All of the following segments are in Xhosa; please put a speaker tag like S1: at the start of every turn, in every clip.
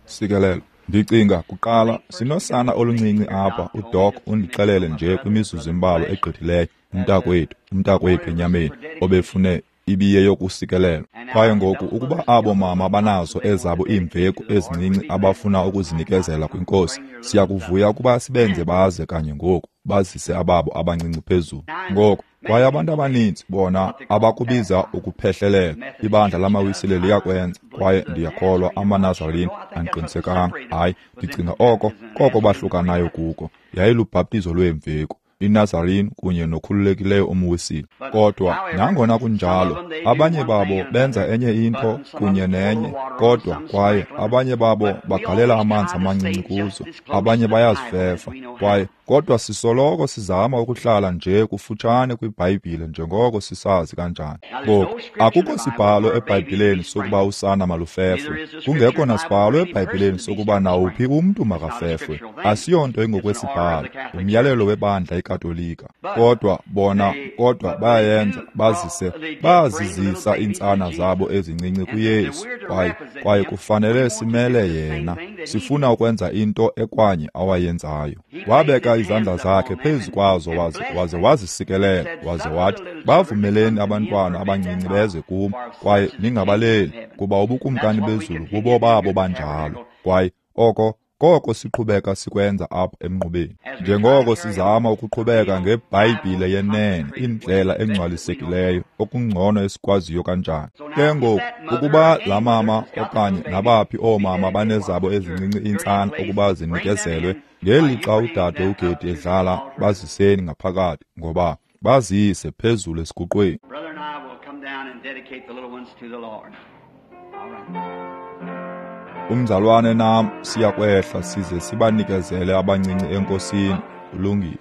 S1: Sikelelo. Ndicinga kuqala sinosana oluncinci apha. UDoc undixelele nje kwimizuzu embalwa egqithileyo, umntakwethu enyameni obefune ibiye yokusikelelwa. Kwaye ngoku ukuba abo mama banazo ezabo iimveku ezincinci abafuna ukuzinikezela kwiNkosi, siyakuvuya ukuba sibenze baze kanye ngoku, bazise ababo abancinci phezulu. Ngoku, kwaye abantu abaninzi bona abakubiza ukuphehlelela, ibandla lamaWisile liyakwenza, kwaye ndiyakholwa amaNazarene andiqinisekanga. Hayi, ndicinga oko koko bahlukanayo kuko. Yayilubhaptizo lweemveku, iNazarene kunye nokhululekileyo umWisile. Kodwa nangona kunjalo, abanye babo benza enye into kunye nenye, kodwa kwaye abanye babo bagalela amanzi amancinci kuzo, abanye bayazifefa, kwaye kodwa sisoloko sizama ukuhlala nje kufutshane kwiBhayibhile njengoko sisazi kanjani. Ngoku, akukho sibhalo eBhayibhileni sokuba usana malufefwe, kungekho nasibhalo eBhayibhileni sokuba nawuphi umntu makafefwe. Asiyonto engokwesibhalo, umyalelo webandla iKatolika. Kodwa bona, kodwa bayayenza, bazizisa iintsana zabo ezincinci kuYesu, kwaye kufanele simele yena. Sifuna ukwenza into ekwanye awayenzayo. Wabeka izandla zakhe phezu kwazo waze wazisikelela, waze wathi, bavumeleni abantwana abancinci beze kum, kwaye ningabaleli, kuba ubukumkani bezulu bubo babo banjalo. Kwaye oko koko siqhubeka sikwenza apha emnqubeni, njengoko sizama ukuqhubeka ngeBhayibhile yenene, indlela engcwalisekileyo, okungcono esikwaziyo kanjani. Ke ngoku, ukuba laa mama okanye nabaphi oomama banezabo ezincinci iintsana ukuba zinikezelwe, ngelixa udade uGedi edlala, baziseni ngaphakathi, ngoba bazise phezulu esiguqweni. Umzalwane nam siyakwehla size sibanikezele abancinci eNkosini. Kulungile.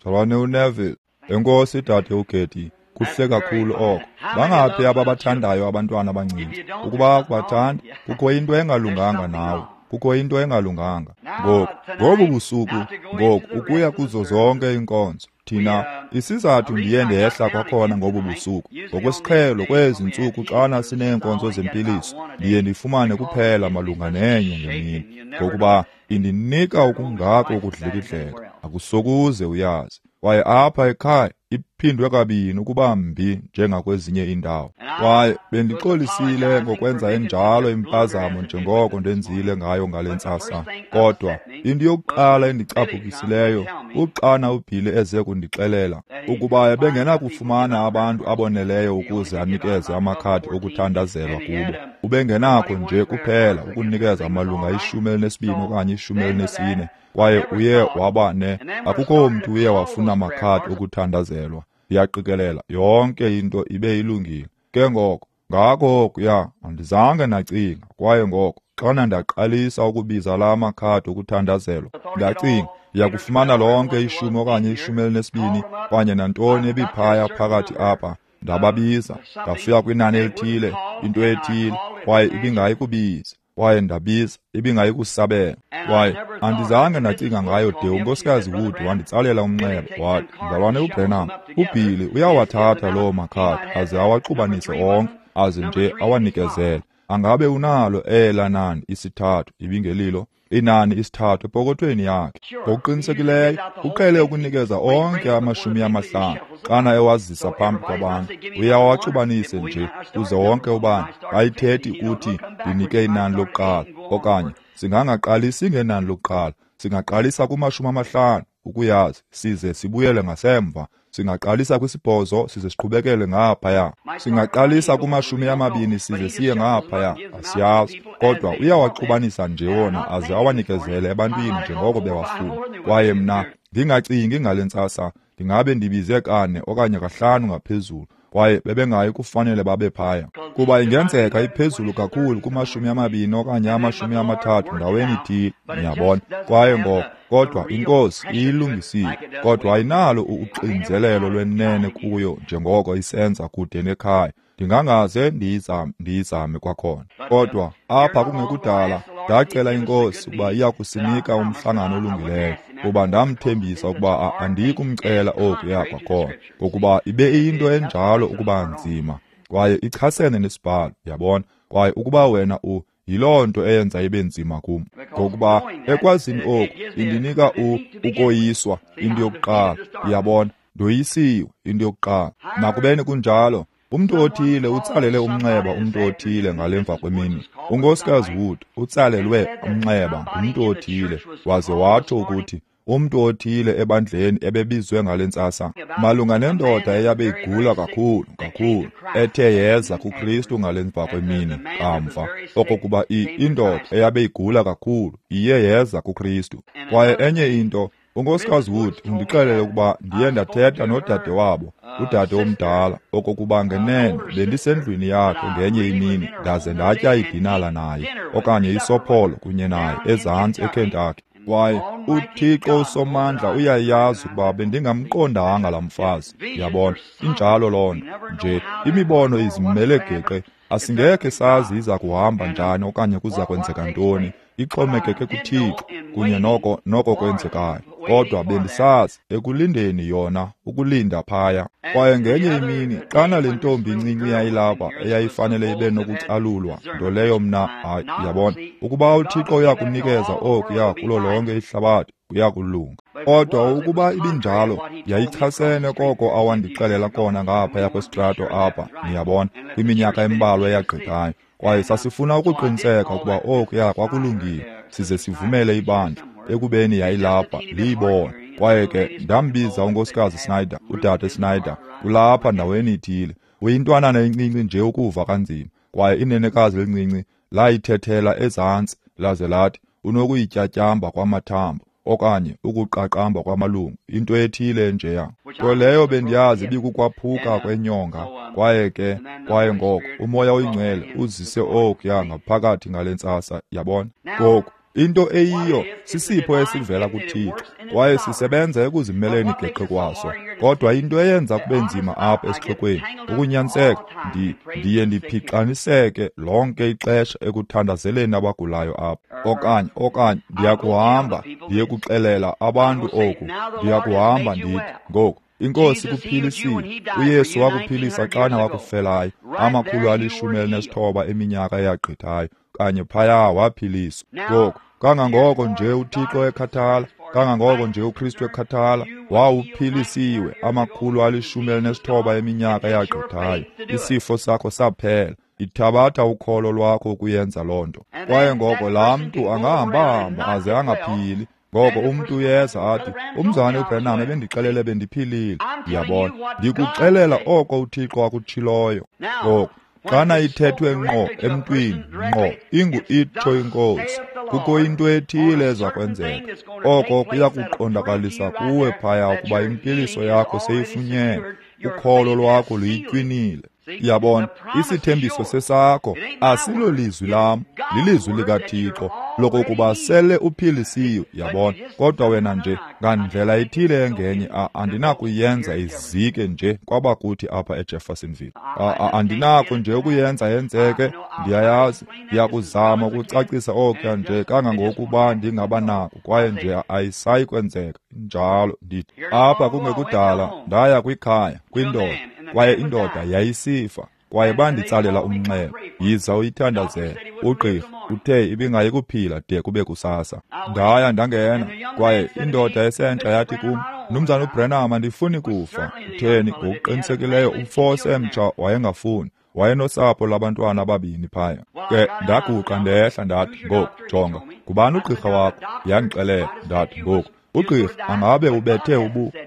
S1: Mzalwane uNeville, enkosi dade uGedi, kuhle kakhulu oko. Bangaphi ababathandayo abantwana abancinci? Ukuba akubathandi, kukho into engalunganga nawe. Kukho into engalunganga. Ngoku, ngobu busuku, ngoku ukuya kuzo zonke iinkonzo. Thina, isizathu ndiye ndehla kwakhona ngobu busuku. Ngokwesiqhelo kwezi ntsuku xana sineenkonzo zempiliso, ndiye ndifumane kuphela malunga nenye ngemini, ngokuba indinika okungako ukudlikidleka, akusokuze uyazi. Kwaye apha ekhaya iphindwe kabini ukuba mbi njengakwezinye iindawo. Kwaye bendixolisile ngokwenza enjalo impazamo njengoko ndenzile ngayo ngale ntsasa. Kodwa into yokuqala endicaphukisileyo kuxana uBilly eze kundixelela ukuba ebengenakufumana abantu aboneleyo ukuze anikeze amakhadi okuthandazelwa kubo. Ubengenakho nje kuphela ukunikeza amalunga 12 okanye 14. Kwaye uye waba ne akukho mntu uye wafuna amakhadi okuthandazelwa. Ndiyaqikelela yonke into ibe ilungile. Ke ngoko, ngako okuya andizange ndacinga. Kwaye ngoko xana ndaqalisa ukubiza la makhadi okuthandazelwa, ndacinga ndiyakufumana lonke 10 okanye 12 okanye nantoni ebiphaya phakathi apha. Ndababiza, ndafika kwinani elithile, into ethile, kwaye ibingayi kubiza. Kwaye ndabiza, ibingayi kusabela. Kwaye andizange ndacinga ngayo de uNkosikazi Wood wanditsalela umnxeba, wathi, Mzalwane uBranham, uBilly uyawathatha loo makhadi aze awaxubanise onke, aze nje awanikezele. Angabe unalo ela nani isithathu, ibingelilo inani isithathu epokothweni yakhe. Ngokuqinisekileyo uqhele ukunikeza onke 50 xana ewazisa phambi kwabantu. Uyawaxubanise nje kuze wonke ubani ayithethi ukuthi ndinike inani lokuqala, okanye singangaqalisi ngenani lokuqala, singaqalisa kuma-50 ukuyazi, size sibuyele ngasemva. Singaqalisa kwi-8 size siqhubekele ngaphaya. Singaqalisa kuma-20 size siye ngaphaya. Asiyazi, kodwa uyawaxubanisa nje wona aze awanikezele ebantwini njengoko bewafuna. Kwaye mna ndingacingi ngale ntsasa, ndingabe ndibize 4 okanye 5 ngaphezulu, kwaye bebengayi kufanele babe phaya, kuba ingenzeka iphezulu kakhulu kuma-20 okanye 30 ndaweni ithile, niyabona. Kwaye ngoko, kodwa iNkosi iyilungisile, kodwa ayinalo uxinzelelo lwenene kuyo njengoko isenza kude nekhaya. Ndingangaze ndiyizame kwakhona. Kodwa apha kungekudala ndacela iNkosi ukuba iya kusinika umhlangano olungileyo, kuba ndamthembisa ukuba andiyi kumcela okuya kwakhona, ngokuba ibe iyinto enjalo ukuba nzima kwaye ichasene nesibhalo, yabona. Kwaye ukuba wena Yiloo nto eyenza ibe nzima kum, ngokuba ekwazini oku indinika ukoyiswa into yokuqala. Uyabona, ndoyisiwe into yokuqala. Nakubeni kunjalo, umntu othile utsalele umnxeba umntu othile ngalemva kwemini. Unkosikazi Wood utsalelwe umnxeba ngumntu othile, waze watsho ukuthi umntu othile ebandleni ebebizwe ngale ntsasa malunga nendoda eyabe igula kakhulu kakhulu ethe yeza kuKristu ngale mva kwemini kamva, okokuba indoda eyabe igula kakhulu iye yeza kuKristu. Kwaye enye into, unkosikazi Wood undixelele ukuba ndiye ndathetha nodade wabo, udade omdala, okokuba ngenene bendisendlwini yakhe ngenye imini ndaze ndatya idinala naye okanye isopholo kunye naye ezantsi eKentucky. Kwaye uThixo uSomandla uyayazi ukuba bendingamqondanga laa mfazi. Yabona, injalo loo nto nje. Imibono izimele geqe, asingekhe sazi iza kuhamba njani okanye kuza kwenzeka ntoni, ixhomekeke kuThixo kunye noko kwenzekayo. Kodwa bendisazi ekulindeni yona, ukulinda phaya. Kwaye ngenye imini xana le ntombi incinci yayilapha eyayifanele ibe nokucalulwa, nto leyo mna, hayi, yabona, ukuba uThixo uyakunikeza okuya kulo lonke ihlabathi, kuyakulunga. Kodwa ukuba ibinjalo, yayichasene koko awandixelela kona ngaphaya kwesitrato apha, niyabona, kwiminyaka embalwa eyagqithayo. Kwaye sasifuna ukuqiniseka ukuba okuya kwakulungile, size sivumele ibandla ekubeni yayilapha liyibone. Kwaye ke ndambiza unkosikazi Snyder, udade Snyder, ulapha ndaweni ithile. Uyintwanana encinci nje ukuva kanzima. Kwaye inenekazi elincinci layithethela ezantsi laze lathi unokuyityatyamba kwamathambo okanye ukuqaqamba kwamalungu, into ethile njeya. Nto leyo bendiyazi ibikukwaphuka kwenyonga. Kwaye ke, kwaye ngoko uMoya oyiNgcwele uzise okuya ngaphakathi ngale ntsasa, yabona. Ngoku into eyiyo sisipho esivela kuThixo, kwaye sisebenza ekuzimeleni geqe kwaso. Kodwa into eyenza kube nzima apha esixekweni ukunyaniseka, ndiye ndiphixaniseke lonke ixesha ekuthandazeleni abagulayo apha. Okanye ndiyakuhamba ndiye kuxelela abantu oku, ndiyakuhamba ndithi ngoku, iNkosi ikuphilisile. uYesu wakuphilisa xana wakufelayo 119 eminyaka eyagqithayo, kanye phaya waphiliswa. Ngoku kangangoko nje uThixo ekhathala, kangangoko nje uKristu ekhathala, wawuphilisiwe 119 eminyaka eyagqithayo. Isifo sakho saphela. Ithabatha ukholo lwakho ukuyenza loo nto. Kwaye ngoko laa mntu angahamba-hamba aze angaphili. Ngoko umntu uyeza athi, umzalwane uBranham ebendixelele bendiphilile. Ndiyabona, ndikuxelela oko uThixo akutshiloyo. Ngoku xana ithethwe ngqo emntwini, ngqo ingu-itsho iNkosi, kukho into ethile eza kwenzeka. Oko kuyakuqondakalisa kuwe phaya ukuba impiliso yakho seyifunyenwe, ukholo lwakho luyitywinile. Yabona, isithembiso sesakho asilolizwi lam, lilizwi likaThixo lokokuba sele uphilisiwe, yabona. Kodwa wena nje ngandlela ithile engenye andinakuyenza izike nje kwabakuthi apha eJeffersonville. Andinako nje ukuyenza yenzeke, ndiyayazi. Ndiyakuzama ukucacisa okuya nje kangangokuba ndingaba nako, kwaye nje ayisayi kwenzeka njalo. Ndithi apha kungekudala ndaya kwikhaya kwindoda, kwaye indoda yayisifa, kwaye banditsalela umnxeba, yiza uyithandazele. Ugqirha uthe ibingayi kuphila de kube kusasa. Ndaya ndangena, kwaye indoda esentsha yathi kum, Mnumzana uBranham, andifuni kufa. Utheni? Ngokuqinisekileyo umfo osemtsha wayengafuni. Wayenosapho lwabantwana ababini phaya. Ke ndaguqa ndehla ndathi, ngoku jonga, ngubani ugqirha wakho? Yandixelela. Ndathi, ngoku ugqirha angabe ubethe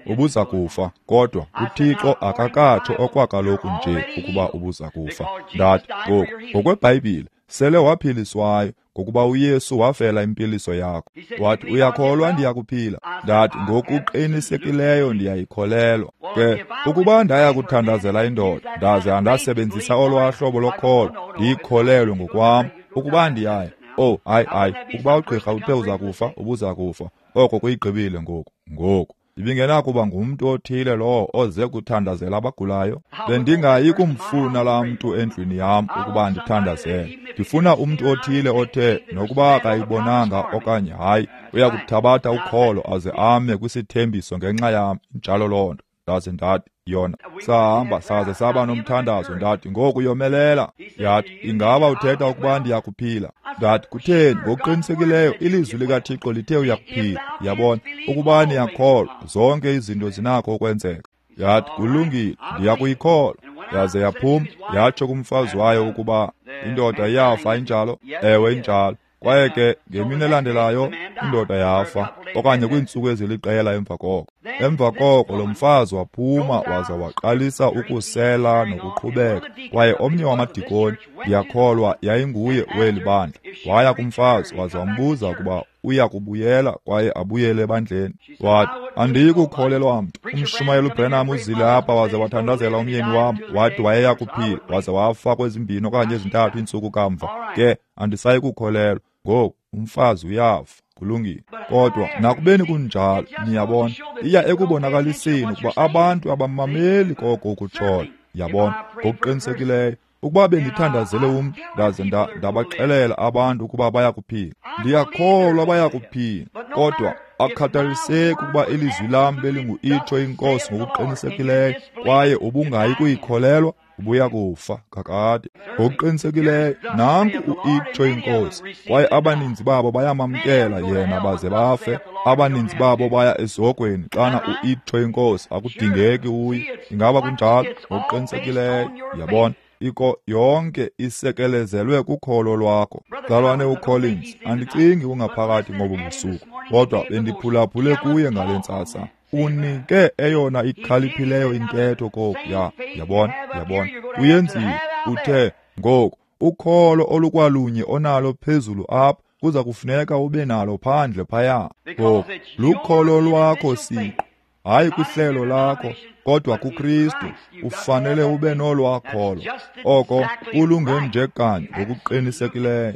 S1: ubuza kufa, kodwa uThixo akakatsho okwakaloku nje ukuba ubuza kufa. Ndathi, ngoku ngokweBhayibhile sele waphiliswayo, ngokuba uYesu wafela impiliso yakho. Wathi, uyakholwa ndiyakuphila? Ndathi, ngokuqinisekileyo ndiyayikholelwa. Ke ukuba ndaya kuthandazela indoda ndaze andasebenzisa olwaa hlobo lokholo, ndiyikholelwe ngokwam ukuba ndiyaya. Oh, hayi, ukuba ugqirha uthe uza kufa, ubuza kufa. Oko kuyigqibile ngoku. Ngoku ibingenakuba ngumntu othile lowo oze kuthandazela abagulayo. Bendingayi kumfuna laa mntu endlwini yam ukuba ndithandazele. Ndifuna umntu othile othe nokuba akayibonanga okanye hayi, uyakuthabatha ukholo aze ame kwisithembiso ngenxa yam. Injalo loo nto. Ndaze ndathi, yona, sahamba saze saba nomthandazo. Ndathi, ngoku yomelela. Yathi, ingaba uthetha ukuba ndiyakuphila? Ndathi, kutheni? Ngokuqinisekileyo ilizwi likaThixo lithe uyakuphila. Yabona, ukuba niyakholwa, zonke izinto zinakho ukwenzeka. Yathi, kulungile, ndiyakuyikholwa. Yaze yaphuma, yatsho kumfazi wayo ukuba indoda iyafa. Injalo? Ewe, injalo. Kwaye ke ngemini elandelayo indoda yafa, okanye kwiintsuku eziliqela emva koko. Emva koko lo mfazi waphuma waza waqalisa ukusela nokuqhubeka. Kwaye omnye wamadikoni, ndiyakholwa yayinguye weli bandla, waya kumfazi waza wambuza ukuba uya kubuyela kwaye abuyele ebandleni. Wathi, andiyi kukholelwa mntu. Umshumayeli uBrenham uzile apha waze wathandazela umyeni wam, wathi wayeya kuphila, waze wafa kwezimbini okanye ezintathu iintsuku kamva. Ke andisayi kukholelwa. Ngoku umfazi uyafa. Kulungile. Kodwa nakubeni kunjalo, niyabona, iya ekubonakaliseni ukuba abantu abamameli koko ukutshoyo. Yabona, ngokuqinisekileyo, ukuba bendithandazele umntu ndaze ndabaxelela abantu ukuba bayakuphila, ndiyakholwa bayakuphila. Kodwa akukhathaliseki ukuba ilizwi lam belingu-itsho inkosi ngokuqinisekileyo, kwaye ubungayi kuyikholelwa, ubuya kufa kakade. Ngokuqinisekileyo, nanku u-itsho inkosi, kwaye abaninzi babo bayamamkela yena baze bafe. Abaninzi babo baya esihogweni xana u-itsho inkosi, akudingeki uye. Ingaba kunjalo? Ngokuqinisekileyo. Yabona, iko yonke isekelezelwe kukholo lwakho. Mzalwane uCollins, andicingi ungaphakathi ngobu busuku, kodwa bendiphulaphule kuye ngale ntsasa. Unike eyona ikhaliphileyo intetho kokuya. Yabona, yabona, uyenzile. Uthe, ngoku ukholo olukwalunye onalo phezulu apha kuza kufuneka ube nalo phandle phaya. Ngoku lukholo lwakho siqu, hayi kwihlelo lakho, kodwa kuKristu. Ufanele ube nolwakholo. Oko kulunge nje kanye ngokuqinisekileyo.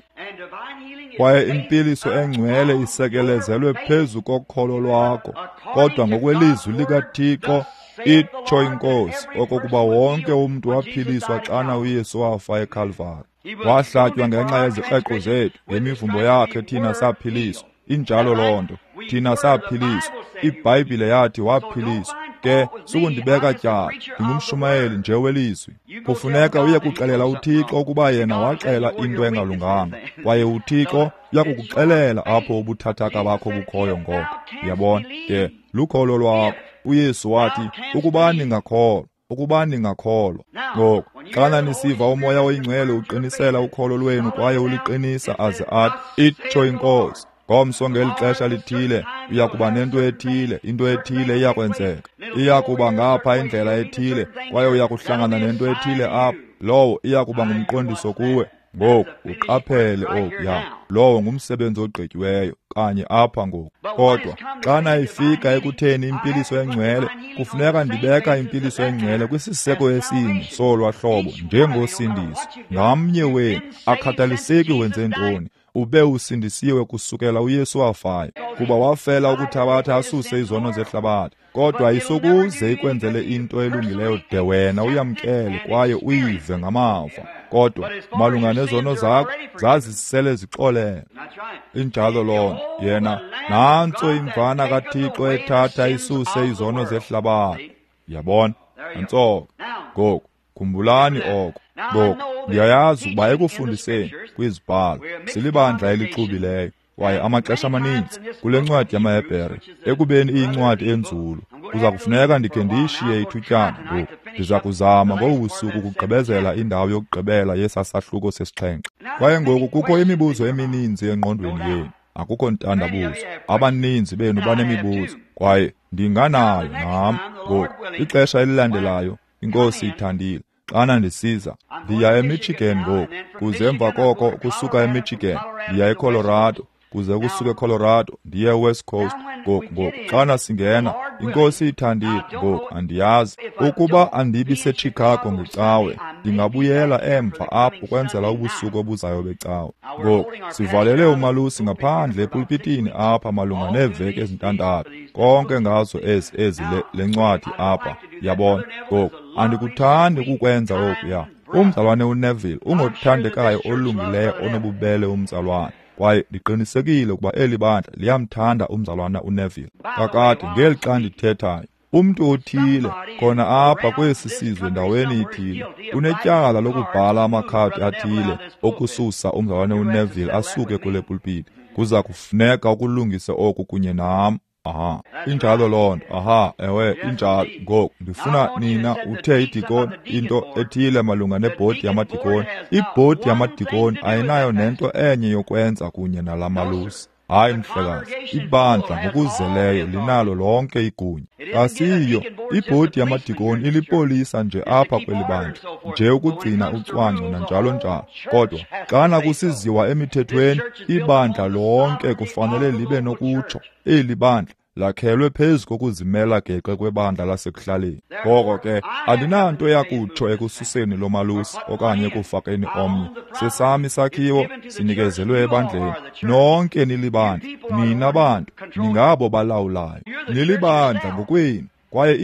S1: Kwaye impiliso engcwele isekelezelwe phezu kokholo lwakho, kodwa ngokwelizwi likaThixo, itsho inkosi, okokuba wonke umntu waphiliswa xana uYesu wafa eKalvari. Wahlatywa ngenxa yezikreqo zethu, ngemivumbo yakhe thina saphiliswa. Injalo loo nto, thina saphiliswa. IBhayibhile yathi waphiliswa. Ke sukundibeka tyala, ndingumshumayeli nje welizwi. Kufuneka uye kuxelela uThixo ukuba yena waxela into engalunganga, kwaye uThixo uyakukuxelela apho ubuthathaka bakho bukhoyo ngoko. Uyabona, ke lukholo lwakho. uYesu wathi, ukuba ningakholwa, ukuba ningakholwa. Ngoku xana nisiva uMoya oyiNgcwele uqinisela ukholo lwenu kwaye uliqinisa aze athi, itsho inkosi, ngomso ngeli xesha lithile uya kuba nento ethile, into ethile iyakwenzeka. Iya kuba ngapha indlela ethile, kwaye uya kuhlangana nento ethile apha. Lowo iya kuba ngumqondiso kuwe. Ngoku uqaphele okuya, lowo ngumsebenzi ogqityiweyo kanye apha ngoku. Kodwa xana ifika ekutheni impiliso engcwele, kufuneka ndibeka impiliso engcwele kwisiseko esinye solwa hlobo njengosindiso. Ngamnye wenu, akhathaliseki wenze ntoni, ube usindisiwe kusukela uYesu wafayo, kuba wafela ukuthabatha asuse izono zehlabathi. Kodwa ayisokuze ikwenzele into elungileyo de wena uyamkele kwaye uyive ngamava. Kodwa malunga nezono zakho zazisele zixolele. Injalo loo nto. Yena, nantso imvana kaThixo ethatha isuse izono zehlabathi. Yabona, nantso. Ngoku khumbulani oko. Ngoku ndiyayazi ukuba ekufundiseni kwizibhalo silibandla elixubileyo, kwaye amaxesha amaninzi kule ncwadi yamaHebhere, ekubeni iyincwadi enzulu, kuza kufuneka ndikhe ndiyishiye ithutyana ngoku. Ndiza kuzama ngobu busuku ukugqibezela indawo yokugqibela yesasahluko sesixhenxe. Kwaye ngoku kukho imibuzo emininzi engqondweni yenu. Akukho ntandabuzo, abaninzi benu banemibuzo, kwaye ndinganayo nam. Ngoku ixesha elilandelayo, iNkosi ithandile, xana ndisiza, ndiya eMichigan ngoku, kuze emva koko kusuka eMichigan ndiya eColorado, kuze kusuka eColorado ndiye eWest Coast. Ngoku xana singena, iNkosi ithandile, ngoku andiyazi ukuba andibi seChicago ngecawe, ndingabuyela emva apho ukwenzela ubusuku obuzayo becawe. Ngoku sivalele umalusi ngaphandle epulpitini apha malunga neeveki ezintandathu, konke ngazo ezi le ncwadi apha. Yabona, ngoku andikuthandi ukukwenza okuya. Umzalwane uNeville ungothandekayo olungileyo onobubele umzalwane, kwaye ndiqinisekile ukuba eli bandla liyamthanda umzalwana uNeville. Kakade ngeli xa ndithethayo, Umntu othile khona apha kwesi sizwe ndaweni ithile unetyala lokubhala amakhadi athile okususa umzalwane uNeville asuke kule pulpiti. Kuza kufuneka ukulungise oku kunye nam. Aha, injalo loo nto. Aha, ewe, injalo. Ngoku ndifuna nina uthe idikoni into ethile malunga nebhodi yamadikoni. Ibhodi yamadikoni ayinayo nento enye yokwenza kunye nala malusi. Hayi mhlekazi, ibandla ngokuzeleyo linalo lonke igunya. Asiyo ibhodi yamadikoni ilipolisa nje apha kweli bandla, nje ukugcina ucwangco nanjalo njalo. Kodwa xana kusiziwa emithethweni, ibandla lonke kufanele libe nokutsho. Eli bandla lakhelwe phezu kokuzimela geqe kwebandla lasekuhlaleni. Ngoko ke andinanto yakutsho ekususeni lo malusi okanye ekufakeni omnye. Sesam isakhiwo sinikezelwe ebandleni. Nonke nilibandla, nina bantu ningabo balawulayo. Nilibandla ngokwenu. Kwaye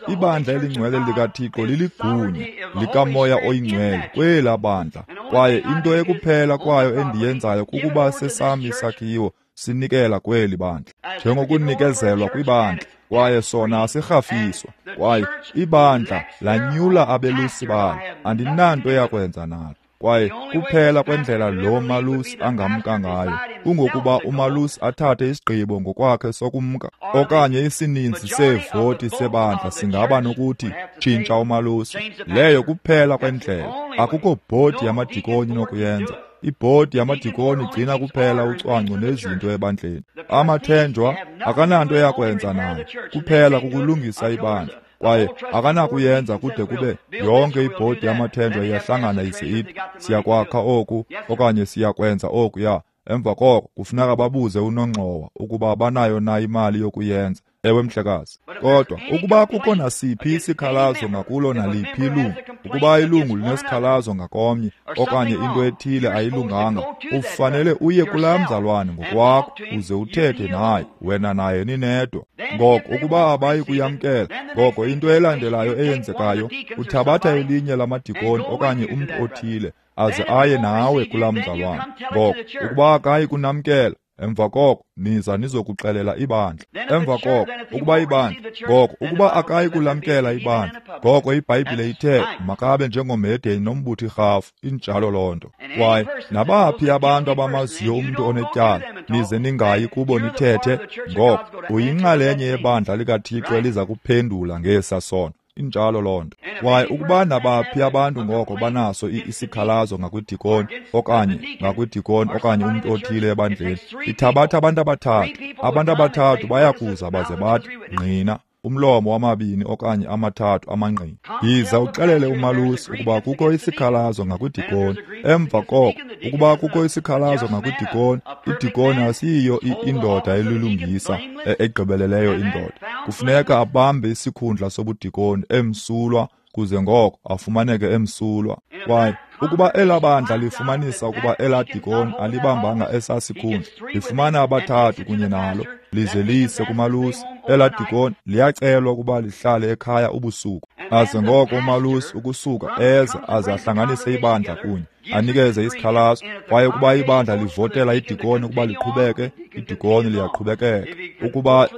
S1: ibandla elingcwele likaThixo liligunya likaMoya oyiNgcwele kwela bandla. Kwaye into ekuphela kwayo endiyenzayo kukuba sesam isakhiwo sinikela kweli bandla, njengokunikezelwa kwibandla, kwaye sona asirhafiswa. Kwaye ibandla lanyula abelusi balo, andinanto yakwenza nalo. Kwaye kuphela kwendlela lo malusi angamka ngayo kungokuba umalusi athathe isigqibo ngokwakhe sokumka, okanye isininzi seevoti sebandla singaba nokuthi tshintsha umalusi. Leyo kuphela kwendlela. Akukho bhodi yamadikoni inokuyenza. Ibhodi yamadikoni igcina kuphela ucwangco nezinto ebandleni. Amathenjwa akananto yakwenza nayo, kuphela kukulungisa ibandla. Kwaye akanakuyenza kude kube yonke ibhodi yamathenjwa iyahlangana ize ithi siyakwakha oku okanye siyakwenza okuya. Emva koko kufuneka babuze unongxowa ukuba banayo na imali yokuyenza. Ewe mhlekazi. Kodwa ukuba kukho nasiphi isikhalazo ngakulo naliphi ilungu, ukuba ilungu linesikhalazo ngakomnye okanye into ethile ayilunganga, ufanele uye kulaa mzalwane ngokwakho uze uthethe naye, wena naye ninedwa. Ngoko ukuba abayi kuyamkela, ngoko into elandelayo eyenzekayo, uthabatha elinye lamadikoni okanye umntu othile aze aye nawe kulaa mzalwane. Ngoko ukuba akayi kunamkela, emva koko niza nizokuxelela ibandla. Emva koko ukuba ibandla, ngoko ukuba akayi kulamkela ibandla, ngoko iBhayibhile ithe makabe njengomhedeni nombuthi rhafu. Injalo loo nto. Kwaye nabaphi abantu abamaziyo umntu onetyala, nize ningayi kubo nithethe, ngoko uyinxalenye yebandla likaThixo eliza kuphendula ngesa sono. Injalo loo nto. Kwaye ukuba nabaphi abantu ngoko banaso isikhalazo ngakwidikoni okanye ngakwidikoni okanye umntu othile ebandleni, ithabatha abantu abathathu. Abantu abathathu bayakuza baze bathi ngqina, umlomo wamabini okanye amathathu amangqina. Yiza uxelele umalusi ukuba kukho isikhalazo ngakwidikoni. Emva koko ukuba kukho isikhalazo ngakwidikoni, idikoni asiyiyo indoda elilungisa egqibeleleyo indoda. Kufuneka abambe isikhundla sobudikoni emsulwa, kuze ngoko afumaneke emsulwa. Kwaye ukuba elaa bandla lifumanisa ukuba elaa dikoni alibambanga esaa sikhundla, lifumana abathathu kunye nalo, lize lise kumalusi. Elaa dikoni liyacelwa ukuba lihlale ekhaya ubusuku, aze ngoko umalusi ukusuka eze aze ahlanganise ibandla kunye, anikeze isikhalazo. Kwaye ukuba ibandla livotela idikoni ukuba liqhubeke, idikoni liyaqhubekeka. Ukuba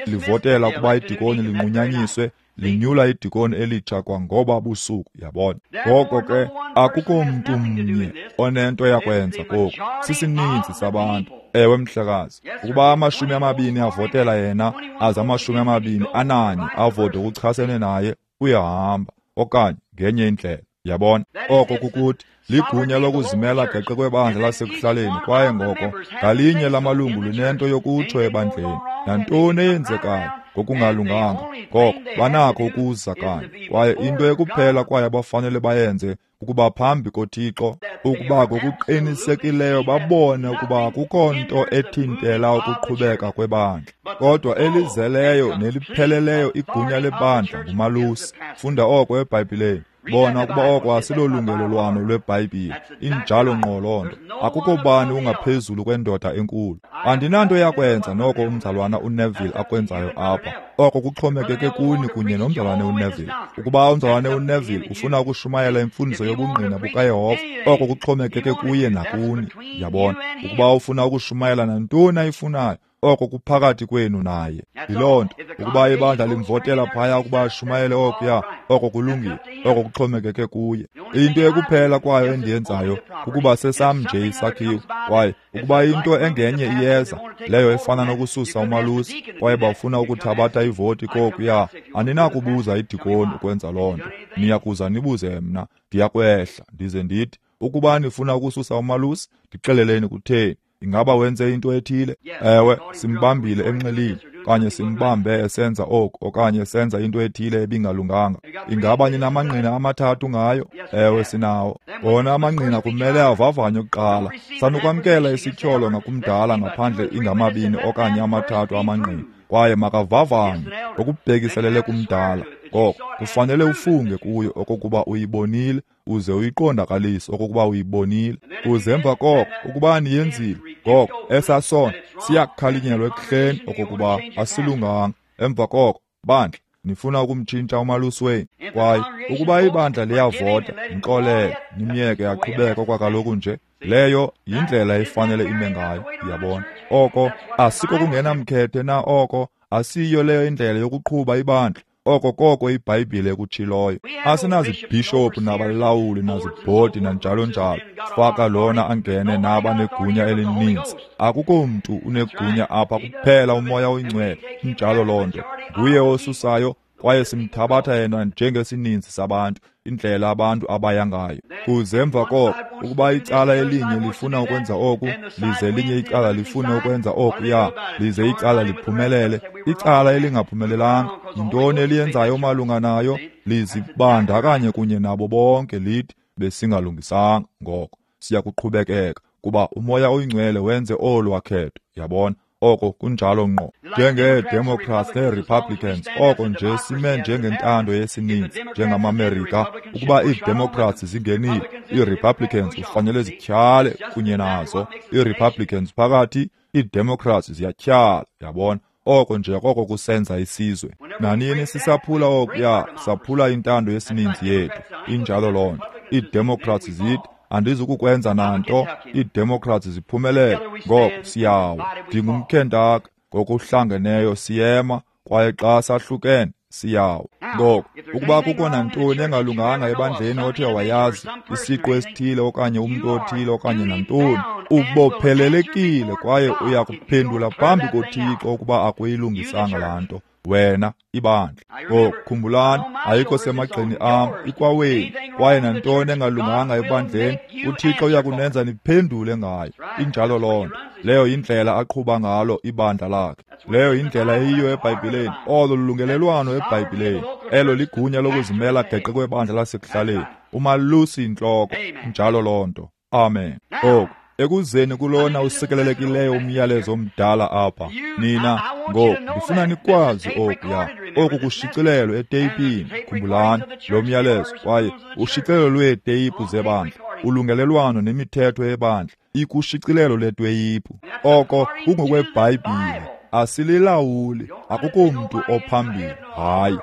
S1: livotela ukuba idikoni linqunyanyiswe, linyula idikoni elitsha kwangoba busuku, yabona. Ngoko ke akukho mntu mnye onento yakwenza koku, sisininzi sabantu. Ewe mhlekazi, ukuba 20 avotela yena, aze 24 avote ukuchasene naye, uyahamba okanye ngenye indlela, yabona. Oko kukuthi ligunya lokuzimela geqe kwebandla lasekuhlaleni. Kwaye ngoko ngalinye lamalungu linento yokutsho ebandleni, nantoni eyenzekayo ngokungalunganga, ngoko banakho ukuza kanye. Kwaye into ekuphela kwaye abafanele bayenze ukuba phambi koThixo, ukuba ngokuqinisekileyo babone ukuba akukho nto ethintela ukuqhubeka kwebandla. Kodwa elizeleyo nelipheleleyo igunya lebandla ngumalusi. Funda oko eBhayibhileni. Bona ukuba oko asilolungelelwano lweBhayibhile. Injalo ngqo loo nto. Akukho bani ungaphezulu kwendoda enkulu. Andinanto yakwenza noko umzalwana uNeville akwenzayo apha. Oko kuxhomekeke kuni kunye nomzalwane uNeville. Ukuba umzalwane uNeville ufuna ukushumayela imfundiso yobungqina bukaYehova, oko kuxhomekeke kuye nakuni. Yabona, ukuba ufuna ukushumayela nantoni ayifunayo, Oko kuphakathi kwenu naye. Yiloo nto, ukuba ibandla limvotela phaya ukuba ashumayele okuya, oko kulungile, oko kuxhomekeke kuye. Into ekuphela kwayo endiyenzayo kukuba sesam nje isakhiwo, kwaye ukuba into engenye iyeza, leyo efana nokususa umalusi, kwaye bafuna ukuthabatha ivoti kokuya, aninakubuza idikoni ukwenza loo nto. Niyakuza nibuze mna, ndiyakwehla ndize ndithi, ukuba nifuna ukususa umalusi, ndixeleleni kutheni. Ingaba wenze into ethile? Ewe, simbambile enxilile, okanye simbambe esenza oku, okanye esenza into ethile ebingalunganga. Ingaba ninamangqina amathathu ngayo? Ewe, sinawo. Wona amangqina kumele avavanywe kuqala. Sanukwamkela isityholo ngakumdala ngaphandle ingamabini okanye amathathu amangqina, kwaye makavavanywe ngokubhekiselele kumdala. Ngoko kufanele ufunge kuyo okokuba uyibonile, uze uyiqondakalise okokuba uyibonile. Uze emva koko, ukuba niyenzile, ngoko esasono siyakukhalinyelwa ekuhleni okokuba asilunganga. Emva koko, bandla, nifuna ukumtshintsha umalusi wenu. Kwaye ukuba ibandla liyavota, mxolele, nimyeke aqhubeke okwakaloku nje. Leyo yindlela efanele ime ngayo, uyabona. Oko asiko kungenamkhethe na oko, asiyo leyo indlela yokuqhuba ibandla. Oko koko iBhayibhile ekutshiloyo. Asinazibhishophu nabalawuli nazibhodi nanjalo njalo. Faka lona angene nabanegunya elininzi. Akukho mntu unegunya apha kuphela uMoya oyiNgcwele. Injalo loo nto. Nguye osusayo, kwaye simthabatha yena njengesininzi sabantu, indlela abantu abaya ngayo. Kuze emva koko, ukuba icala elinye lifuna ukwenza oku, lize elinye icala lifune ukwenza okuya, lize icala liphumelele, icala elingaphumelelanga, yintoni eliyenzayo malunga nayo? Lizibandakanye kunye nabo bonke, lithi besingalungisanga. Ngoko siyakuqhubekeka, kuba uMoya oyiNgcwele wenze olu wakhetho. Yabona? Oko kunjalo ngqo. Njengee-Democrats nee-Republicans, oko nje sime njengentando yesininzi, njengamaMerika. Ukuba ii-Democrats zingenile, ii-Republicans kufanele zityhale kunye nazo. Ii-Republicans phakathi, ii-Democrats ziyatyhala. Yabona? Oko nje koko kusenza isizwe. Nanini sisaphula okuya, saphula intando yesininzi yethu. Injalo loo nto. Ii-Democrats zithi, andizukukwenza nanto. Ii-Democrats ziphumelele, ngoko siyawa. NdingumKentaka, ngokuhlangeneyo siyema, kwaye xa sahlukene siyawa. Ngoko ukuba kukho nantoni engalunganga ebandleni othe wayazi, isiqu esithile okanye umntu othile okanye nantoni, ubophelelekile kwaye uya kuphendula phambi koThixo ukuba akuyilungisanga laa nto. Wena ibandla. Ngoku khumbulani, ayikho semagxeni am, ikwawenu. Kwaye nantoni engalunganga ebandleni, uThixo uya kunenza niphendule ngayo. Injalo loo nto. Leyo yindlela aqhuba ngalo ibandla lakhe. Leyo yindlela eyiyo eBhayibhileni. Olo lulungelelwano eBhayibhileni. Elo ligunya lokuzimela geqe kwebandla lasekuhlaleni. Umalusi intloko. Injalo loo nto. Amen. Oku ekuzeni kulona usikelelekileyo umyalezo omdala apha, nina ngoku ndifuna nikwazi okuya. Oku kushicilelo eteyipini. Khumbulani lo myalezo, kwaye ushicilelo lweeteyiphu zebandla, ulungelelwano nemithetho yebandla ikushicilelo leteyiphu. Oko kungokweBhayibhile. Asililawuli, akukho mntu ophambili. Hayi,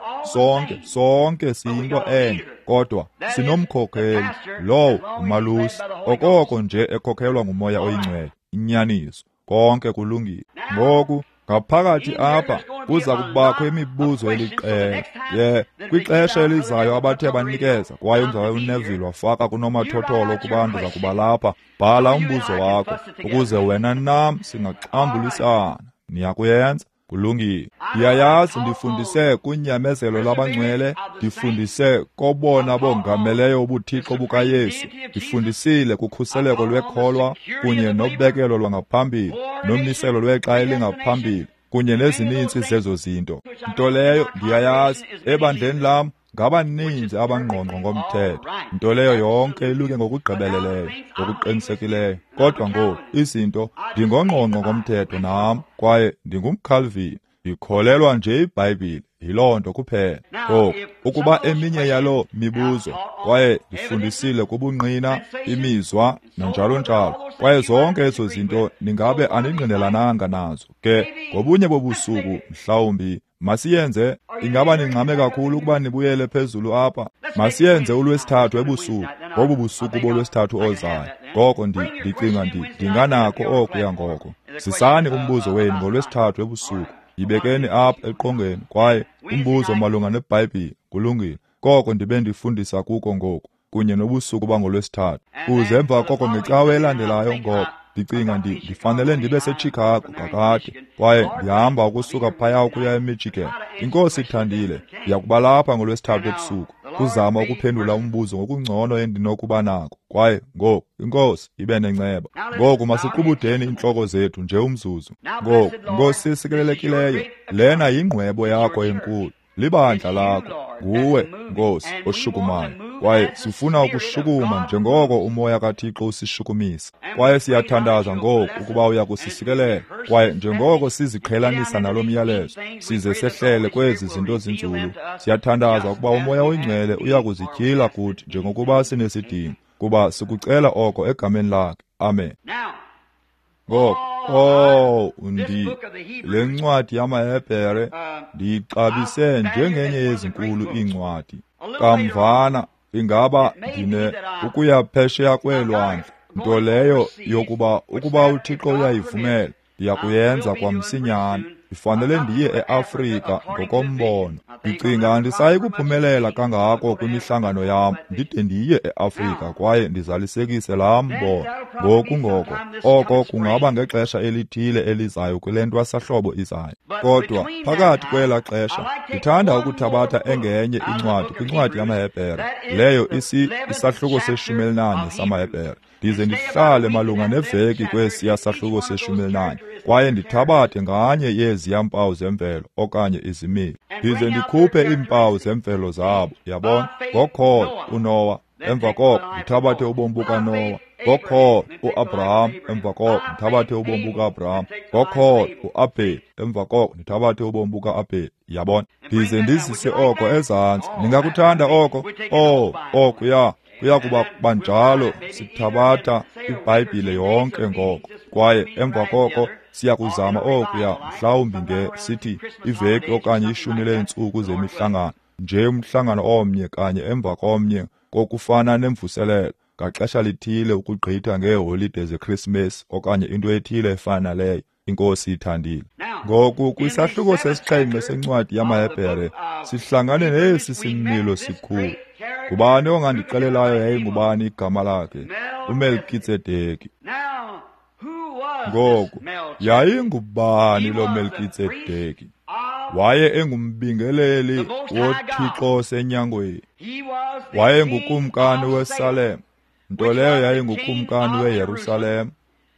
S1: sonke siyinto enye, kodwa sinomkhokheli, lowo umalusi, okoko nje ekhokhelwa nguMoya oyiNgcwele. Inyaniso, konke kulungile. Ngoku ngaphakathi apha kuza kubakho imibuzo eliqela. Ye, kwixesha elizayo abathe banikeza, kwaye umzalwane uNeville wafaka kunomathotholo ukuba ndiza kuba lapha. Bhala umbuzo wakho ukuze wena nam singaxambulisana. Niyakuyenza? Kulungile. Ndiyayazi ndifundise kunyamezelo lwabangcwele, ndifundise kobona bongameleyo ubuthixo bukaYesu, ndifundisile kukhuseleko lwekholwa kunye nobekelo lwangaphambili nomiselo lwexa elingaphambili kunye nezininzi zezo zinto. Nto leyo ndiyayazi ebandleni lam ngabaninzi abangqongqo ngomthetho, nto leyo yonke iluke ngokugqibeleleyo, ngokuqinisekileyo. Kodwa ngoku izinto, ndingongqongqo ngomthetho nam, kwaye ndingumCalvin, ndikholelwa nje iBhayibhile, yiloo nto kuphela. Ngoku ukuba eminye yaloo mibuzo, kwaye ndifundisile kubungqina, imizwa nanjalo njalo, kwaye zonke ezo zinto ningabe aningqinelananga nazo, ke ngobunye bobusuku mhlawumbi masiyenze. Ingaba ningxame kakhulu ukuba nibuyele phezulu apha? Masiyenze uLwesithathu ebusuku, ngobu busuku bolwesithathu ozayo. Ngoko ndicinga ndinganakho okuya ngoko. Zisani umbuzo wenu ngoLwesithathu ebusuku. Yibekeni apha eqongeni kwaye umbuzo malunga neBhayibhile. Kulungile. Koko ndibe ndifundisa kuko ngoku kunye nobusuku bangoLwesithathu. Kuze emva koko ngecawe elandelayo ngoko ndicinga ndifanele ndibe seChicago kakade, kwaye ndihamba ukusuka phaya ukuya eMichigan. Inkosi ithandile, ndiyakuba lapha ngoLwesithathu ebusuku kuzama ukuphendula umbuzo ngokungcono endinokuba nako. Kwaye ngoku inkosi ibe nenceba. Ngoku masiqubudeni iintloko zethu nje umzuzu. Ngoku, Nkosi sikelelekileyo, lena yingqwebo yakho enkulu, libandla lakho, nguwe Nkosi oshukumayo, kwaye sifuna ukushukuma njengoko umoya kaThixo usishukumisa. Kwaye siyathandaza ngoku ukuba uya kusisikelela, kwaye njengoko siziqhelanisa nalo myalezo size sehlele kwezi zinto zinzulu, siyathandaza ukuba umoya oyingcwele uya kuzityhila kuthi njengokuba sinesidingo, kuba sikucela oko egameni lakhe. Amen. Ngoko, le ncwadi yamaHebhere ndiyixabise njengenye yezinkulu iincwadi. Kamvana ingaba ndine ukuya phesheya kweelwandle, nto leyo yokuba ukuba uThixo uyayivumela ndiyakuyenza kwamsinyane. Ndifanele ndiye eAfrika ngokombono. Ndicinga andisayi kuphumelela kangako kwimihlangano yam ndide ndiye eAfrika kwaye ndizalisekise laa mbono. Ngoku ngoko oko kungaba ngexesha elithile elizayo kule ntwasahlobo izayo. Kodwa phakathi kwela xesha ndithanda ukuthabatha engenye incwadi kwincwadi yamaHebhere, leyo isahluko se-14 samaHebhere. Ndize ndihlale malunga neveki kwesiya sahluko se-14, kwaye ndithabathe nganye yeziya mpawu zemvelo okanye izimilo, ndize ndikhuphe iimpawu zemvelo zabo. Yabona, ngokholo uNowa, emva koko ndithabathe ubomi bukaNowa. Ngokholo uAbraham, emva koko ndithabathe ubomi bukaAbraham. Ngokholo uAbheli, emva koko ndithabathe ubomi bukaAbheli. Yabona, ndize ndizise oko ezantsi. Ningakuthanda oko? Okuya kuya kuba banjalo. Sithabatha iBhayibhile yonke ngoko, kwaye emva koko siyakuzama okuya mhlawumbi nge sithi iveki okanye 10 leentsuku zemihlangano, nje umhlangano omnye kanye emva komnye, kokufana nemvuselelo ngaxesha lithile ukugqitha ngeeholide zeKrismesi okanye into ethile efana naleyo, inkosi ithandile. Ngoku kwisahluko se-7 sencwadi yamaHebhere sihlangane nesi similo sikhulu. Ngubani ongandixelelayo yayingubani igama lakhe? uMelkitsedeki. Ngoku yayingubani lo Melkitsedeki? Waye engumbingeleli woThixo osenyangweni. Wayengukumkani weSalem, nto leyo yayingukumkani weYerusalem.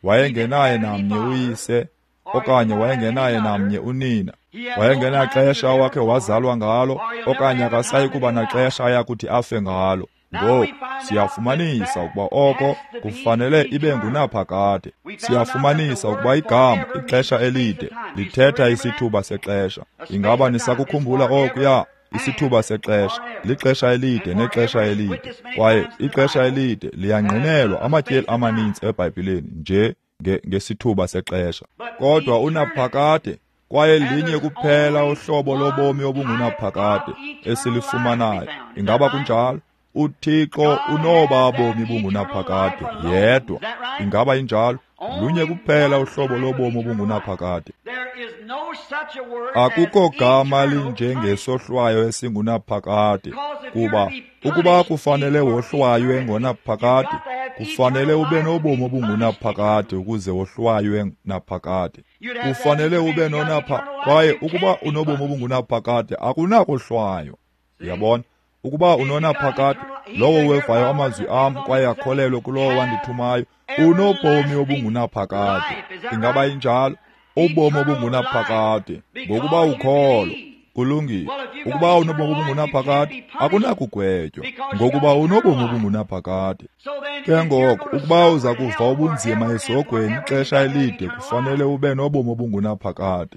S1: Wayengenaye namnye uyise okanye wayengenaye namnye unina. Wayengenaxesha wakhe wazalwa ngalo okanye akasayi kuba naxesha ayakuthi afe ngalo. Ngoku siyafumanisa ukuba oko kufanele ibe ngunaphakade. Siyafumanisa ukuba igama ixesha elide lithetha isithuba sexesha. Ingaba nisakukhumbula okuya? Isithuba sexesha lixesha elide nexesha elide, kwaye ixesha elide liyangqinelwa amatyeli amaninzi eBhayibhileni nje ngesithuba sexesha. Kodwa unaphakade, kwaye linye kuphela uhlobo lobomi obungunaphakade esilifumanayo. Ingaba kunjalo? uThixo unoba bomi bungunaphakade yedwa. Ingaba injalo? Lunye kuphela uhlobo lobomi obungunaphakade. Akukho gama linjengesohlwayo esingunaphakade, kuba ukuba kufanele wohlwaywe ngonaphakade, kufanele ube nobomi obungunaphakade ukuze wohlwaywe naphakade. Kufanele ube nonapha, kwaye ukuba unobomi obungunaphakade akunakohlwaywa. Uyabona? Ukuba unonaphakade, lowo wevayo amazwi am kwaye akholelwe kulowo wandithumayo, unobomi obungunaphakade. Ingaba injalo? Ubomi obungunaphakade ngokuba ukholo. Kulungile. Ukuba unobomi obungunaphakade akunakugwetywa, ngokuba unobomi obungunaphakade. Ke ngoko ukuba uza kuva ubunzima esihogweni ixesha elide, kufanele ube nobomi obungunaphakade.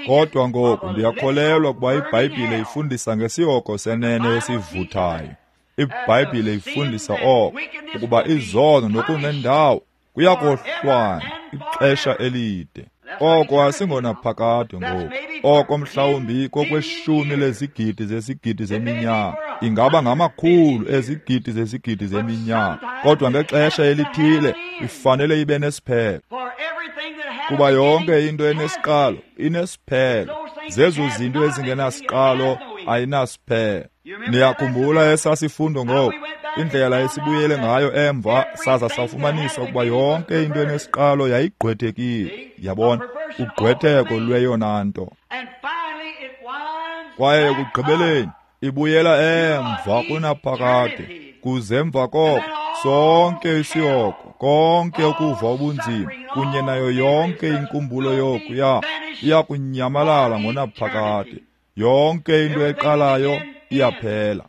S1: Kodwa ngoku ndiyakholelwa ukuba iBhayibhile ifundisa ngesihogo senene esivuthayo. IBhayibhile ifundisa oko, ukuba izono nokungendawo kuyakohlwaywa ixesha elide. Oko asingonaphakade ngoku. Oko mhlawumbi kokweshumi lezigidi zezigidi zeminyaka. Ingaba ngamakhulu ezigidi zezigidi zeminyaka, kodwa ngexesha elithile ifanele ibe nesiphelo. Kuba yonke into enesiqalo inesiphelo. Zezo zinto ezingenasiqalo ayinasiphelo. Niyakhumbula esasifundo ngoko, indlela esibuyele ngayo emva saza safumanisa ukuba yonke into enesiqalo yayigqwethekile. Yabona, ugqwetheko lweyona nto. Kwaye ekugqibeleni ibuyela emva kunaphakade, kuze emva koko sonke isihogo, konke ukuva ubunzima kunye nayo yonke inkumbulo yokuya iyakunyamalala ngonaphakade. Yonke into eqalayo iyaphela.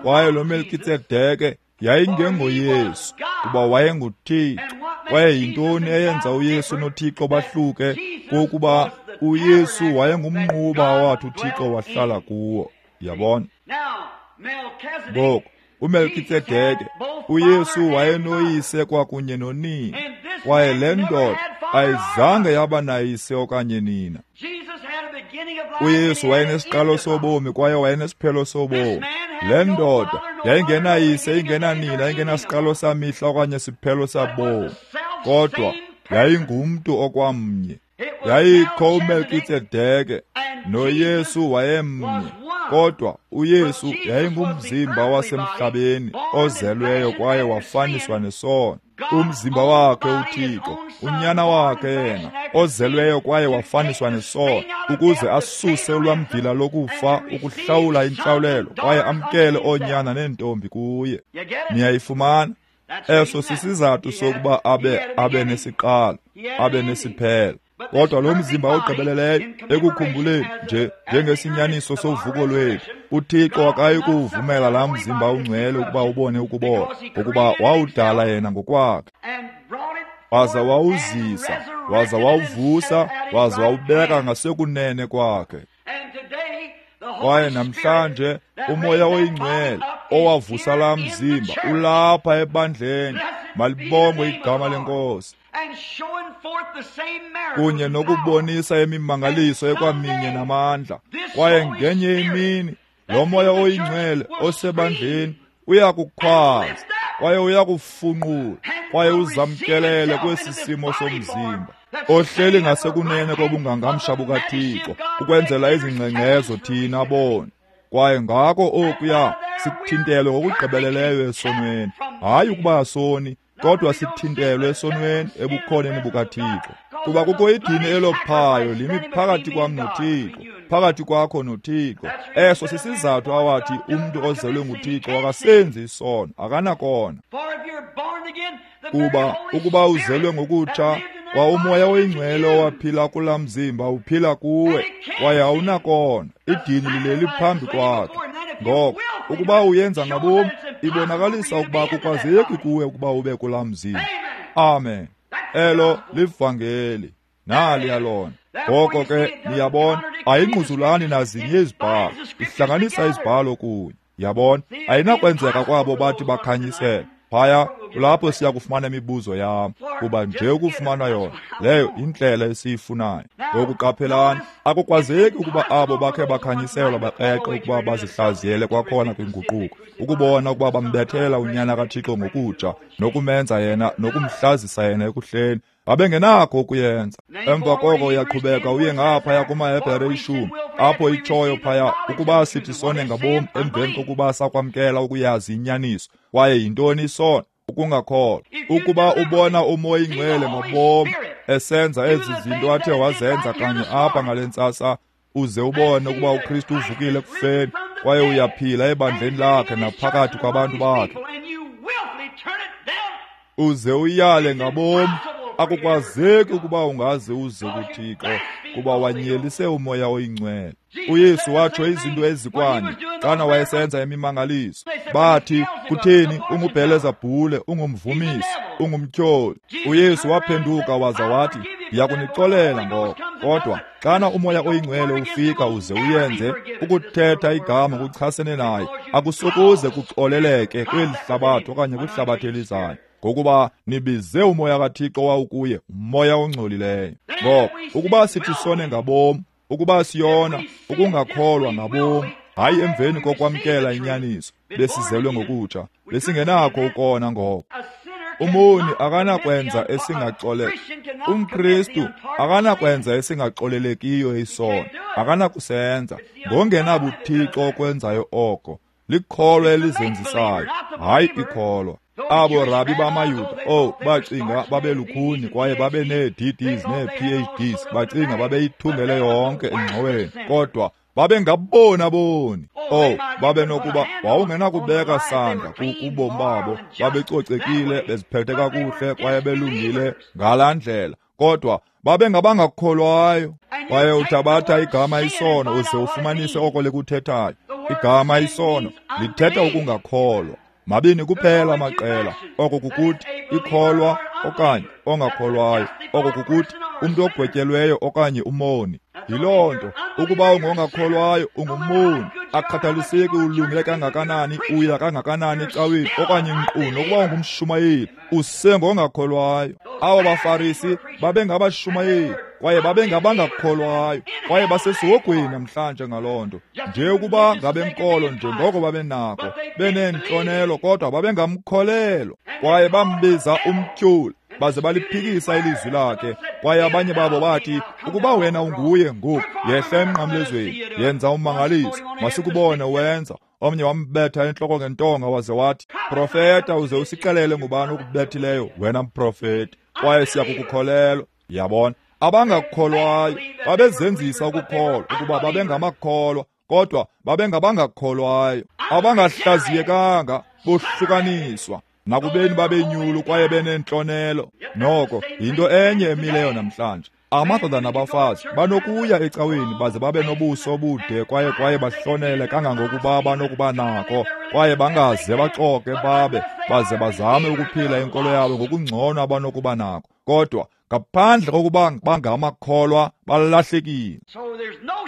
S1: Kwaye lo Melkitsedeke yayingengoYesu, kuba wayenguThixo. Kwaye yintoni eyenza uYesu noThixo bahluke? Kokuba uYesu wayengumnquba awathi uThixo wahlala kuwo. Yabona? Ngoku uMelkitsedeke, uYesu wayenoyise kwakunye nonina, kwaye le ndoda ayizange yaba nayise okanye nina. uYesu wayenesiqalo sobomi kwaye wayenesiphelo sobomi. Le ndoda yayingenayise, ingenanina, ingenasiqalo samihla okanye siphelo sabomi, kodwa yayingumntu okwamnye. Yayikho uMelkitsedeke noYesu wayemnye, kodwa uYesu yayingumzimba wasemhlabeni ozelweyo kwaye wafaniswa nesono. Umzimba wakhe uThixo, unyana wakhe yena ozelweyo kwaye wafaniswa nesono, ukuze asuse ulwamvila lokufa, ukuhlawula intlawulelo, kwaye amkele oonyana neentombi kuye. Niyayifumana? Eso sisizathu sokuba abe nesiqalo, abe nesiphelo. Kodwa lo mzimba ogqibeleleyo, ekukhumbuleni nje njengesinyaniso sovuko lwethu, uThixo akayi kuwuvumela laa mzimba ungcwele ukuba ubone ukubola, ngokuba wawudala yena ngokwakhe, waza wawuzisa, waza wawuvusa, waza wawubeka ngasekunene kwakhe. Kwaye namhlanje uMoya oyiNgcwele owavusa laa mzimba ulapha ebandleni. Malibongwe igama leNkosi, kunye nokubonisa imimangaliso ekwaminye namandla. Kwaye ngenye imini lo Moya oyiNgcwele osebandleni uyakukhwaza kwaye uyakufunqula kwaye uzamkelele kwesi simo somzimba ohleli ngasekunene kobungangamsha bukaThixo, ukwenzela izingxengxezo thina bona. Kwaye ngako okuya sithintelwe ngokugqibeleleyo esonweni, hayi ukuba soni, kodwa sithintelwe esonweni ebukhoneni bukaThixo. Kuba kukho idini elophayo limi phakathi kwam noThixo, phakathi kwakho noThixo. Eso sisizathu awathi umntu ozelwe nguThixo akasenzi isono, akanakona. Kuba ukuba uzelwe ngokutsha, kwa uMoya oyiNgcwele owaphila kulaa mzimba uphila kuwe, kwaye awunakona. Idini lileli phambi kwakhe. Ngoko ukuba uyenza ngabomi, ibonakalisa ukuba kukwazeki kuwe ukuba ube kulaa mzimba. Amen. Elo livangeli, naliya lona. Ngoko ke niyabona, ayingquzulani nazinye izibhalo, ihlanganisa izibhalo kunye. Yabona, ayinakwenzeka kwabo bathi bakhanyisele. Phaya kulapho siya kufumana imibuzo yam, kuba nje ukufumana yona leyo indlela esiyifunayo. Ngoku qaphelani, akukwazeki ukuba abo bakhe bakhanyiselwa bakreqe ukuba bazihlaziyele kwakhona kwinguquko, ukubona ukuba bambethela unyana kaThixo ngokutsha, nokumenza yena, nokumhlazisa yena ekuhleni. Babengenakho ukuyenza. Emva koko uyaqhubeka uye ngaphaya kumaHebhere 10, apho itshoyo phaya ukuba sithi sone ngabom emveni kokuba sakwamkela ukuyazi inyaniso. Kwaye yintoni isono? Ukungakholwa. Ukuba ubona uMoya oyiNgcwele ngobom esenza ezi zinto athe wazenza kanye apha ngale ntsasa, uze ubone ukuba uKristu uvukile ekufeni kwaye uyaphila ebandleni lakhe naphakathi kwabantu bakhe, uze uyale ngabom, akukwazeki ukuba ungaze uze kuThixo, kuba wanyelise uMoya oyiNgcwele. uYesu watsho izinto ezikwanye xana wayesenza imimangaliso. Bathi, kutheni, unguBhelezebhule, ungumvumisi, ungumtyholi. uYesu waphenduka waza wathi, ndiyakunixolela ngoko, kodwa xana uMoya oyiNgcwele ufika uze uyenze, ukuthetha igama kuchasene naye akusokuze kuxoleleke kweli hlabathi okanye kwihlabathi elizayo, ngokuba nibize uMoya kaThixo owawukuye, umoya ongcolileyo. Ngoko ukuba sithi sone ngabom, ukuba siyona ukungakholwa ngabom, Hayi emveni kokwamkela inyaniso, besizelwe ngokutsha, besingenakho ukona ngoko. Umoni akanakwenza esingaxole. UmKristu akanakwenza esingaxolelekiyo isono, akanakusenza. Ngongenabuthixo okwenzayo oko. Likholwa elizenzisayo, hayi ikholwa. Abo rabi bamaYuda, bacinga babelukhuni kwaye babe nee-DDs nee-PhDs, bacinga babeyithungele yonke engxoweni, kodwa babengabona boni. Babenokuba wawungenakubeka sandla kubomi babo, babecocekile, beziphethe kakuhle kwaye belungile ngalaa ndlela, kodwa babengabangakholwayo. Kwaye uthabatha igama isono uze ufumanise oko likuthethayo. Igama isono lithetha ukungakholwa. Mabini kuphela amaqela, oko kukuthi ikholwa okanye ongakholwayo, oko kukuthi umntu ogwetyelweyo okanye umoni. Yiloo nto, ukuba ungongakholwayo ungumoni, akukhathaliseki ulungile kangakanani, uya kangakanani ecaweni okanye nkqu nokuba ungumshumayeli, usengongakholwayo. Abo baFarisi babengabashumayeli kwaye babengabangakholwayo, kwaye basesihogweni namhlanje ngaloo nto. Nje ukuba ngabenkolo njengoko babenako, beneentlonelo, kodwa babengamkholelwa. Kwaye bambiza umtyholi, baze baliphikisa ilizwi lakhe. Kwaye abanye babo bathi, ukuba wena unguye ngoku, yehla emnqamlezweni, yenza ummangaliso, masikubone wenza. Omnye wambetha entloko ngentonga waze wathi, profeta, uze usixelele ngubani okubethileyo, wena mprofeti, kwaye siyakukukholelwa. Yabona, abangakholwayo babezenzisa ukukholwa ukuba babengamakholwa, kodwa babengabangakholwayo, abangahlaziyekanga, bohlukaniswa nakubeni babenyulu kwaye benentlonelo. Noko yinto enye emileyo namhlanje. Amadoda nabafazi banokuya ecaweni baze babe nobuso obude kwaye bahlonele kangangokuba banokuba nako, kwaye bangaze baxoke babe baze bazame ukuphila inkolo yabo ngokungcono abanokuba nako, kodwa ngaphandle kokuba bangamakholwa balahlekile.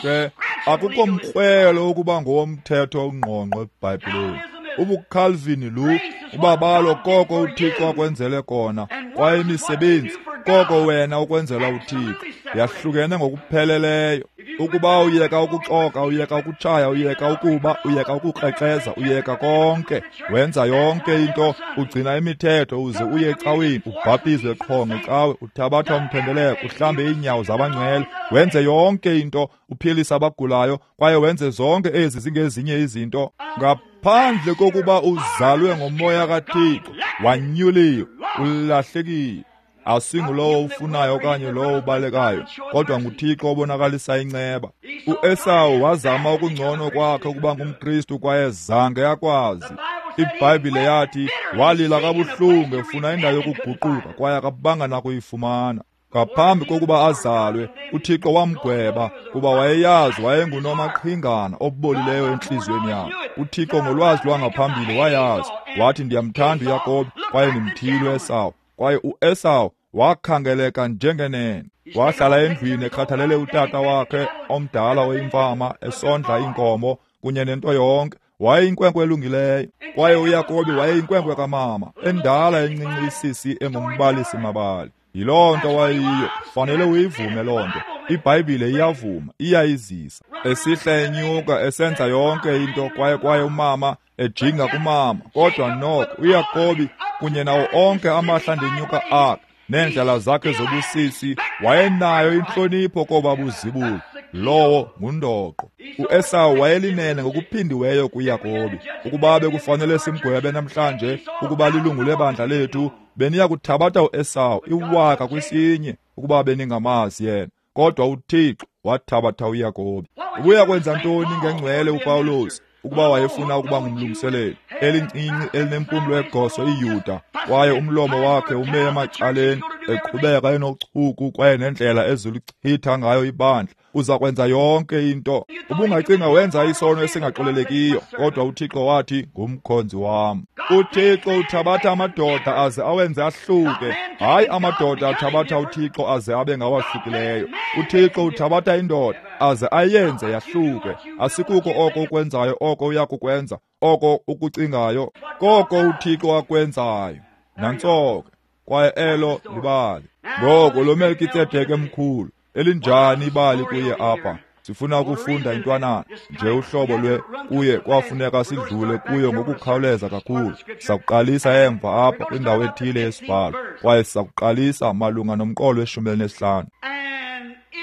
S1: Ke akukho mkrwelo ukuba ngowomthetho ongqongqo eBhayibhileni. UbuCalvin lu ubabalo koko uThixo akwenzele kona, kwaye imisebenzi koko wena ukwenzela uThixo yahlukene ngokupheleleyo. Ukuba uyeka ukuxoka, uyeka ukutshaya, uyeka ukuba, uyeka ukukrexeza, uyeka konke, wenza yonke into, ugcina imithetho, uze uye ecaweni, ubhaptizwe qho ngecawe, uthabatha umthendeleko, uhlambe iinyawo zabangcwele, wenze yonke into, uphilise abagulayo, kwaye wenze zonke ezi zingezinye izinto, ngaphandle kokuba uzalwe ngomoya kaThixo, wanyuliwe, ulahlekile. Asingulowo ufunayo okanye lowo ubalekayo, kodwa nguThixo obonakalisa inceba. UEsawu wazama okungcono kwakhe ukuba ngumKristu kwaye zange akwazi. IBhayibhile yathi walila kabuhlungu efuna indawo yokuguquka kwaye akabanga nakuyifumana. Ngaphambi kokuba azalwe, uThixo wamgweba kuba wayeyazi wayengunomaqhingana obolileyo entliziyweni yakhe. uThixo ngolwazi lwangaphambili wayazi, wathi ndiyamthanda uYakobi kwaye ndimthile uEsawu. Kwaye uEsawu wakhangeleka njengenene. Wahlala endlwini ekhathalele utata wakhe omdala oyimfama, esondla iinkomo kunye nento yonke. Wayeyinkwenkwe elungileyo. Kwaye uYakobi wayeyinkwenkwe kamama, endala encinci isisi engumbalisi mabali. Yiloo nto wayeyiyo, fanele uyivume loo nto. IBhayibhile iyavuma, iyayizisa. Esihla enyuka, esenza yonke into, kwaye umama ejinga kumama. Kodwa noko uYakobi kunye nawo onke amahlandenyuka akhe neendlela zakhe zobusisi, wayenayo intlonipho koba buzibulo. Lowo ngundoqo. uEsawu wayelinene ngokuphindiweyo kuYakobi. Ukuba bekufanele simgwebe namhlanje ukuba lilungu lebandla lethu, beniya kuthabatha uEsawu iwaka kwisinye ukuba beningamazi yena. Kodwa uThixo wathabatha uYakobi. Ubuya kwenza ntoni ngengcwele uPawulos ukuba wayefuna ukuba ngumlungiseleli? Elincinci elinempumlo egoso iYuda, kwaye umlomo wakhe ume emacaleni, eqhubeka enochuku kwaye nendlela eziluchitha ngayo ibandla. Uza kwenza yonke into. Ubungacinga wenza isono esingaxolelekiyo, kodwa uThixo wathi ngumkhonzi wam. uThixo uthabatha amadoda aze awenze ahluke, hayi amadoda athabatha uThixo aze abe ngawahlukileyo. uThixo uthabatha indoda aze ayenze yahluke. Asikuko oko ukwenzayo, oko uyakukwenza, oko ukucingayo, koko uThixo akwenzayo. Nantso ke, kwaye elo libali. Ngoko lo Melkitsedeke mkhulu, elinjani ibali kuye apha. Sifuna ukufunda intwanana nje uhlobo lwe kuye kwafuneka sidlule kuyo ngokukhawuleza kakhulu. Sakuqalisa emva apha kwindawo ethile yesibhalo, kwaye sizakuqalisa malunga nomqolo we-15.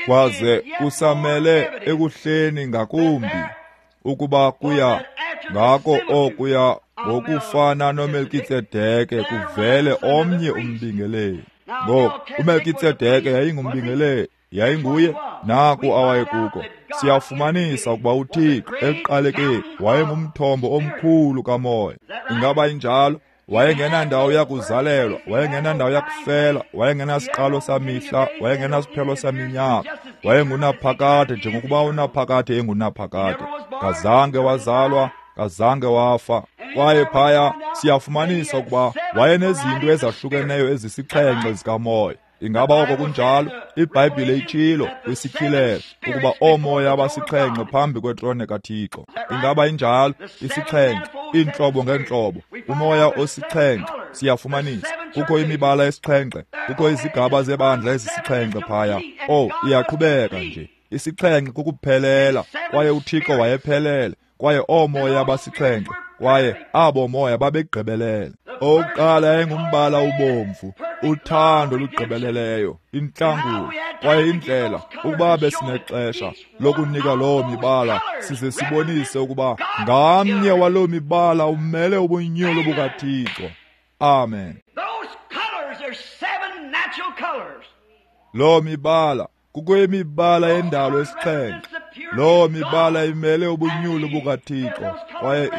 S1: Kwaze kusamele ekuhleni ngakumbi ukuba kuya ngako okuya ngokufana noMelkitsedeke kuvele omnye umbingeleli. Ngoku uMelkitsedeke yayingumbingeleli, yayinguye naku awayekuko. Siyafumanisa ukuba uThixo ekuqalekeni wayengumthombo omkhulu kamoya. Ingaba injalo? Wayengenandawo yakuzalelwa, wayengenandawo yakufela, wayengenasiqalo samihla, wayengenasiphelo saminyaka, wayengunaphakade njengokuba unaphakade engunaphakade. Kazange wazalwa, kazange wafa. Kwaye phaya siyafumanisa ukuba wayenezinto ezahlukeneyo ezisixhenxe zikamoya. Ingaba oko kunjalo? iBhayibhile itshilo kwisityhilelo ukuba oomoya abasixhenxe phambi kwetrone kaThixo. Ingaba injalo? Isixhenxe, iintlobo ngeentlobo, umoya osixhenxe. Siyafumanisa kukho imibala esixhenxe, kukho izigaba zebandla ezisixhenxe phaya. Oh, iyaqhubeka nje. Isixhenxe kukuphelela, kwaye uThixo wayephelele, kwaye oomoya abasixhenxe, kwaye abo moya babegqibelele. Owokuqala yayingumbala ubomvu, uthando olugqibeleleyo, intlangulo. Kwaye indlela ukuba besinexesha lokunika loo mibala size sibonise ukuba ngamnye waloo mibala umele ubunyulu bukaThixo. Amen. Loo mibala kukho imibala yendalo esixhenxe. Loo mibala imele ubunyulu bukaThixo, kwaye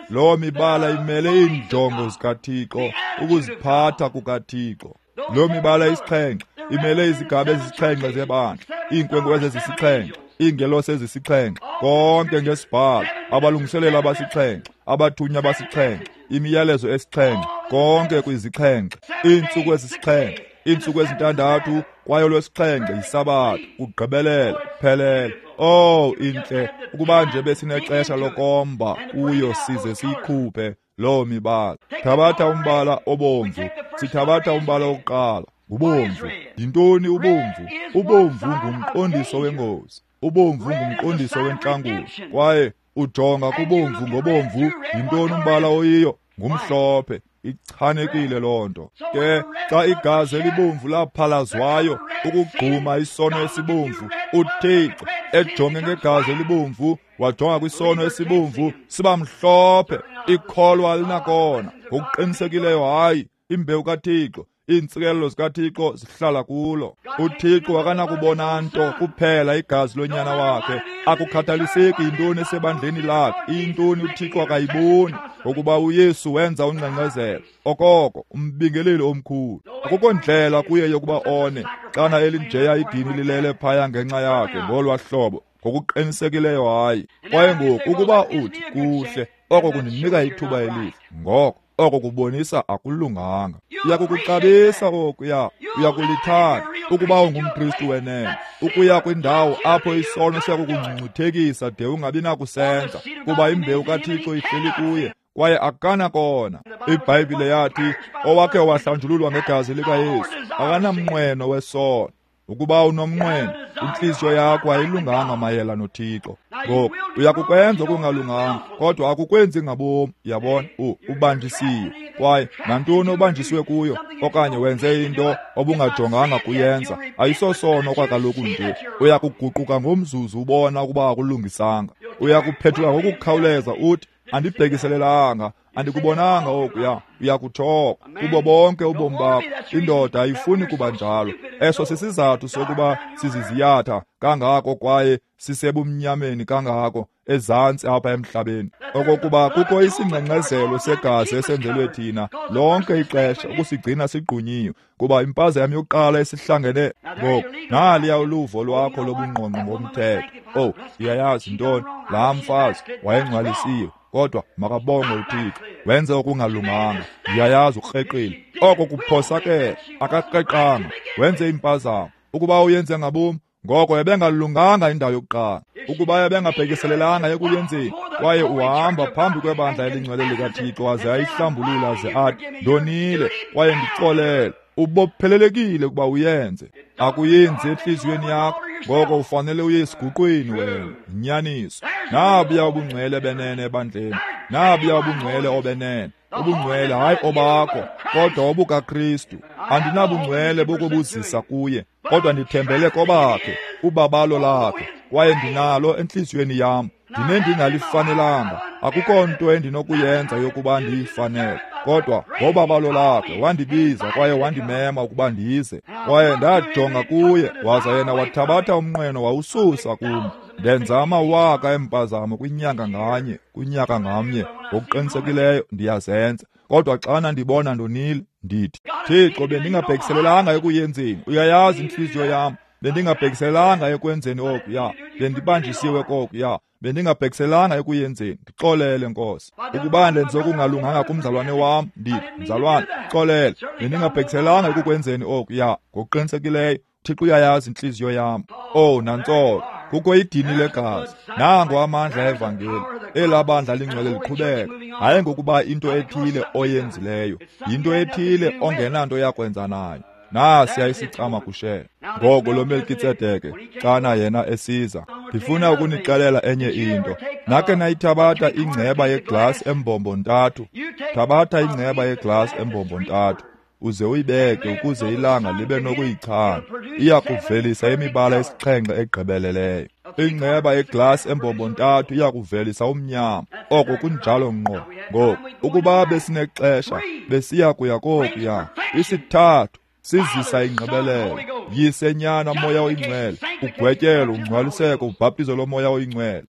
S1: loo mibala imele iinjongo zikaThixo, ukuziphatha kukaThixo. Loo mibala isixhenxe imele izigaba ezisixhenxe zebandla, iinkwenkwezi ezisixhenxe, iingelosi ezisixhenxe, konke ngesibhalo, abalungiseleli abasixhenxe, abathunywa abasixhenxe, imiyalezo esixhenxe, konke kwizixhenxe, iintsuku ezisixhenxe, iintsuku ezintandathu, kwaye olwesixhenxe yisabatha, kugqibelela, phelele. Oh, intle ukuba nje besinexesha lokomba kuyo size siyikhuphe loo mibala. Thabatha umbala obomvu, sithabatha umbala wokuqala, ngubomvu. Yintoni ubomvu? Ubomvu ngumqondiso wengozi, ubomvu ngumqondiso wentlangulo. Kwaye ujonga kubomvu ngobomvu, yintoni umbala oyiyo? Ngumhlophe. Ichanekile loo nto. Ke xa igazi elibomvu laphalazwayo ukugquma isono esibomvu, uThixo ejonge ngegazi elibomvu wajonga kwisono esibomvu siba mhlophe. Ikholwa alinakona ngokuqinisekileyo. Hayi, imbewu kaThixo, iintsikelelo zikaThixo zihlala kulo. UThixo akanakubona nto kuphela igazi lonyana wakhe. Akukhathaliseki yintoni esebandleni lakhe, iyintoni uThixo akayiboni, ngokuba uYesu wenza ungxengxezelo okoko umbingeleli omkhulu. Akukho ndlela kuye yokuba one xana elinjeya idini lilele phaya ngenxa yakhe ngolwa hlobo. Ngokuqinisekileyo hayi. Kwaye ngoku ukuba uthi kuhle, oko kundinika ithuba elihle, ngoko oko kubonisa akulunganga. Uyakukuxabisa okuya, uyakulithanda ukuba ungumKristu wenene, ukuya kwindawo apho isono siyakukungcungcuthekisa de ungabi nakusenza, kuba imbewu kaThixo ihleli kuye kwaye akanakona. IBhayibhile yathi owakhe wahlanjululwa ngegazi likaYesu akanamnqweno wesono. Ukuba unomnqweno, intliziyo yakho ayilunganga mayela noThixo. Ngoku uyakukwenza okungalunganga, kodwa akukwenzi ngabomi. Yabona, ubanjisiwe. Kwaye nantoni obanjisiwe kuyo, okanye wenze into obungajonganga kuyenza, ayisosono kwakaloku nje. Uyakuguquka ngomzuzu ubona ukuba akulungisanga. Uyakuphethuka ngokukhawuleza uthi, andibhekiselelanga, andikubonanga okuya. Uyakuthoka kubo bonke ubomi bakho. Indoda ayifuni kuba njalo. Eso sisizathu sokuba siziziyatha kangako kwaye sisebumnyameni kangako ezantsi apha emhlabeni, okokuba kukho isingxengxezelo segazi esenzelwe thina lonke ixesha ukusigcina sigqunyiwe, kuba impazamo yokuqala esihlangene ngoku naliya uluvo lwakho lobungqongqo ngomthetho. Oh, uyayazi ntoni? Laa mfazi wayengcwalisiwe, kodwa makabongwe uThixo, wenze okungalunganga. Uyayazi ukreqile, oko kuphosakele, akakreqanga, wenze impazamo. Ukuba uyenze ngabomi, ngoko ebengalunganga indawo yokuqala. Ukuba ebengabhekiselelanga ekuyenzeni, kwaye uhamba phambi kwebandla elingcwele likaThixo aze ayihlambulula aze athi, ndonile kwaye ndixolele, ubophelelekile ukuba uyenze. Akuyenzi entliziyweni yakho, Ngoko ufanele uye esiguqweni wena. Inyaniso. Nabuya ubungcwele benene ebandleni. Nabuya ubungcwele obenene. Ubungcwele hayi obakho, kodwa obukaKristu. Andinabungcwele bokubuzisa kuye, kodwa ndithembele kobakhe, ubabalo lakhe, kwaye ndinalo entliziyweni yam. Ndinendingalifanelanga, akukho nto endinokuyenza yokuba ndiyifanele, kodwa ngobabalo lakhe wandibiza kwaye wandimema ukuba ndize. Kwaye ndajonga kuye, waza yena wathabatha umnqweno wawususa kum. Ndenza amawaka empazamo kwinyanga nganye, kunyaka ngamnye, ngokuqinisekileyo ndiyazenza. Kodwa xana ndibona ndonile, ndithi, Thixo, bendingabhekiselelanga ekuyenzeni. Uyayazi intliziyo yam. Bendingabhekiselanga ekwenzeni okuya. Bendibanjisiwe kokuya. Bendingabhekiselanga ekuyenzeni. Ndixolele, Nkosi. Ukuba ndenze okungalunganga kumzalwane wam, ndithi, mzalwane, xolele. Bendingabhekiselanga ekukwenzeni okuya. Ngokuqinisekileyo, Thixo uyayazi intliziyo yam. Oh, nantsolo. Kukho idini legazi. Nango amandla evangeli. Elaa bandla lingcwele liqhubeka. Hayi ngokuba into ethile oyenzileyo, yinto ethile ongenanto yakwenza nayo. Nasiya isicama kushela. Ngoko lo Melkitsedeke xana yena esiza, ndifuna ukunixelela enye into. Nakhe nayithabatha ingceba yeglasi embombo ntathu. Thabatha ingceba yeglasi embombo ntathu, uze uyibeke ukuze ilanga libe nokuyichana. Iya kuvelisa imibala esixhenxe egqibeleleyo. Ingceba yeglasi embombo ntathu iya kuvelisa umnyama. Oko kunjalo ngqo. Ngoku, ukuba besinexesha, besiya kuya kokuya. Isithathu sizisa ingqibelelo. Yise, Nyana, Moya oyiNgcwele. Ugwetyelo, ungcwaliseko, ubhaptizo lomoya oyiNgcwele.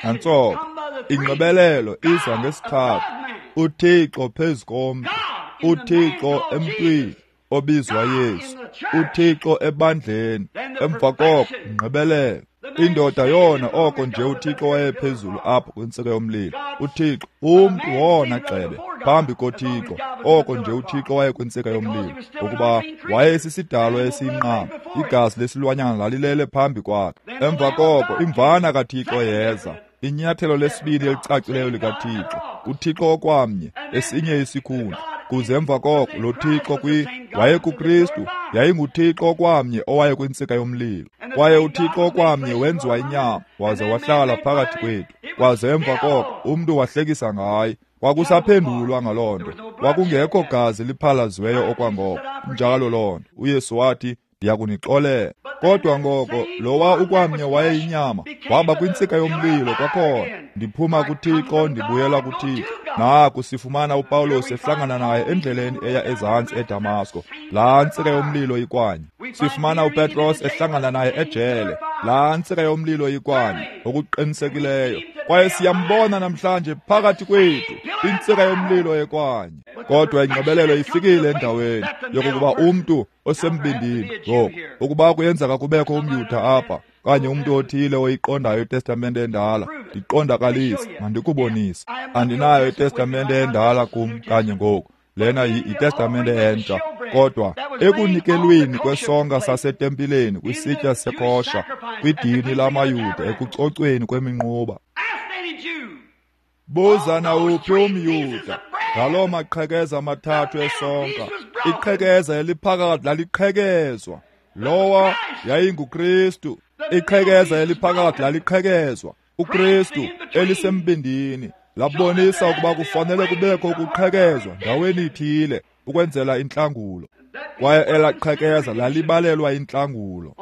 S1: Nantsoko, ingqibelelo iza ngesithathu. uThixo phezu komntu, uThixo emntwini obizwa Yesu, uThixo ebandleni. Emva koko ingqibelelo. Indoda yona oko nje uThixo wayephezulu apho kwintsika yomlilo. uThixo, umntu wona gxebe phambi koThixo, oko nje uThixo wayekwintsika yomlilo, ngokuba wayesisidalwa esiyinqama, igazi lesilwanyana lalilele phambi kwakhe. Emva koko imvana kaThixo yeza, inyathelo lesibini elicacileyo likaThixo, uThixo okwamnye, esinye isikhundla. Kuze emva koko lo Thixo wayekuKristu, yayinguThixo okwamnye owayekwintsika yomlilo. Kwaye uThixo okwamnye wenziwa inyama, waze wahlala phakathi kwethu. Kwaze emva koko umntu wahlekisa ngaye. Kwakusaphendulwa ngaloo nto. Kwakungekho gazi liphalaziweyo okwangoko. Njalo loo nto. uYesu wathi, ndiyakunixolela. Kodwa ngoko lowa ukwamnye wayeyinyama waba kwintsika yomlilo kwakhona. Ndiphuma kuThixo, ndibuyela kuThixo. Naku sifumana uPawulos ehlangana naye endleleni eya ezantsi eDamasko. Laa ntsika yomlilo ikwanye. Sifumana uPetros ehlangana naye ejele. Laa ntsika yomlilo ikwanye, ngokuqinisekileyo. Kwaye siyambona namhlanje phakathi kwethu, intsika yomlilo ekwanye. Kodwa ingqibelelo ifikile endaweni yokokuba umntu osembindini ngoku, ukuba kuyenzeka kubekho umYuda apha, kanye umntu othile oyiqondayo iTestamente endala, ndiqondakalise, mandikubonise. Andinayo iTestamente endala kum kanye ngoku. Lena yiTestamente entsha. Kodwa ekunikelweni kwesonka sasetempileni kwisitya sekosha, kwidini lamaYuda ekucocweni kweminquba. Buza nawuphi umYuda ngaloo maqhekeza mathathu esonka. Iqhekeza eliphakathi laliqhekezwa. Lowa yayinguKristu. Iqhekeza eliphakathi laliqhekezwa. uKristu elisembindini labonisa ukuba kufanele kubekho ukuqhekezwa ndaweni ithile ukwenzela intlangulo. Kwaye elaqhekeza lalibalelwa intlangulo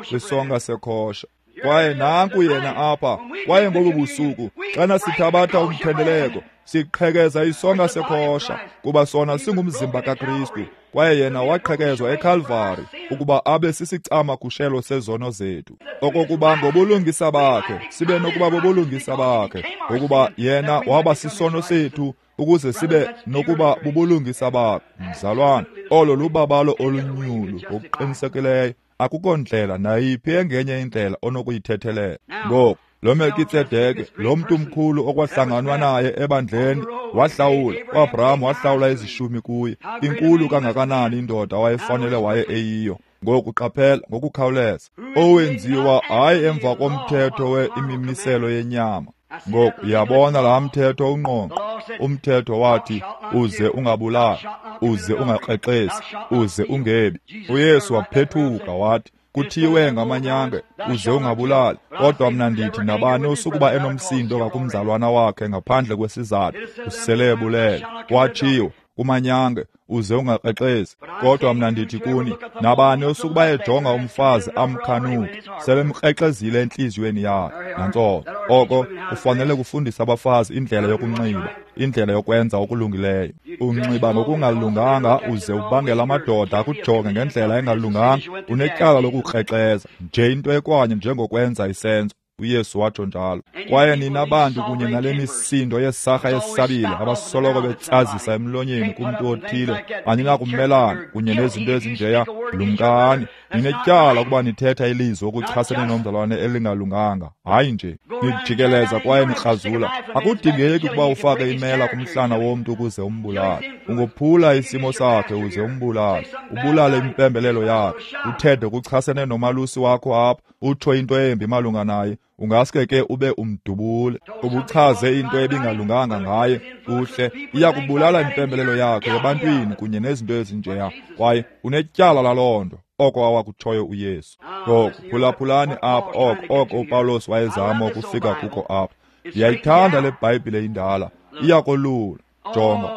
S1: kwisonka sekhosha. Kwaye nanku yena apha. Kwaye ngobu busuku xana sithabatha umthendeleko, siqhekeza isonka sekhosha, kuba sona singumzimba kaKristu. Kwaye yena waqhekezwa eKalvari ukuba abe sisicama kushelo sezono zethu, okokuba ngobulungisa bakhe sibe nokuba bobulungisa bakhe, ngokuba yena waba sisono sethu ukuze sibe nokuba bubulungisa bakhe. Mzalwane, olo lubabalo olunyulu ngokuqinisekileyo. Akukho ndlela nayiphi engenye indlela onokuyithethelela. Ngoku lo Melkitsedeke, lo mntu mkhulu okwahlanganwa naye ebandleni, wahlawula uAbraham, wahlawula izishumi kuye. Inkulu kangakanani indoda wayefanele waye eyiyo. Ngoku qaphela ngokukhawuleza, owenziwa hayi emva komthetho weimimiselo yenyama. Ngoku uyabona laa mthetho ungqongqo. Umthetho wathi uze ungabulali, uze ungakrexezi, uze ungebi. UYesu waphethuka wathi, kuthiwe ngamanyange, uze ungabulali. Kodwa mna ndithi nabani osukuba enomsindo ngakumzalwana wakhe ngaphandle kwesizathu, usele ebulele. Watshiwo kumanyange, uze ungakrexezi. Kodwa mna ndithi kuni, nabani osukuba ejonga umfazi amkhanuke, selemkrexezile entliziyweni yakhe. Nantso oko kufanele kufundisa abafazi indlela yokunxiba, indlela yokwenza okulungileyo. Unxiba ngokungalunganga uze ubangela amadoda akujonge ngendlela engalunganga, unetyala lokukrexeza nje, into ekwanye njengokwenza isenzo. uYesu watsho njalo. Kwaye nina bantu kunye nale misindo yesarha yesabile abasoloko betsazisa emlonyeni kumntu othile, aninakumelana kunye nezinto ezinjeya. Lumkani, ninetyala ukuba nithetha ilizwi okuchasene nomzalwane elingalunganga. Hayi nje nijikeleza kwaye nikrazula. Akudingeki ukuba ufake imela kumhlana womntu ukuze umbulale. Ungophula isimo sakhe uze umbulale, ubulale impembelelo yakhe, uthethe kuchasene nomalusi wakho apha, utsho into embi malunga naye, ungaske ke ube umdubule, ubuchaze into ebingalunganga ngaye. Kuhle, iyakubulala impembelelo yakhe ebantwini kunye nezinto ezinjeya, kwaye unetyala laloo nto. Oko awakutshoyo uYesu. Ngoku phulaphulani apha oko uPawulos wayezama ukufika kuko apha. Ndiyayithanda le Bhayibhile indala, iyakolula. Jonga,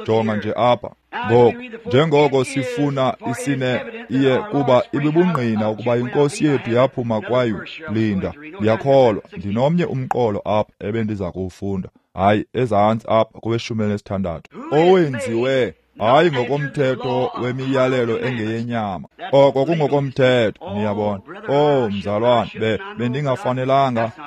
S1: jonga nje apha. Ngoku njengoko sifuna isine iye kuba ibibungqina ukuba inkosi yethu yaphuma kwayo. Linda, ndiyakholwa ndinomnye umqolo apha ebendiza kuwufunda. Hayi, ezantsi apha koweshumi elinesithandathu, owenziwe hayi ngokomthetho wemiyalelo engeyenyama, oko kungokomthetho. Niyabona? Oh mzalwane,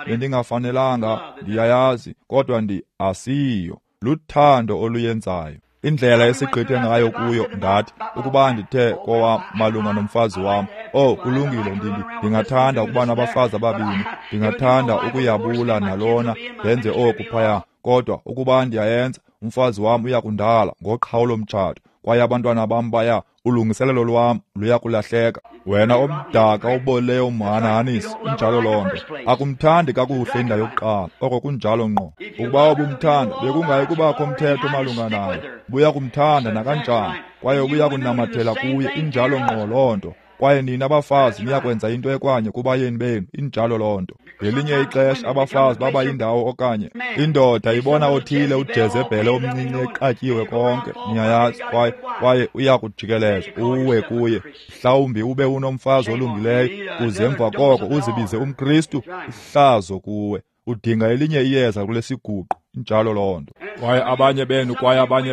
S1: bendingafanelanga, ndiyayazi, kodwa asiyo. Luthando oluyenzayo. Indlela esigqithe ngayo kuyo, ndathi ukuba ndithe kowam malunga nomfazi wam, oh kulungile, ndingathanda ukuba nabafazi ababini, ndingathanda ukuyabula nalona, ndenze oku phaya, kodwa ukuba ndiyayenza, umfazi wam uyakundala ngoqhawulo mtshato, kwaye abantwana bam baya, ulungiselelo lwam luyakulahleka. Wena omdaka oboleyo umhanahanisi, injalo loo nto. Akumthandi kakuhle indawo yokuqala, oko kunjalo ngqo. Ukuba ubumthanda, bekungayi kubakho mthetho malunga naye. Buya kumthanda nakanjani, kwaye ubuya kunamathela kuye, injalo ngqo loo nto. Kwaye nina abafazi niyakwenza into ekwanye kubayeni benu, injalo loo nto. Ngelinye ixesha abafazi baba yindawo okanye indoda ibona othile uJezebhele omncinci eqatyiwe konke, niyayazi, kwaye uyakujikeleza uwe kuye. Mhlawumbi ube unomfazi olungileyo, uze emva koko uzibize umKristu, ihlazo kuwe. Udinga elinye iyeza kule siguqu, injalo loo nto. Kwaye abanye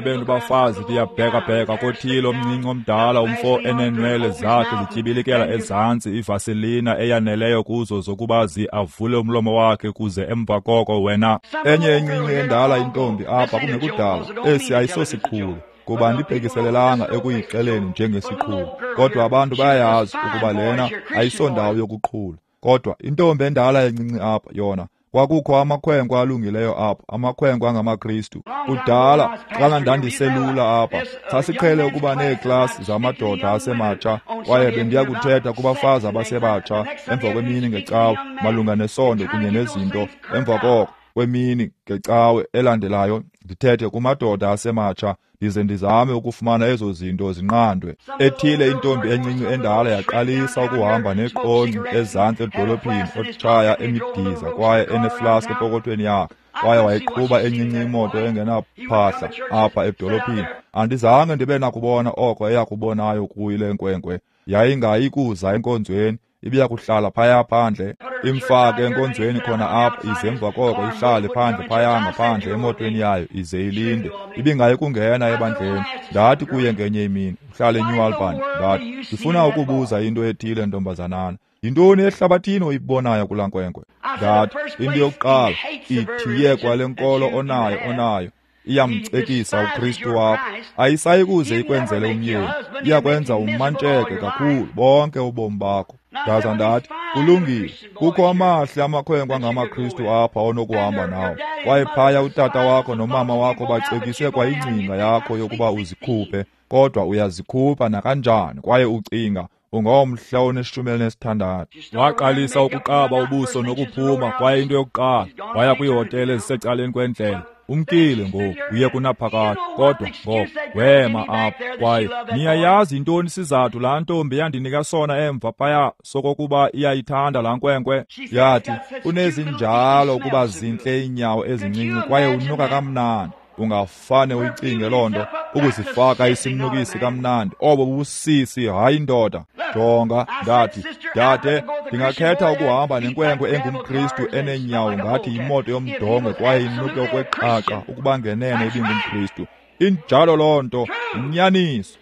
S1: benu bafazi liyabhekabheka kothile omncinci omdala, umfo eneenwele zakhe zityibilikela ezantsi, ivaselina eyaneleyo kuzo zokuba avule umlomo wakhe, kuze emva koko wena. Enye encinci endala intombi apha kungekudala, esi ayisosiqhulo, kuba andibhekiselelanga ekuyixeleni njengesiqhulo, kodwa abantu bayayazi ukuba lena ayisondawo yokuqhula. Kodwa intombi endala encinci apha yona, kwakukho amakhwenkwe alungileyo apha, amakhwenkwe angamaKristu. Kudala xana ndandiselula apha, sasiqhele ukuba neeklasi zamadoda asematsha, kwaye bendiya kuthetha kubafazi abasebatsha emva kwemini ngecawe malunga nesondo kunye nezinto. Emva koko kwemini ngecawe elandelayo ndithethe kumadoda asematsha, ndize ndizame ukufumana ezo zinto zinqandwe. Ethile intombi encinci endala yaqalisa ukuhamba neqonci ezantsi edolophini, otshaya emidiza kwaye eneflask epokothweni yakhe, kwaye wayeqhuba encinci imoto engenaphahla apha edolophini. Andizange ndibe nakubona oko eyakubonayo kuyo le nkwenkwe. Yayingayi kuza enkonzweni, ibiya kuhlala phaya phandle, imfake enkonzweni khona apha, ize emva koko ihlale phandle phaya ngaphandle emotweni yayo ize ilinde. Ibingayi kungena ebandleni. Ndathi kuye ngenye imini, uhlale eNew Albany, ndathi, ndifuna ukubuza into ethile, ntombazanana. Yintoni ehlabathini oyibonayo kulaa nkwenkwe? Ndathi, into yokuqala, ithiye kwale nkolo onayo iyamcekisa uKristu wakho. Ayisayi kuze ikwenzele umyeni, iyakwenza umantsheke kakhulu bonke ubomi bakho. Ndaza ndathi, kulungile, kukho amahle amakhwenkwe angamaKristu apha onokuhamba nawo, kwaye phaya utata wakho nomama wakho bacekise kwa ingcinga yakho yokuba uzikhuphe, kodwa uyazikhupha nakanjani, kwaye ucinga Ungomhla one-16.
S2: Waqalisa ukuqaba ubuso nokuphuma, kwaye into yokuqala waya kwiihotele ezisecaleni kwendlela. Umkile ngoku, uye kunaphakade. Kodwa ngoku wema apho, kwaye niyayazi yintoni isizathu laa ntombi yandinika sona emva phaya sokokuba iyayithanda laa nkwenkwe?
S1: Yathi, unezinjalo ukuba zintle iinyawo ezincinci kwaye unuka kamnandi. Ungafane uyicinge loo nto, ukuzifaka isimnukisi kamnandi. Obo bubusisi, hayi indoda. Jonga, ndathi, dade, ndingakhetha ukuhamba nenkwenkwe engumKristu eneenyawo ngathi yimoto yomdongwe kwaye inuke okweqaqa ukuba ngenene ibingumKristu. Injalo loo nto, inyaniso.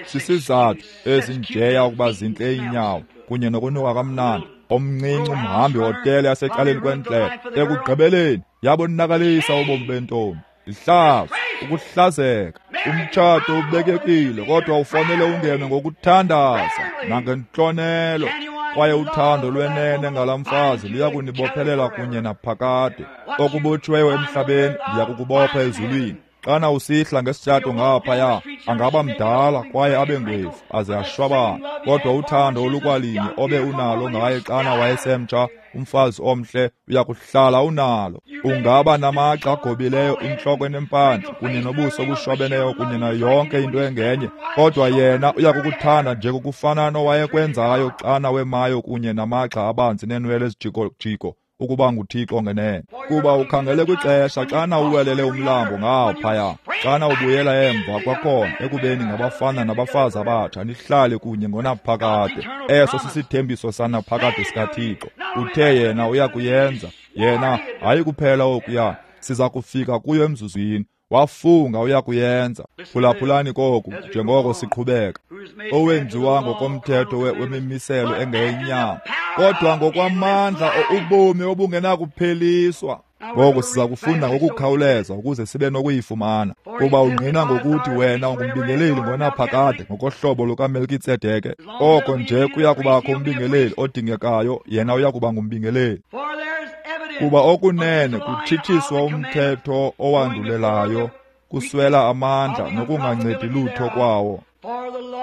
S1: Sisizathu ezinjeya ukuba zintle iinyawo kunye nokunuka kamnandi. Omncinci umhambi hotele yasecaleni kwendlela, ekugqibeleni yabonakalisa ubomi bentombi. Ihlazo, ukuhlazeka. Umtshato ubekekile, kodwa ufanele ungene ngokuthandaza nangentlonelo, kwaye uthando lwenene ngalaa mfazi luya kunibophelela kunye naphakade. Okubotshiweyo emhlabeni ndiya kukubopha ezulwini. Xana usihla ngesitshato ngaphaya, angaba mdala kwaye abe ngwevu aze ashwabane, kodwa uthando olukwalinye obe unalo ngaye xana wayesemtsha, umfazi omhle, uyakuhlala unalo. Ungaba namagxa agobileyo, intloko enempandla kunye nobuso obushwabeneyo kunye nayo yonke into engenye, kodwa yena uyakukuthanda njengokufana nowayekwenzayo xana wemayo kunye namagxa abanzi neenwele ezijikojiko ukuba nguThixo ngenene. Kuba ukhangele kwixesha xana uwelele umlambo ngaphaya, xana ubuyela emva kwakhona ekubeni ngabafana nabafazi abatsha, nihlale kunye ngonaphakade. Eso sisithembiso sanaphakade sikaThixo. Uthe yena uyakuyenza. Yena hayi kuphela okuya, siza kufika kuyo emzuzwini. Wafunga uyakuyenza. Phulaphulani koku njengoko siqhubeka. Owenziwa ngokomthetho wemimiselo engeyenyama, kodwa ngokwamandla ubomi obungenakupheliswa. Ngoku siza kufunda ngokukhawuleza ukuze sibe nokuyifumana. Kuba ungqina ngokuthi wena ungumbingeleli ngonaphakade ngokohlobo lukaMelkitsedeke. Oko nje kuya kubakho umbingeleli odingekayo, yena uya kuba ngumbingeleli. Kuba okunene kutshitshiswa umthetho owandulelayo, kuswela amandla nokungancedi lutho kwawo.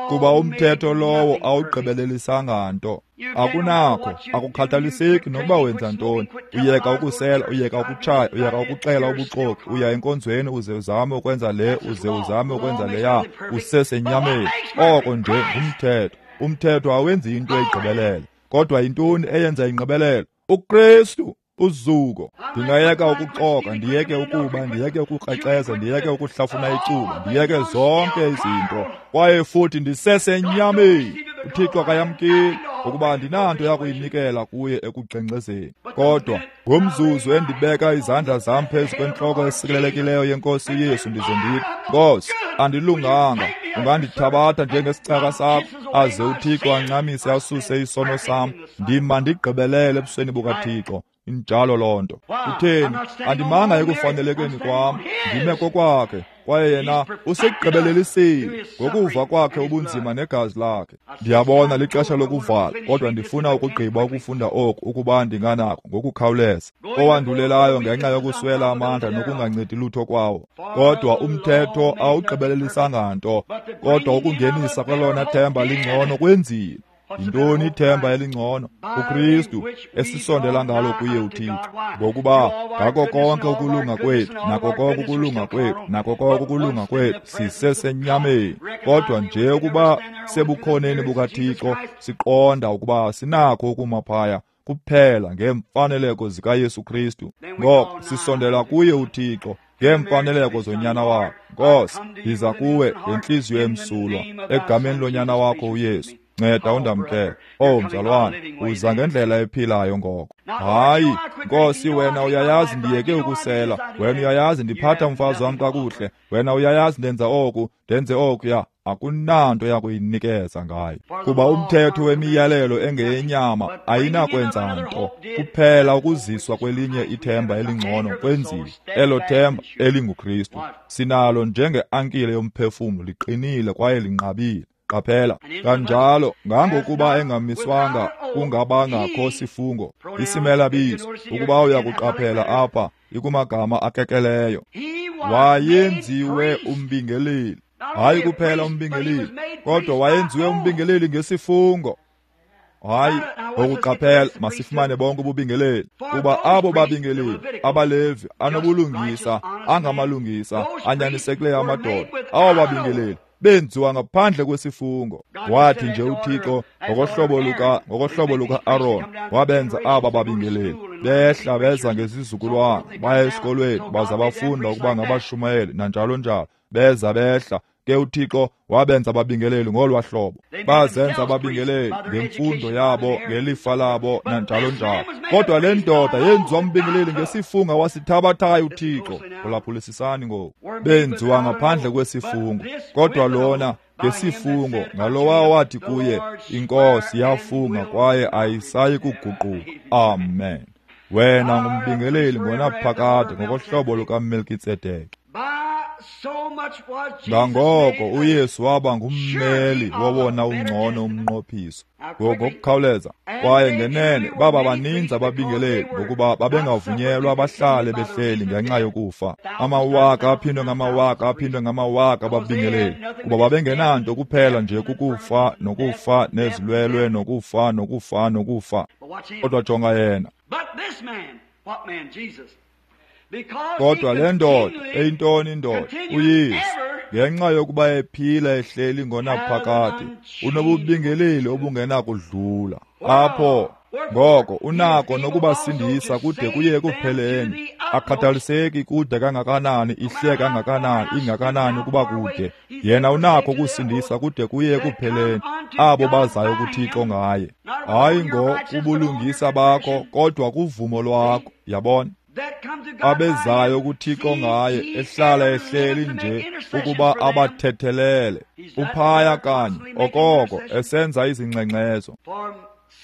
S1: Kuba umthetho lowo awugqibelelisanga nto. Akunakho, akukhathaliseki nokuba wenza ntoni. Uyeka ukusela, uyeka ukutshaya, uyeka ukuxela ubuxoki, uya enkonzweni uze uzame ukwenza le, uze uzame ukwenza leya, usesenyameni. Oko nje ngumthetho. Umthetho awenzi into egqibelele. Kodwa yintoni eyenza ingqibelelo? uKristu. Uzuko. Ndingayeka ukuxoka, ndiyeke ukuba, ndiyeke ukukrexeza, ndiyeke ukuhlafuna icuba, ndiyeke zonke izinto, kwaye futhi ndisesenyameni. uThixo akayamkeli ukuba andinanto yakuyinikela kuye ekugxengxezeni. Kodwa ngomzuzu endibeka izandla zam phezu kwentloko esikelelekileyo yeNkosi uYesu, ndize ndithi, Nkosi, andilunganga, ungandithabatha njengesicaka sakho, aze uThixo ancamise asuse isono sam, ndima ndigqibelele ebusweni bukaThixo. Injalo loo nto. Kutheni? Andimanga ekufanelekeni kwam, ndime kokwakhe, kwaye yena usigqibelelisile ngokuva kwakhe ubunzima negazi lakhe. Ndiyabona lixesha lokuvala, kodwa ndifuna ukugqiba ukufunda oku ukuba ndinganako ngokukhawuleza. Owandulelayo ngenxa yokuswela amandla nokungancedi lutho kwawo. Kodwa umthetho awugqibelelisanga nto, kodwa ukungenisa kwelona themba lingcono kwenzile. Yintoni ithemba elingcono? uKristu, esisondela ngalo kuye uThixo. Ngokuba ngako konke ukulunga kwethu, nako konke ukulunga kwethu, nako konke ukulunga kwethu, sisesenyameni. Kodwa nje ukuba sebukhoneni bukaThixo, siqonda ukuba sinakho ukuma phaya kuphela ngeemfaneleko zikaYesu Kristu. Ngoko sisondela kuye uThixo ngeemfaneleko zonyana wakhe. Nkosi, ndiza kuwe ngentliziyo emsulwa, egameni lonyana wakho uYesu. Nceda undamkele. Oh mzalwane, uza ngendlela ephilayo ngoko. Hayi, Nkosi, wena uyayazi ndiyeke ukusela, wena uyayazi ndiphatha umfazi wam kakuhle, wena uyayazi ndenza oku, ndenze okuya. Akunanto yakuyinikeza ngayo. Kuba umthetho wemiyalelo engeyenyama ayinakwenza nto, kuphela ukuziswa kwelinye ithemba elingcono kwenziwe, elo themba elinguKristu. Sinalo njengeankile yomphefumlo, liqinile kwaye linqabile. Qaphela, kanjalo ngangokuba engamiswanga kungabangakho sifungo, isimela bizo, ukuba uyakuqaphela apha ikumagama akekeleyo. Wayenziwe umbingeleli, Hayi kuphela umbingeleli, kodwa wayenziwe umbingeleli ngesifungo. Hayi, ngokuqaphela masifumane bonke ububingeleli, kuba abo babingeleli abaLevi anobulungisa, angamalungisa, anyanisekileyo amadoda, abo babingeleli benziwa ngaphandle kwesifungo. Wathi nje uThixo ngokohlobo luka-Aaron wabenza aba babingeleli. Behla beza ngezizukulwana, baya esikolweni baza bafunda ukuba ngabashumayeli nanjalo njalo. Beza behla ke uThixo wabenza ababingeleli ngolwa hlobo. Bazenza ababingeleli ngemfundo yabo, ngelifa labo nanjalo njalo. Kodwa le ndoda yenziwa umbingeleli ngesifungo wasithabathayo uThixo. Phulaphulisisani ngoku. Benziwa ngaphandle kwesifungo, kodwa lona ngesifungo ngalowa wathi kuye, iNkosi yafunga kwaye ayisayi kuguquka. Amen. Wena ngumbingeleli ngonaphakade ngokohlobo lukaMelkitsedeke. Ngangoko uYesu waba ngummeli wowona ungcono umnqophiso. Ngokukhawuleza, kwaye ngenene baba baninzi ababingeleli ngokuba babengavunyelwa bahlale behleli ngenxa yokufa. Amawaka aphindwe ngamawaka aphindwe ngamawaka ababingeleli, kuba babengenanto kuphela nje kukufa nokufa nezilwelwe nokufa nokufa nokufa. Kodwa jonga yena. Kodwa le ndoda, eyintoni indoda? uYesu, ngenxa yokuba ephila ehleli ngonaphakade, unobubingeleli obungenakudlula. Apho ngoko unako nokubasindisa kude kuye ekupheleni. Akhathaliseki kude kangakanani, ihle kangakanani, ingakanani ukuba kude, yena unako ukusindisa kude kuye ekupheleni abo bazayo kuThixo ngaye. Hayi ngokubulungisa bakho, kodwa kuvumo lwakho. Yabona? Abezayo kuThixo ngaye, ehlala ehleli nje ukuba abathethelele. Uphaya kanye okoko esenza izingxengxezo.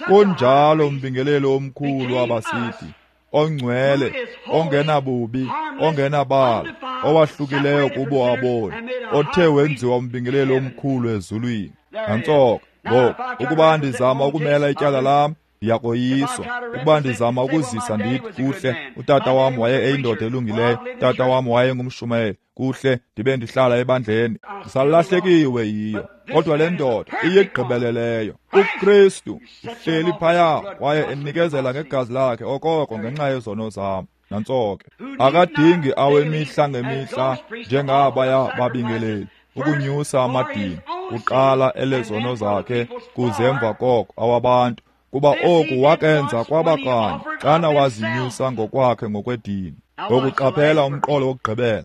S1: Kunjalo umbingeleli omkhulu wabasithi, ongcwele, ongenabubi, ongenabala, owahlukileyo kubo aboni, othe wenziwa umbingeleli omkhulu ezulwini. Nantsoka ngoku, ukuba ndizama ukumela ityala lam, ndiyakoyiswa. Ukuba ndizama ukuzisa ndithi, kuhle, utata wam waye eyindoda elungileyo, utata wam waye ngumshumayeli, kuhle, ndibe ndihlala ebandleni, ndisalahlekiwe yiyo. Kodwa le ndoda iyigqibeleleyo. uKristu uhleli phaya kwaye enikezela ngegazi lakhe okoko ngenxa yezono zam. Nantsoke akadingi awemihla ngemihla njengabaya babingeleli ukunyusa amadini, kuqala elezono zakhe kuze emva koko awabantu, kuba oku wakenza kwabakanye xana wazinyusa ngokwakhe ngokwedini. Ngokuqaphela umqolo wokugqibela,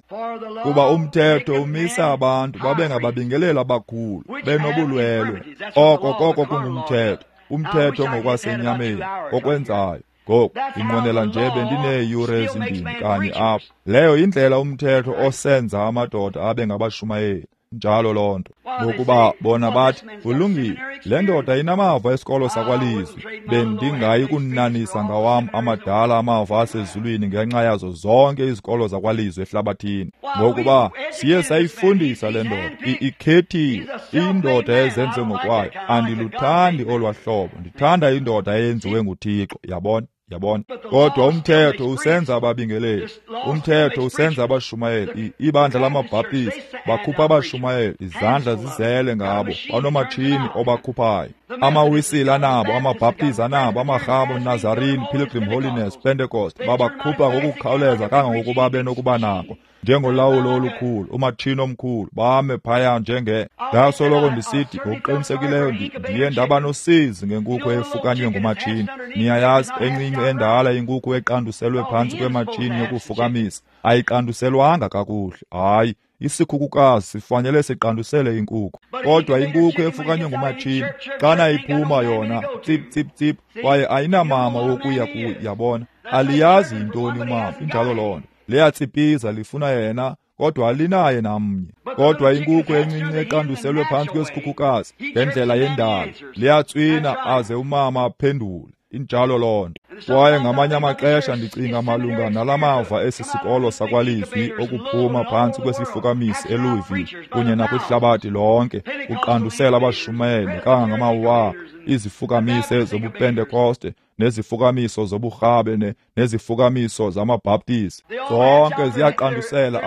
S1: kuba umthetho umisa abantu babe ngababingeleli abakhulu benobulwelwe. Oko koko kungumthetho, umthetho ngokwasenyameni okwenzayo. Ngoku ndinqwenela nje bendineeyure ezimbini kanye apha. Leyo yindlela umthetho osenza amadoda abe ngabashumayeli. Njalo loo nto. Ngokuba bona bathi, kulungile, le ndoda inamava esikolo sakwalizwi, bendingayi kunanisa ngawam amadala amava asezulwini ngenxa yazo zonke izikolo zakwalizwi ehlabathini. Ngokuba siye sayifundisa le ndoda, ikhethiwe, indoda ezenze ngokwayo. Andiluthandi olwa hlobo, ndithanda indoda eyenziwe nguThixo. Yabona? Yabona? Kodwa umthetho usenza ababingeleli, umthetho usenza abashumayeli. Ibandla lamaBhaptisti bakhupha abashumayeli, izandla zizele ngabo, banomatshini obakhuphayo. AmaWisile anabo, amaBhaptizi anabo, amaRhabo, Nazarene, Pilgrim Holiness, Pentecost, babakhupha ngokukhawuleza kangangokuba benokuba nako, njengolawulo olukhulu, umatshini omkhulu, bame phaya njenge. Ndasoloko ndisithi ngokuqinisekileyo ndiye ndaba nosizi ngenkukhu efukanywe ngumatshini. Niyayazi, encinci endala inkukhu eqanduselwe phantsi kwematshini yokufukamisa ayiqanduselwanga kakuhle. Hayi, isikhukukazi sifanele siqandusele inkukhu. Kodwa inkukhu efukanywe ngumatshini, xana iphuma yona tsip tsip tsip, kwaye ayinamama wokuya kuyo. Yabona, aliyazi yintoni umama. Injalo loo nto. Liyatsipiza lifuna yena, kodwa alinaye namnye. Kodwa inkukhu encinci eqanduselwe phantsi kwesikhukukazi ngendlela yendalo, liyatswina aze umama aphendule. Injalo loo nto. Kwaye ngamanye amaxesha ndicinga malunga nalamava esi sikolo sakwalizwi okuphuma phantsi kwesifukamisi eLouisville kunye nakwihlabathi lonke, kuqandusela abashumayeli kangangamawaka, izifukamise zobuPentekoste nezifukamiso zoburhabe nezifukamiso zamaBhaptizi. Zonke ziyaqandusela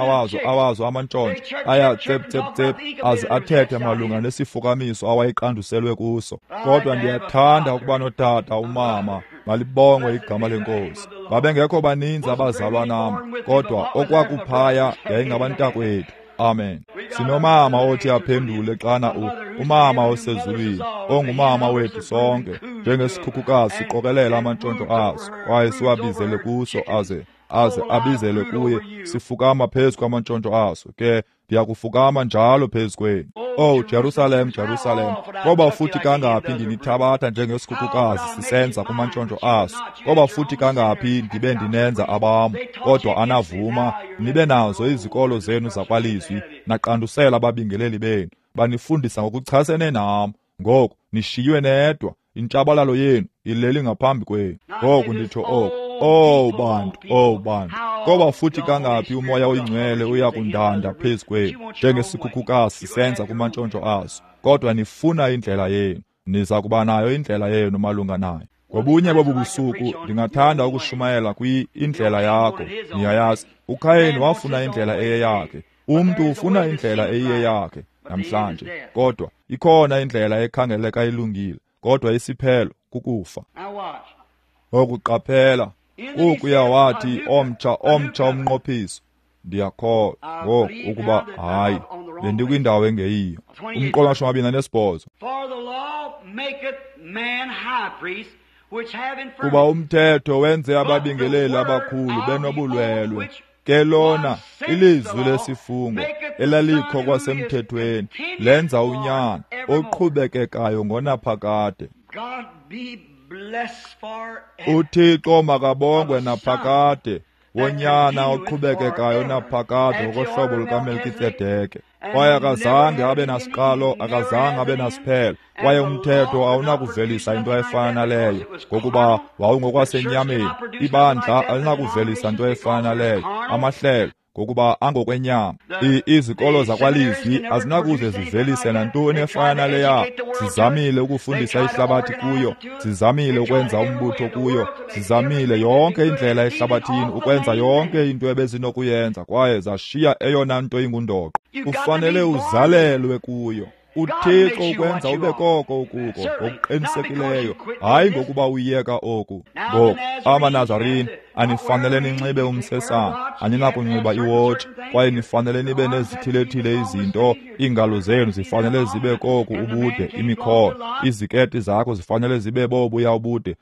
S1: awazo amantshontsho, aya tsep tsep tsep aze athethe malunga nesifukamiso awayeqanduselwe kuso. Kodwa ndiyathanda ukuba notata umama, malibongwe igama leNkosi. Babengekho baninzi abazalwa nam, kodwa okwakuphaya yayingabantakwethu. Amen. Sinomama othi aphendule xana umama osezulwini, ongumama wethu sonke, njengesikhukukazi siqokelela amantshontsho aso kwaye siwabizele kuso, aze abizele kuye, sifukama phezu kwamantshontsho aso. Ke ndiyakufukama njalo phezu kwenu. Oh Jerusalem, Jerusalem, koba futhi kangaphi ndinithabatha njengesikhukukazi sisenza kumantshontsho aso, koba futhi kangaphi ndibe ndinenza abam, kodwa anavuma. Nibe nazo izikolo zenu zakwalizwi, naqandusela ababingeleli benu, banifundisa ngokuchasene nam. Ngoku nishiywe nedwa, intshabalalo yenu ileli ngaphambi kwenu. Ngoku nditsho oku, oh bantu, oh bantu, koba futhi kangaphi uMoya oyiNgcwele uyakundanda phezu kwenu njengesikhukukazi senza kumantshontsho aso, kodwa nifuna indlela yenu. Niza kuba nayo indlela yenu malunga nayo. Ngobunye bobu busuku ndingathanda ukushumayela indlela yakho. Niyayazi, uKhayeni wafuna indlela eyeyakhe. Umntu ufuna indlela eyeyakhe namhlanje, kodwa ikhona indlela ekhangeleka ilungile, kodwa isiphelo kukufa. Okuqaphela ukuya wathi omtsha umnqophiso. Ndiyakholwa ngoku ukuba hayi, bendikwindawo engeyiyo. Umqolo 28. Kuba umthetho wenze ababingeleli abakhulu benobulwelwe, ke lona ilizwi lesifungo elalikho kwasemthethweni lenza unyana oqhubekekayo ngonaphakade. uThixo makabongwe naphakade, wonyana oqhubekekayo naphakade ngokohlobo lukaMelkitsedeke. Kwaye akazange abe nasiqalo, akazange abe nasiphelo, kwaye umthetho awunakuvelisa into efana naleyo, ngokuba wawungokwasenyameni. Ibandla alinakuvelisa into efana naleyo, amahlelo, ngokuba angokwenyama. Izikolo zakwalizwi azinakuze zivelise nantoni efana naleya. Zizamile ukufundisa ihlabathi kuyo, zizamile ukwenza umbutho kuyo, zizamile yonke indlela ehlabathini ukwenza yonke into ebezinokuyenza, kwaye zashiya eyona nto ingundoqo. Ufanele uzalelwe kuyo. uThixo ukwenza ube koko ukuko ngokuqinisekileyo, hayi ngokuba uyeka oku. Ngoku amaNazarini anifanele ninxibe umsesana, aninakunxiba iwotshi, kwaye nifanele nibe nezithilethile izinto. Iingalo zenu zifanele zibe koku ubude, imikhono, iziketi zakho zifanele zibe bobuya ubude,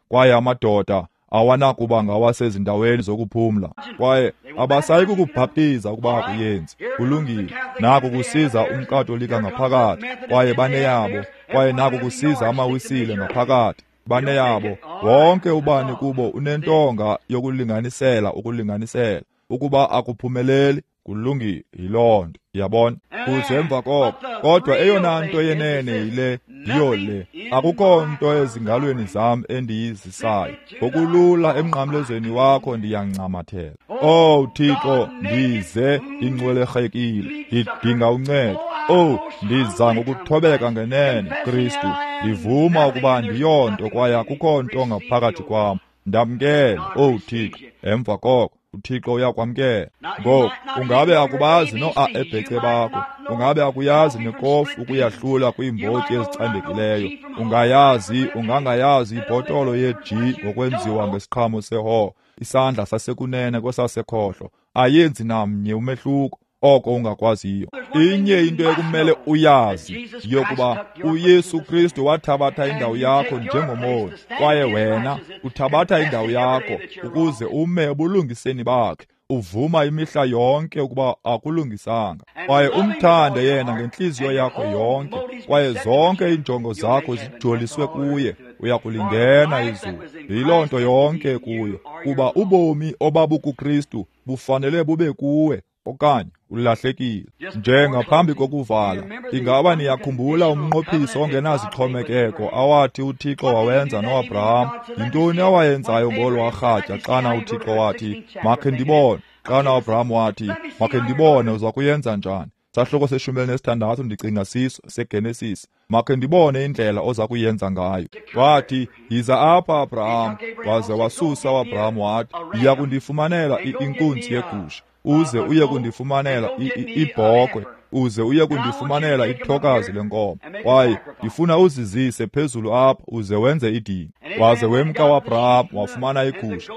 S1: kwaye amadoda awanakuba ngawasezindaweni zokuphumla, kwaye abasayi kukubhaptiza ukuba akuyenzi. Kulungile. Naku kusiza umKatolika ngaphakathi, kwaye baneyabo, kwaye naku kusiza amaWisile ngaphakathi, baneyabo. Wonke ubani kubo unentonga yokulinganisela ukulinganisela. Ukuba akuphumeleli, kulungile, yiloo nto, yabona. Kuze emva koko, kodwa eyona nto yenene yile, yiyo le. Akukho nto ezingalweni zam endiyizisayo. Ngokulula emnqamlezweni wakho ndiyancamathela. Oh Thixo, ndize ndingcwelerhekile, ndidinga uncedo. Oh, ndiza ngokuthobeka ngenene, Kristu. Ndivuma ukuba ndiyonto kwaye akukho nto ngaphakathi kwam. Ndamkele, oh Thixo. Emva koko uThixo uyakwamkela. Ngoku ungabe akubazi no-A ebhece bakho, ungabe akuyazi nekofu ukuyahlula kwiimbotyi ezicandekileyo, ungayazi ungangayazi ibhotolo ye-G ngokwenziwa ngesiqhamo seho, isandla sasekunene kwesasekhohlo, ayenzi namnye umehluko oko ungakwaziyo. Inye into ekumele uyazi yokuba uYesu Kristu wathabatha indawo yakho njengomoni, kwaye wena uthabatha indawo yakho ukuze ume ebulungiseni bakhe, uvuma imihla yonke ukuba akulungisanga, kwaye umthande yena ngentliziyo yakho yonke, kwaye zonke iinjongo zakho zijoliswe kuye, uyakulingena izulu. Yiloo nto yonke kuyo, kuba ubomi obabukuKristu bufanele bube kuwe. okanye ulahlekile. Nje ngaphambi kokuvala, ingaba niyakhumbula umnqophiso ongenazixhomekeko awathi uThixo wawenza noAbraham? Yintoni awayenzayo ngolwa rhatya xana uThixo wathi, "Makhe ndibone"? Xana uAbraham wathi, "Makhe ndibone uza kuyenza njani?" Sahluko se-16 ndicinga siso seGenesis. Makhe ndibone indlela oza kuyenza ngayo. Wathi, "Yiza apha, Abraham." Waze wasusa uAbraham wathi, "Yiya kundifumanela inkunzi yegusha, uze uye kundifumanela ibhokhwe, uze uye kundifumanela ithokazi lenkomo. Kwaye ndifuna uzizise phezulu apha uze wenze idini." Waze wemka uAbraham wafumana igusha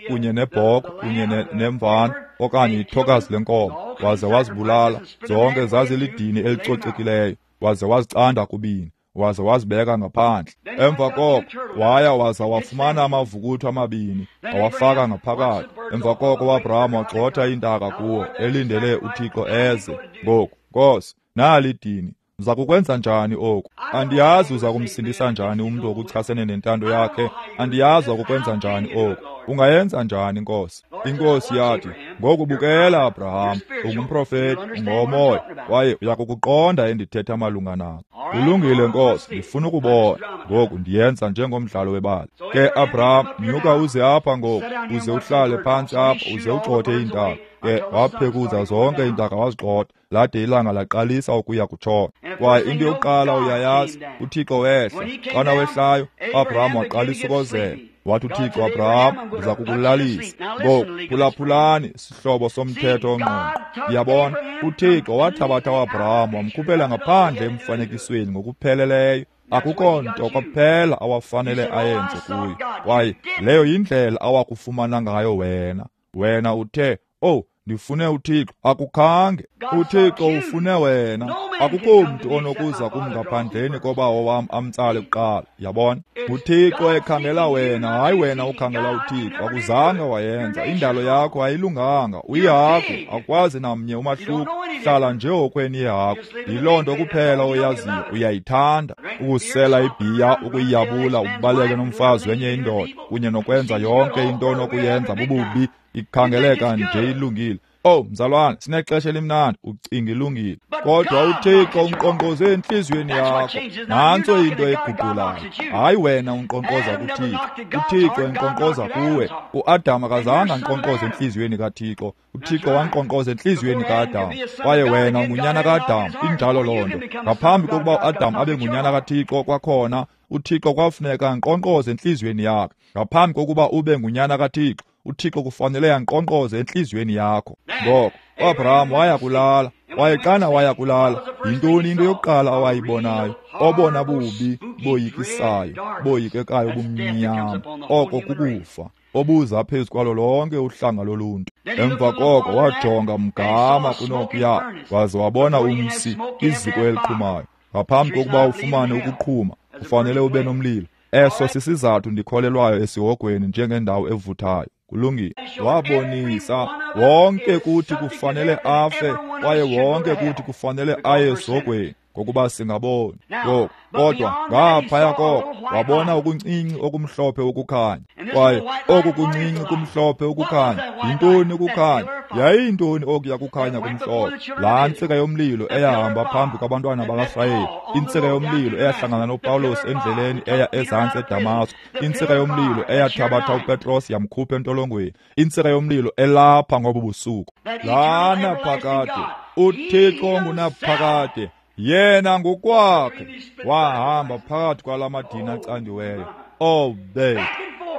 S1: kunye nebhokhwe kunye nemvana okanye ithokazi lenkomo, waze wazibulala. Zonke zazilidini elicocekileyo. Waze wazicanda kubini, waze wazibeka ngaphandle. Emva koko waya waza wafumana amavukuthu amabini, wawafaka ngaphakathi. Emva koko uAbraham wagxotha iintaka kuwo, elindele uThixo eze. Ngoku, Nkosi, nali idini. Uza kukwenza njani oku? Andiyazi uza kumsindisa njani umntu okuchasene nentando yakhe. Andiyazi ukukwenza njani oku. Ungayenza njani, Nkosi? Inkosi yathi, "Ngoku bukela, Abraham, ungumprofeti, ungowomoya, kwaye uyakukuqonda endithetha malunga nako." "Kulungile, Nkosi, ndifuna ukubona." Ngoku ndiyenza njengomdlalo webali. Ke Abraham, nyuka uze apha ngoku, uze uhlale phantsi apha, uze ugxothe iintaka. Ke waphekuza zonke iintaka wazigxotha, lade ilanga laqalisa ukuya kutshona. Kwaye into yokuqala uyayazi, uThixo wehla. Xana wehlayo, uAbraham waqalisa ukozela. Wathi uThixo, "Abraham, ndiza kukulalisa." Ngoku phulaphulani, sihlobo somthetho ongqongqo. Ndiyabona, uThixo wathabatha uAbraham wamkhuphela ngaphandle emfanekisweni ngokupheleleyo. Akukho nto kwaphela awafanele ayenze kuyo. Kwaye leyo yindlela awakufumana ngayo wena. Wena uthe, "Oh, ndifune uThixo." Akukhange. uThixo ufune wena. Akukho mntu onokuza kum ngaphandleni kobawo wam amtsale kuqala. Yabona? UThixo ekhangela wena, hayi wena ukhangela uThixo. Akuzange wayenza. Indalo yakho ayilunganga. Uyihagu, akwazi namnye umahluko. Hlala nje okweni yehagu. Yiloo nto kuphela oyaziyo. Uyayithanda ukusela ibhiya, ukuyiyabula, ubaleke nomfazi wenye indoda, kunye nokwenza yonke into onokuyenza bububi. Ikhangeleka nje ilungile. Oh, mzalwane, sinexesha elimnandi, ucinga ilungile. Kodwa uThixo unkqonkqoze entliziyweni yakho. Nantso into eguqulayo. Hayi wena unkqonkqoza kuThixo. UThixo enkqonkqoza kuwe. UAdam akazange ankqonkqoze entliziyweni kaThixo. uThixo wankqonkqoza entliziyweni kaAdam. Kwaye wena ungunyana kaAdam. Injalo loo nto. Ngaphambi kokuba uAdam abe ngunyana kaThixo kwakhona, uThixo kwafuneka ankqonkqoze entliziyweni yakhe. Ngaphambi kokuba ube ngunyana kaThixo, uThixo kufanele ankqonkqoze entliziyweni yakho. Ngoko uAbraham waya kulala. Kwaye xana waya kulala, yintoni into yokuqala awayibonayo? Obona bubi boyikisayo, boyikekayo bumnyama, oko kukufa, obuza phezu kwalo lonke uhlanga loluntu. Emva koko wajonga mgama kunokuya, waze wabona umsi, iziko eliqhumayo. Ngaphambi kokuba ufumane ukuqhuma, ufanele ube nomlilo. Eso sisizathu ndikholelwayo esihogweni njengendawo evuthayo. Kulungile. Wabonisa wonke kuthi kufanele afe, kwaye wonke kuthi kufanele aye esihogweni, ngokuba singaboni. Ngoku kodwa ngaphaya koko wabona okuncinci okumhlophe ukukhanya. Kwaye oku kuncinci kumhlophe ukukhanya, yintoni ukukhanya? Yayiyintoni okuya kukhanya kumhlophe? Laa ntsika yomlilo eyahamba phambi kwabantwana bakaSirayeli, intsika yomlilo eyahlangana noPawulos endleleni eya ezantsi eDamasko, intsika yomlilo eyathabatha uPetros yamkhupha entolongweni, intsika yomlilo elapha ngobu busuku. Lana phakade, uThixo ngunaphakade. Yena ngokwakhe wahamba phakathi kwala madini acandiweyo. Obethu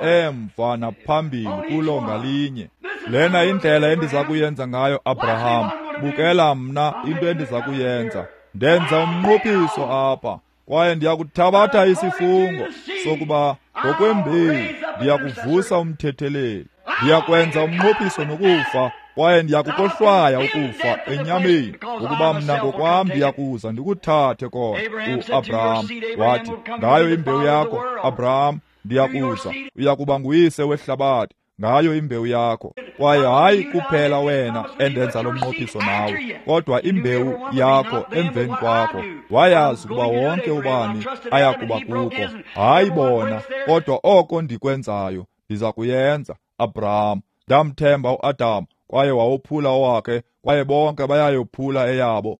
S1: emva naphambili kulo ngalinye. Lena indlela endiza kuyenza ngayo, Abraham. Bukela mna into endiza kuyenza. Ndenza umnqophiso apha, kwaye ndiyakuthabatha isifungo sokuba ngokwembewu ndiyakuvusa umthetheleli. Ndiyakwenza umnqophiso nokufa, kwaye ndiyakukohlwaya ukufa enyameni, ukuba mna ngokwam ndiyakuza ndikuthathe kona. UAbraham wathi, ngayo imbewu yakho, Abraham, ndiyakuza, uyakuba nguyise wehlabathi ngayo imbewu yakho. Kwaye hayi kuphela wena endenza lo mnqophiso nawe, kodwa imbewu yakho emveni kwakho. Wayazi ukuba wonke ubani ayakuba kuko. Hayi bona, kodwa oko ndikwenzayo ndiza kuyenza, Abraham. Ndamthemba uAdam, kwaye wawophula owakhe, kwaye bonke bayayophula eyabo.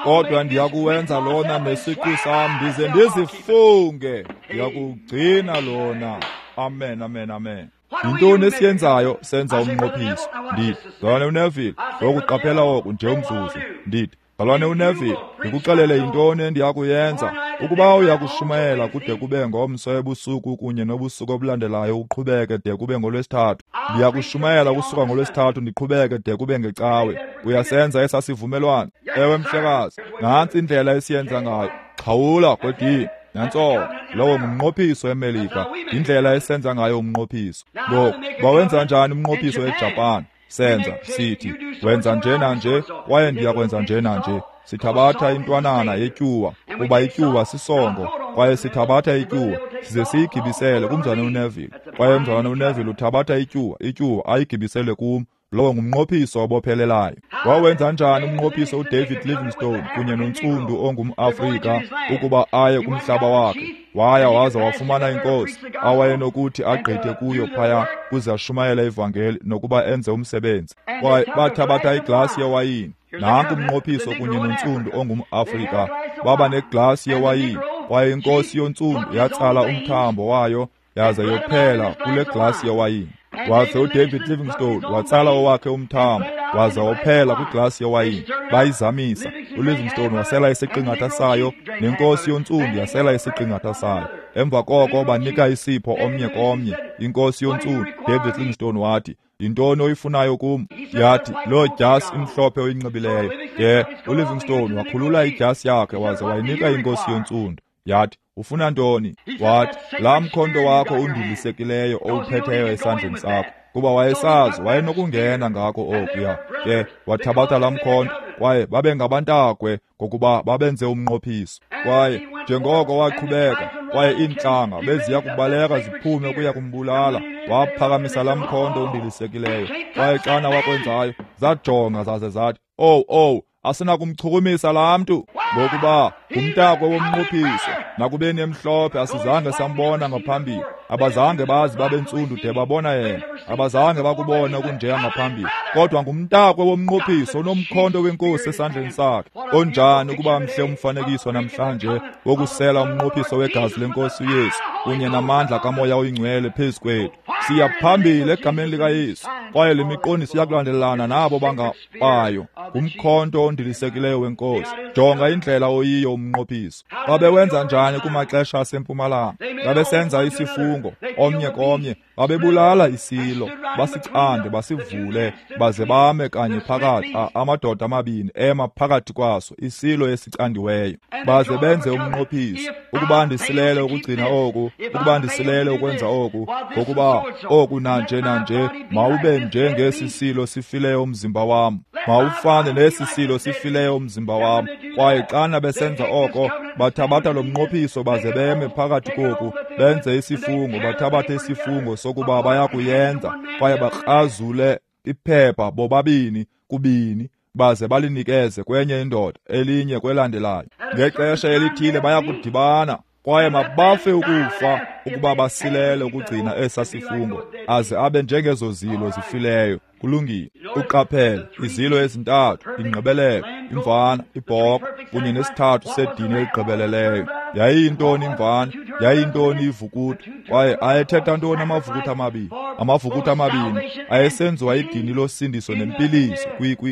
S1: Kodwa ndiyakuwenza lona nesiqu sam, ndize ndizifunge, ndiyakuwugcina lona. Amen, amen, amen. Yintoni esiyenzayo? Senza umnqophiso. Ndithi, mzalwane uNeville, ngokuqaphela oku nje umzuzu. Ndithi, mzalwane uNeville, ndikuxelele yintoni endiyakuyenza. Ukuba uyakushumayela kude kube ngomso ebusuku kunye nobusuku obulandelayo uqhubeke de kube ngolwesithathu, ndiyakushumayela kusuka ngolwesithathu ndiqhubeke de kube ngecawe. Uyasenza esasivumelwano? Ewe, mhlekazi. Nantsi indlela esiyenza ngayo. Xhawula kwedini. Nantso, lowo ngumnqophiso eMelika, indlela esenza ngayo umnqophiso. Ngoku, bawenza njani umnqophiso eJapan? Senza, sithi, wenza nje nanje, kwaye ndiyakwenza nje nanje. Sithabatha intwanana yetyuwa, kuba ityuwa sisongo, kwaye sithabatha ityuwa, size siyigibisele kumzalwane uNeville. Kwaye umzalwane uNeville uthabatha ityuwa ayigibisele kum. Lowo ngumnqophiso obophelelayo. Wawenza njani umnqophiso uDavid Livingstone kunye nontsundu ongumAfrika ukuba aye kumhlaba wakhe? Waya waza wafumana inkosi awayenokuthi agqithe kuyo phaya kuze ashumayele ivangeli nokuba enze umsebenzi. Kwaye bathabatha iglasi yewayini. Nanku umnqophiso kunye nontsundu ongumAfrika. Baba neglasi yewayini, kwaye inkosi yontsundu yatsala umthambo wayo yaze yophela kule glasi yewayini. Waze uDavid Livingstone watsala owakhe umthambo waze wophela kwiglasi yewayini. Bayizamisa. uLivingstone wasela isiqingatha sayo, nenkosi yontsundu yasela isiqingatha sayo. Emva koko banika isipho omnye komnye. Inkosi yontsundu, David Livingstone, wathi, yintoni oyifunayo kum? Yathi, loo dyasi imhlophe oyinxibileyo. Ke uLivingstone wakhulula idyasi yakhe waze wayinika inkosi yontsundu. Yathi, ufuna ntoni? Wathi, laa mkhonto wakho undilisekileyo owuphetheyo esandleni sakho. Kuba wayesazi wayenokungena ngako okuya. Ke wathabatha laa mkhonto, kwaye babengabantakwe ngokuba babenze umnqophiso. Kwaye njengoko waqhubeka, kwaye iintlanga beziya kubaleka ziphume ukuya kumbulala, waphakamisa laa mkhonto undilisekileyo. Kwaye xana wakwenzayo, zajonga zaze zathi, owu, owu, asinakumchukumisa laa mntu, ngokuba ngumntakwe womnqophiso. Nakubeni emhlophe asizange sambona ngaphambili. Abazange bazi babentsundu de babona yena. Abazange bakubona okunjeya ngaphambili. Kodwa ngumntakwe womnqophiso onomkhonto wenkosi esandleni sakhe. Onjani ukuba mhle umfanekiso namhlanje wokusela umnqophiso wegazi lenkosi uYesu kunye namandla kaMoya oyiNgcwele phezu kwethu. Siya phambili egameni likaYesu, kwaye le miqondiso iyakulandelana nabo bangabayo. Ngumkhonto ondilisekileyo wenkosi. Jonga indlela oyiyo umnqophiso. Babewenza njani kumaxesha asempumalanga? Babesenza isifungo omnye komnye. Babebulala isilo, basicande, basivule, baze bame kanye phakathi, amadoda amabini ema phakathi kwaso, isilo esicandiweyo. Baze benze umnqophiso, ukuba ndisilele ukugcina oku, ukuba ndisilele ukwenza oku, ngokuba oku nanje nanje, mawube njengesi silo sifileyo umzimba wam, mawufane nesi silo sifileyo umzimba wam. Kwaye xana besenza oko, bathabatha lo mnqophiso baze beme phakathi koku, benze isifungo, bathabathe isifungo sokuba bayakuyenza, kwaye bakrazule iphepha bobabini kubini, baze balinikeze kwenye indoda, elinye kwelandelayo. Ngexesha elithile bayakudibana, kwaye mabafe ukufa ukuba basilele ukugcina esa sifungo, aze abe njengezo zilo zifileyo. Kulungile. Uqaphele izilo ezintathu, ingqibelelo, imvana, ibhokhwe kunye nesithathu sedini eligqibeleleyo. Yayiyintoni imvana? Yayiyintoni ivukuthu? Kwaye ayethetha ntoni amavukuthu amabini? Amavukuthu amabini ayesenziwa idini losindiso nempiliso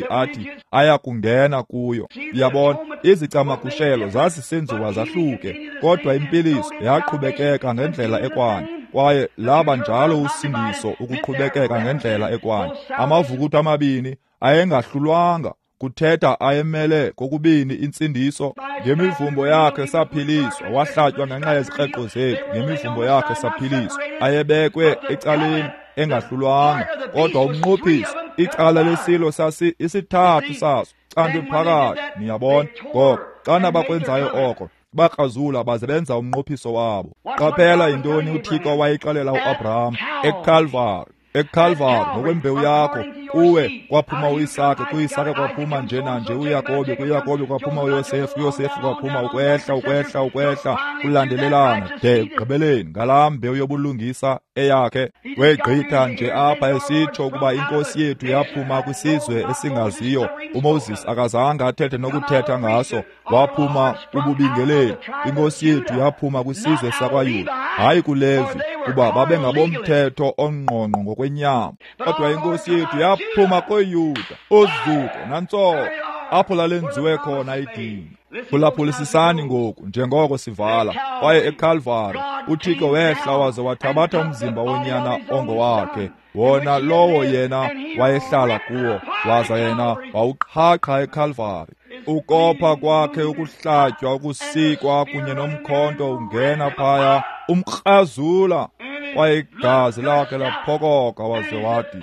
S1: athi ayakungena kuyo. Uyabona, izicamagushelo zazisenziwa zahluke, kodwa impiliso yaqhubekeka ngendlela ekwanye. Kwaye laba njalo usindiso ukuqhubekeka ngendlela ekwanye. Amavukuthu amabini ayengahlulwanga, kuthetha ayemele kokubini intsindiso. Ngemivumbo yakhe saphiliswa, wahlatywa ngenxa yezikreqo zethu, ngemivumbo yakhe saphiliswa. Ayebekwe ecaleni engahlulwanga, kodwa umnqophiso, icala lesilo sasi isithathu saso candwe phakathi. Niyabona, ngoko xana bakwenzayo oko, bakrazula baze benza umnqophiso wabo. Qaphela yintoni uThixo wayixelela uAbraham eCalvary. eCalvary, ngokwembewu yakho Kuwe kwaphuma uIsake, kuIsake kwaphuma nje nanje uYakobi, kuYakobi kwaphuma uYosefu, kuYosefu kwaphuma ukwehla, ukwehla, ukwehla, kulandelelana de ekugqibeleni ngalaa mbewu yobulungisa eyakhe. Wegqitha nje apha esitsho ukuba inkosi yethu yaphuma kwisizwe esingaziyo. uMoses akazange athethe nokuthetha ngaso, waphuma kububingeleli. Inkosi yethu yaphuma kwisizwe sakwaYuda, hayi kuLevi, kuba babengabomthetho ongqongqo ngokwenyama. Kodwa inkosi yethu yaphuma koYuda, uzuko nantsoko, apho lalenziwe khona idinga. Phulaphulisisani ngoku njengoko sivala. Kwaye eKalvari uThixo wehla waze wathabatha umzimba wonyana ongowakhe, wona lowo yena wayehlala kuwo, waza yena wawuqhaqha eKalvari. Ukopha kwakhe, ukuhlatywa, ukusikwa kunye nomkhonto ungena phaya umkrazula, kwaye igazi lakhe laphokoka, waze wathi,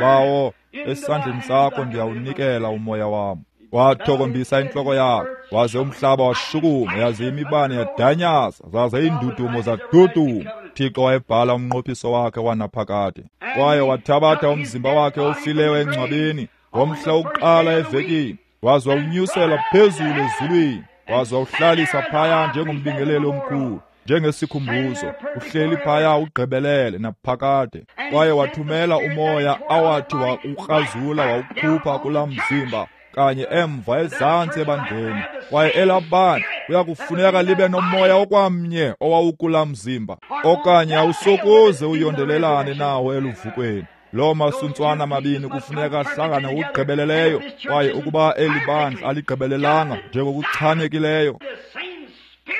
S1: Bawo, esandleni sakho ndiyawunikela umoya wam. Wathokombisa intloko yakhe, waze umhlaba washukuma, yaze imibane yadanyaza, zaze iindudumo zaduduma. Thixo wayebhala umnqophiso wakhe wanaphakade. Kwaye wathabatha umzimba wakhe ofileyo engcwabeni ngomhla wokuqala evekini, waze wawunyusela phezulu ezulwini, waze wawuhlalisa phaya njengombingeleli omkhulu, njengesikhumbuzo, uhleli phaya ugqibelele naphakade. Kwaye wathumela umoya awathi wawukrazula wawukhupha kulaa mzimba kanye emva ezantsi ebandleni. Kwaye elaa bandla kuyakufuneka libe nomoya okwamnye owawukulaa mzimba, okanye awusokuze uyondelelane nawo eluvukweni. Loo masuntswana mabini kufuneka ahlangane ngokugqibeleleyo. Kwaye ukuba eli bandla aligqibelelanga njengokuchanekileyo,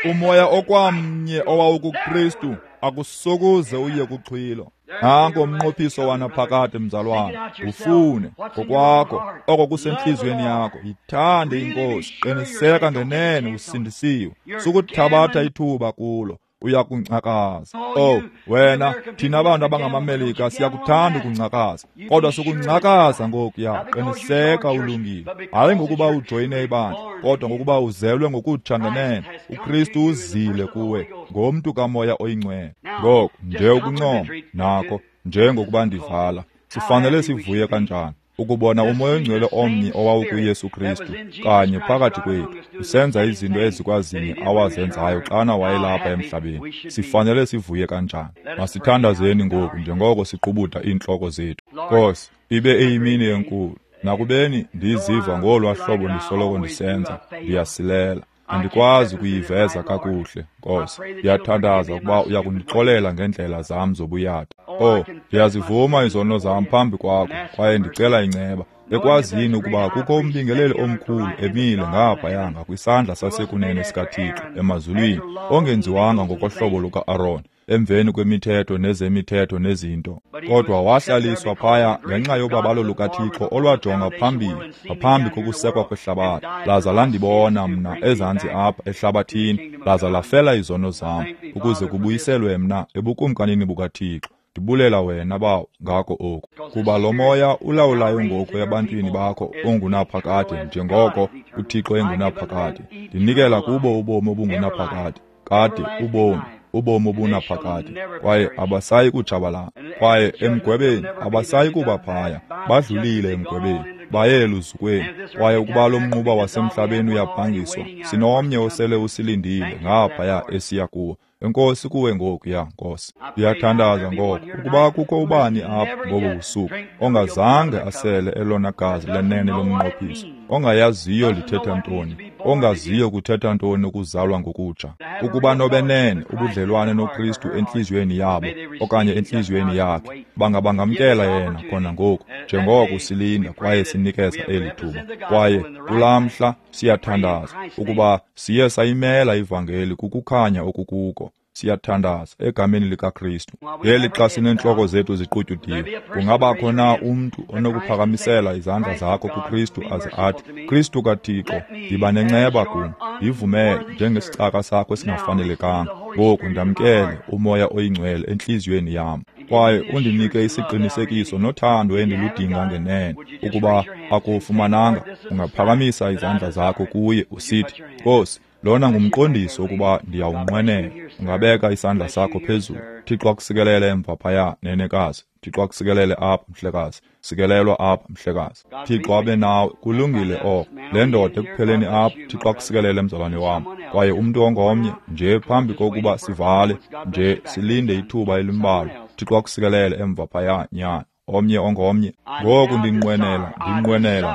S1: umoya okwamnye owawukuKristu akusokuze uye kuxhwilo. Nanko umnqophiso wanaphakade, mzalwana. Ufune ngokwakho oko kusentliziyweni yakho. Yithande iNkosi, qiniseka ngenene usindisiwe. Sukuthabatha ithuba kulo, uyakungcakaza. Oh wena, thina bantu abangamaMelika siyakuthanda ukungcakaza, kodwa sukungcakaza ngokuya. Qiniseka ulungile, hayi ngokuba ujoyine ibandla, kodwa ngokuba uzelwe ngokutsha ngenene. uKristu uzile kuwe ngomntu kaMoya oyiNgcwele. Ngoku nje ukuncoma nako, njengokuba ndivala, sifanele sivuye kanjani ukubona uMoya oNgcwele omnye owawukuYesu Kristu kanye phakathi kwethu, usenza izinto ezikwazinye awazenzayo xana wayelapha emhlabeni. Sifanele sivuye kanjani. Masithandazeni ngoku njengoko siqubuda iintloko zethu. Nkosi, ibe eyimini enkulu. Nakubeni ndiziva ngolwa hlobo ndisoloko ndisenza, ndiyasilela. Andikwazi ukuyiveza kakuhle, Nkosi. Ndiyathandaza ukuba uyakundixolela ngeendlela zam zobuyatha. Oh, ndiyazivuma izono zam phambi kwakho, kwaye ndicela inceba, ekwazini ukuba kukho umbingeleli omkhulu emile ngaphaya ngakwisandla sasekunene sikaThixo emazulwini, ongenziwanga ngokohlobo luka-Aron, emveni kwemithetho nezemithetho nezinto, kodwa wahlaliswa phaya ngenxa yobabalo lukaThixo olwajonga phambili ngaphambi kokusekwa kwehlabathi, laza landibona mna ezantsi apha ehlabathini, laza lafela izono zam, ukuze kubuyiselwe mna ebukumkanini bukaThixo. Ndibulela wena, Bawo, ngako oku, kuba lo moya ulawulayo ngoku ebantwini bakho ongunaphakade, njengoko uThixo engunaphakade. Ndinikela kubo ubomi obungunaphakade, kade ubomi, ubomi obunaphakade, kwaye abasayi kutshabalala. Kwaye emgwebeni abasayi kuba phaya, badlulile emgwebeni, baye eluzukweni. Kwaye ukuba lo mnquba wasemhlabeni uyabhangiswa, sinomnye osele usilindile ngaphaya esiya kuwo. Enkosi kuwe ngoku, ya Nkosi. Ndiyathandaza ngoku ukuba kukho ubani apha ngobu busuku ongazange asele elona gazi lenene lomnqophiso, ongayaziyo lithetha ntoni, ongaziyo kuthetha ntoni ukuzalwa ngokutsha, ukuba nobenene ubudlelwane noKristu entliziyweni yabo okanye entliziyweni yakhe, bangabangamkela yena khona ngoku njengoko silinda kwaye sinikeza eli thuba. Kwaye kulaa mhla siyathandaza ukuba siye sayimela ivangeli kukukhanya okukuko. Siyathandaza egameni likaKristu. Ngeli xa sineentloko zethu ziqutyudiwe, kungabakho na umntu onokuphakamisela izandla zakho kuKristu aze athi, Kristu kaThixo, yiba nenceba kum, yivumele njengesicaka sakho esingafanelekanga. Ngoku ndamkele uMoya oyiNgcwele entliziyweni yam, kwaye undinike isiqinisekiso nothando endiludinga ngenene. Ukuba akufumananga, ungaphakamisa izandla zakho kuye usithi, Nkosi, Lona ngumqondiso ukuba ndiyawunqwenela. Ungabeka isandla sakho phezulu. Thixo akusikelele emva phaya, nenekazi. Thixo akusikelele apha, mhlekazi. Sikelelwa apha, mhlekazi. Thixo abe nawe. Kulungile oko. Le ndoda ekupheleni apha, Thixo akusikelele, mzalwane wam. Kwaye umntu ongomnye nje phambi kokuba sivale nje silinde ithuba elimbalwa. Thixo akusikelele emva phaya, nyana. Omnye ongomnye. Ngoku ndinqwenela,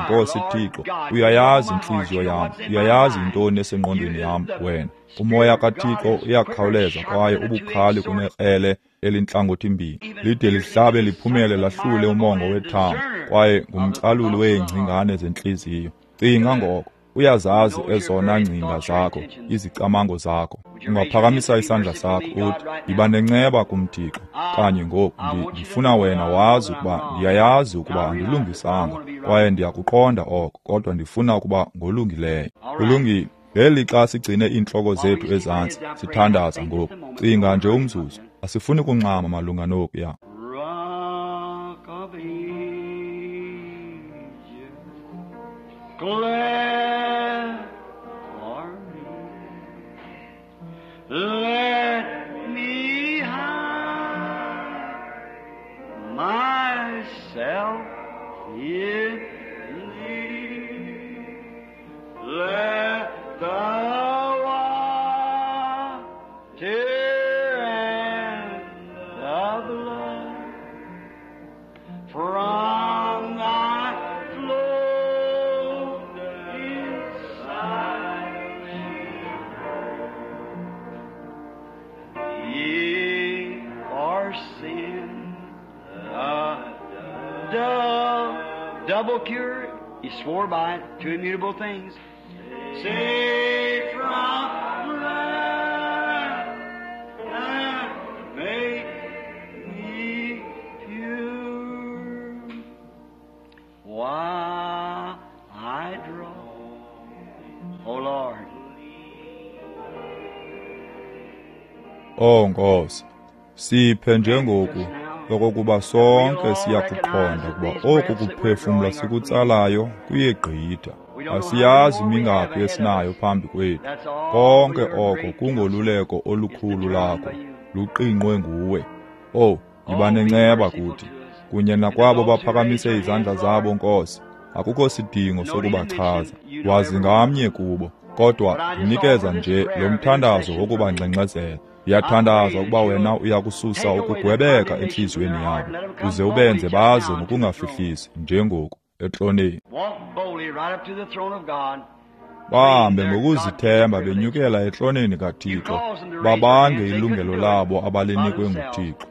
S1: Nkosi Thixo, uyayazi intliziyo yam, uyayazi intoni esengqondweni yam wena. Umoya kaThixo uyakhawuleza kwaye ubukhali kunekrele elintlangothi-mbini, lide lihlabe liphumele lahlule umongo wethambo, kwaye ngumcaluli weengcingane zentliziyo. Cinga ngoko. Uyazazi ezona ngcinga zakho, izicamango zakho. Ungaphakamisa isandla sakho uthi, yiba nenceba kum Thixo. Kanye ngoku ndifuna wena wazi ukuba ndiyayazi ukuba andilungisanga kwaye ndiyakuqonda oko, kodwa ndifuna ukuba ngolungileyo. Kulungile. Ngeli xa sigcine iintloko zethu ezantsi sithandaza ngoku, cinga nje umzuzu. Asifuni kunxama malunga nokuya.
S3: Let me hide myself in thee. Let the water and the blood from thy flow inside me. Ye for sin, the double cure, he swore by it, two immutable things. Save from wrath and make me pure. While I draw, O Lord.
S1: Oh Nkosi, siphe njengoku okokuba sonke siyakuqonda ukuba oku kuphefumla sikutsalayo kuyegqitha. Asiyazi mingaphi esinayo phambi kwethu. Konke oko kungoluleko olukhulu lakho, luqingqwe nguwe. Oh, yiba nenceba kuthi kunye nakwabo baphakamise izandla zabo, Nkosi. Akukho sidingo sokubachaza, wazi ngamnye kubo, kodwa ndinikeza nje lo mthandazo wokubangxengxezela. Ndiyathandaza ukuba wena uyakususa ukugwebeka entliziyweni yabo, uze ubenze baze ngokungafihlisi njengoku etroneni. Bahambe ngokuzithemba benyukela etroneni kaThixo, babange ilungelo labo abalinikwe nguThixo.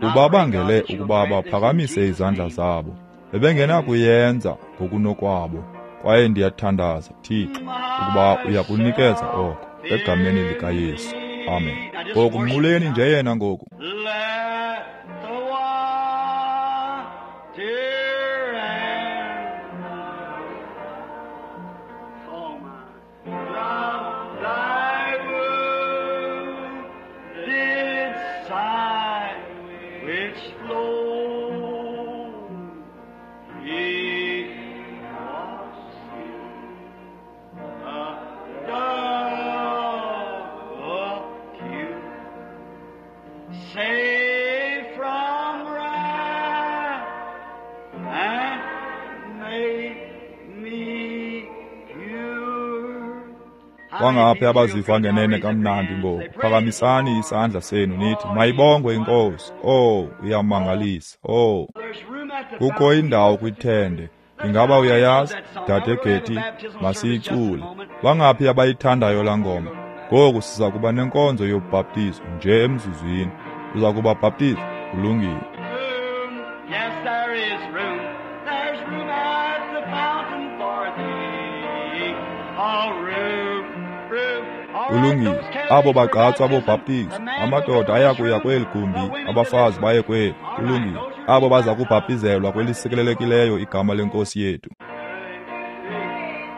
S1: Ubabangele ukuba baphakamise izandla zabo, bebengenakuyenza ngokunokwabo. Kwaye ndiyathandaza, Thixo, ukuba uyakunikeza oko egameni likaYesu. Amen. Ngoku mnquleni nje yena ngoku. Bangaphi abaziva ngenene kamnandi ngoku? Phakamisani isandla senu nithi, mayibongwe iNkosi. Oh, uyamangalisa. Oh, kukho indawo kwithende. Ingaba uyayazi, Dade Getty? Masiyicule. Bangaphi abayithandayo laa ngoma? Ngoku siza kuba nenkonzo yobhaptizo nje emzuzwini. Uza kubabhaptiza? Kulungile.
S3: Yes, there is room. There's room at the fountain for thee. Oh, room.
S1: Kulungile. Abo bagqatswa bobhaptizo, amadoda ayakuya kweli gumbi, abafazi baye kweli. Kulungile. Abo baza kubhaptizelwa kwelisikelelekileyo igama lenkosi yethu.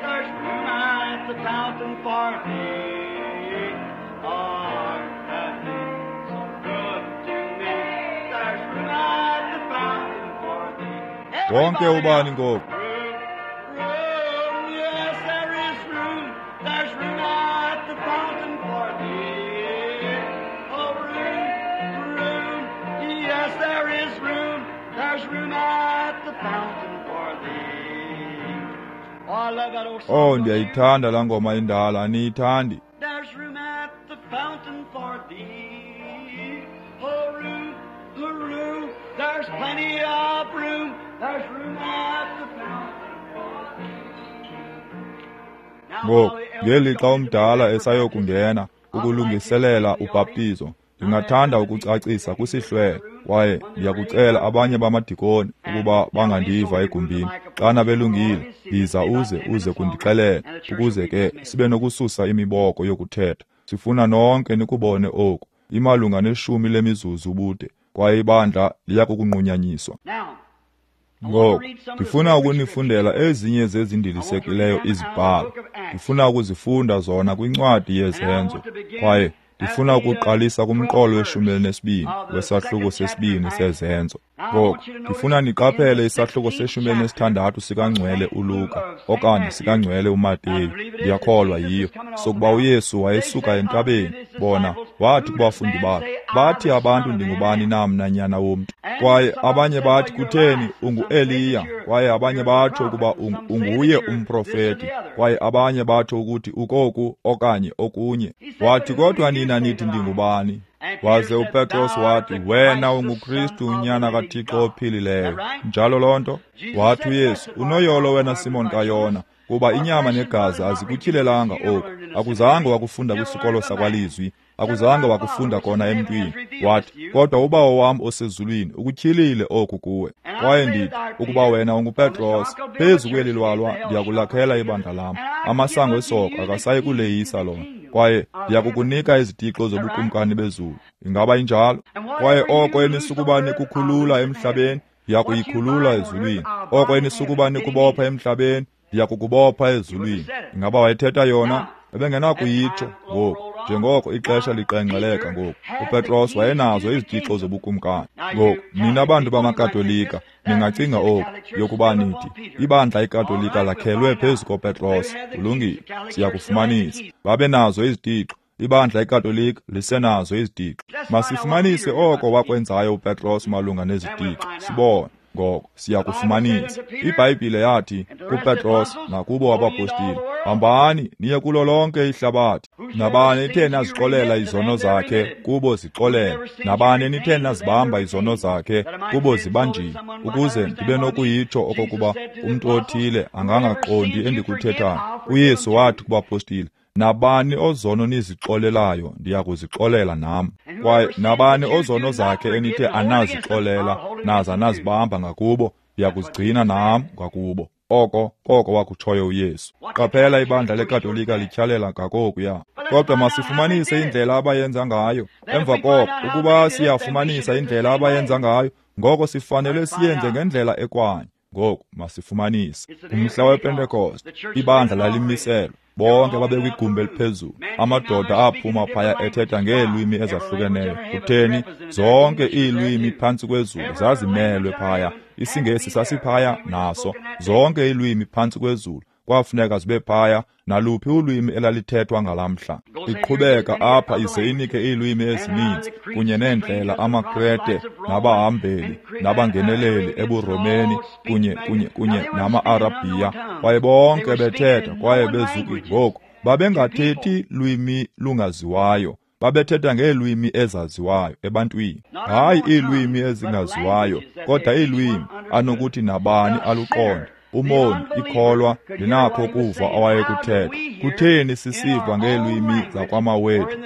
S3: There's room at the fountain for thee. Art thou so good to me? There's room at the fountain for thee.
S1: Wonke ubani ngoku.
S3: Room, room, yes, there is room. There's room at the fountain.
S1: Oh, ndiyayithanda laa ngoma indala, aniyithandi?
S3: There's room at the fountain for thee. Oh, room, oh, room. There's plenty of room. There's room at the fountain for thee.
S1: Ngoku, ngelixa umdala esayokungena ukulungiselela ubhaptizo, ndingathanda ukucacisa kwisihlwele, kwaye ndiyakucela abanye bamadikoni ukuba bangandiva egumbini. Xana belungile, yiza uze kundixelela, ukuze ke sibe nokususa imiboko yokuthetha. Sifuna nonke nikubone oku. Imalunga neshumi lemizuzu ubude, kwaye ibandla liya kukunqunyanyiswa. Ngoku, ndifuna ukunifundela ezinye zezindilisekileyo izibhalo. Ndifuna ukuzifunda zona kwincwadi yeZenzo, kwaye ndifuna ukuqalisa kumqolo we-12 wesahluko sesibini seZenzo. Ngoku, ndifuna niqaphele isahluko se-16 sikaNgcwele uLuka okanye sikaNgcwele uMateyu, ndiyakholwa yiyo, sokuba uYesu wayesuka entabeni. Bona, wathi kubafundi bakhe, bathi abantu ndingubani na mna nyana womntu? Kwaye abanye bathi kutheni unguEliya, kwaye abanye batsho ukuba unguye umprofeti, kwaye abanye batsho ukuthi ukoku okanye okunye. Wathi, kodwa nina nithi ndingubani? Waze uPetros wathi, wena unguKristu unyana kaThixo ophilileyo. Njalo loo nto? Wathi uYesu, unoyolo wena Simon kaYona, kuba inyama negazi azikutyhilelanga oku. Akuzange wakufunda kwisikolo sakwalizwi, akuzange wakufunda kona emntwini. Wathi, kodwa uBawo wam osezulwini ukutyhilile oku kuwe. Kwaye ndithi, ukuba wena unguPetros, phezu kweli lwalwa ndiyakulakhela ibandla lam. Amasango esoko akasayi kuleyisa lona. Kwaye ndiyakukunika izitixo zobukumkani bezulu. Ingaba injalo? Kwaye oko enisukuba nikukhulula emhlabeni, ndiyakuyikhulula ezulwini. Oko enisukuba nikubopha emhlabeni, ndiyakukubopha ezulwini. Ingaba wayethetha yona? Ebengenakuyitsho ngoku, njengoko ixesha liqengqeleka ngoku. uPetros wayenazo izitixo zobukumkani. Ngoku, nina bantu bamaKatolika, ningacinga oku, yokuba nithi, ibandla iKatolika lakhelwe phezu koPetros. Kulungile, siyakufumanisa. Babenazo izitixo. Ibandla iKatolika lisenazo izitixo. Masifumanise oko wakwenzayo uPetros malunga nezitixo. Sibone. Ngoko siyakufumanisa. IBhayibhile yathi kuPetros nakubo abapostile, hambani niye kulo lonke ihlabathi. Nabani nithe nazixolela izono zakhe, kubo zixolele. Nabani nithe nazibamba izono zakhe, kubo zibanjiwe, ukuze ndibe nokuyitsho okokuba umntu othile angangaqondi endikuthethayo. uYesu wathi kubapostile, nabani ozono nizixolelayo, ndiyakuzixolela nam. Kwaye nabani ozono zakhe enithe anazixolela, naza nazibamba ngakubo, ndiyakuzigcina nam ngakubo. Oko koko wakutshoyo uYesu. Qaphela, ibandla leKatolika lityhalela ngakokuya. Kodwa masifumanise indlela abayenza ngayo. Emva koko, ukuba siyafumanisa indlela abayenza ngayo, ngoko sifanele siyenze ngendlela ekwanye. Ngoku masifumanise. Umhla wePentekoste, ibandla lalimiselwe. Bonke babekwigumbi eliphezulu. Amadoda aphuma phaya ethetha ngeelwimi ezahlukeneyo. Kutheni? Zonke iilwimi phantsi kwezulu zazimelwe phaya. IsiNgesi sasiphaya naso. Zonke iilwimi phantsi kwezulu kwafuneka zibe phaya, naluphi ulwimi elalithethwa ngalamhla. Iqhubeka apha ize inike iilwimi ezininzi kunye neendlela amaKrete nabahambeli nabangeneleli ebuRomeni kunye nama-Arabhiya. Kwaye bonke bethetha kwaye bezuki. Ngoku babengathethi lwimi lungaziwayo, babethetha ngeelwimi ezaziwayo ebantwini. Hayi iilwimi ezingaziwayo, kodwa iilwimi anokuthi nabani aluqonde. Umoni, ikholwa, linakho ukuva awayekuthetha. Kutheni sisiva ngeelwimi zakwamawethu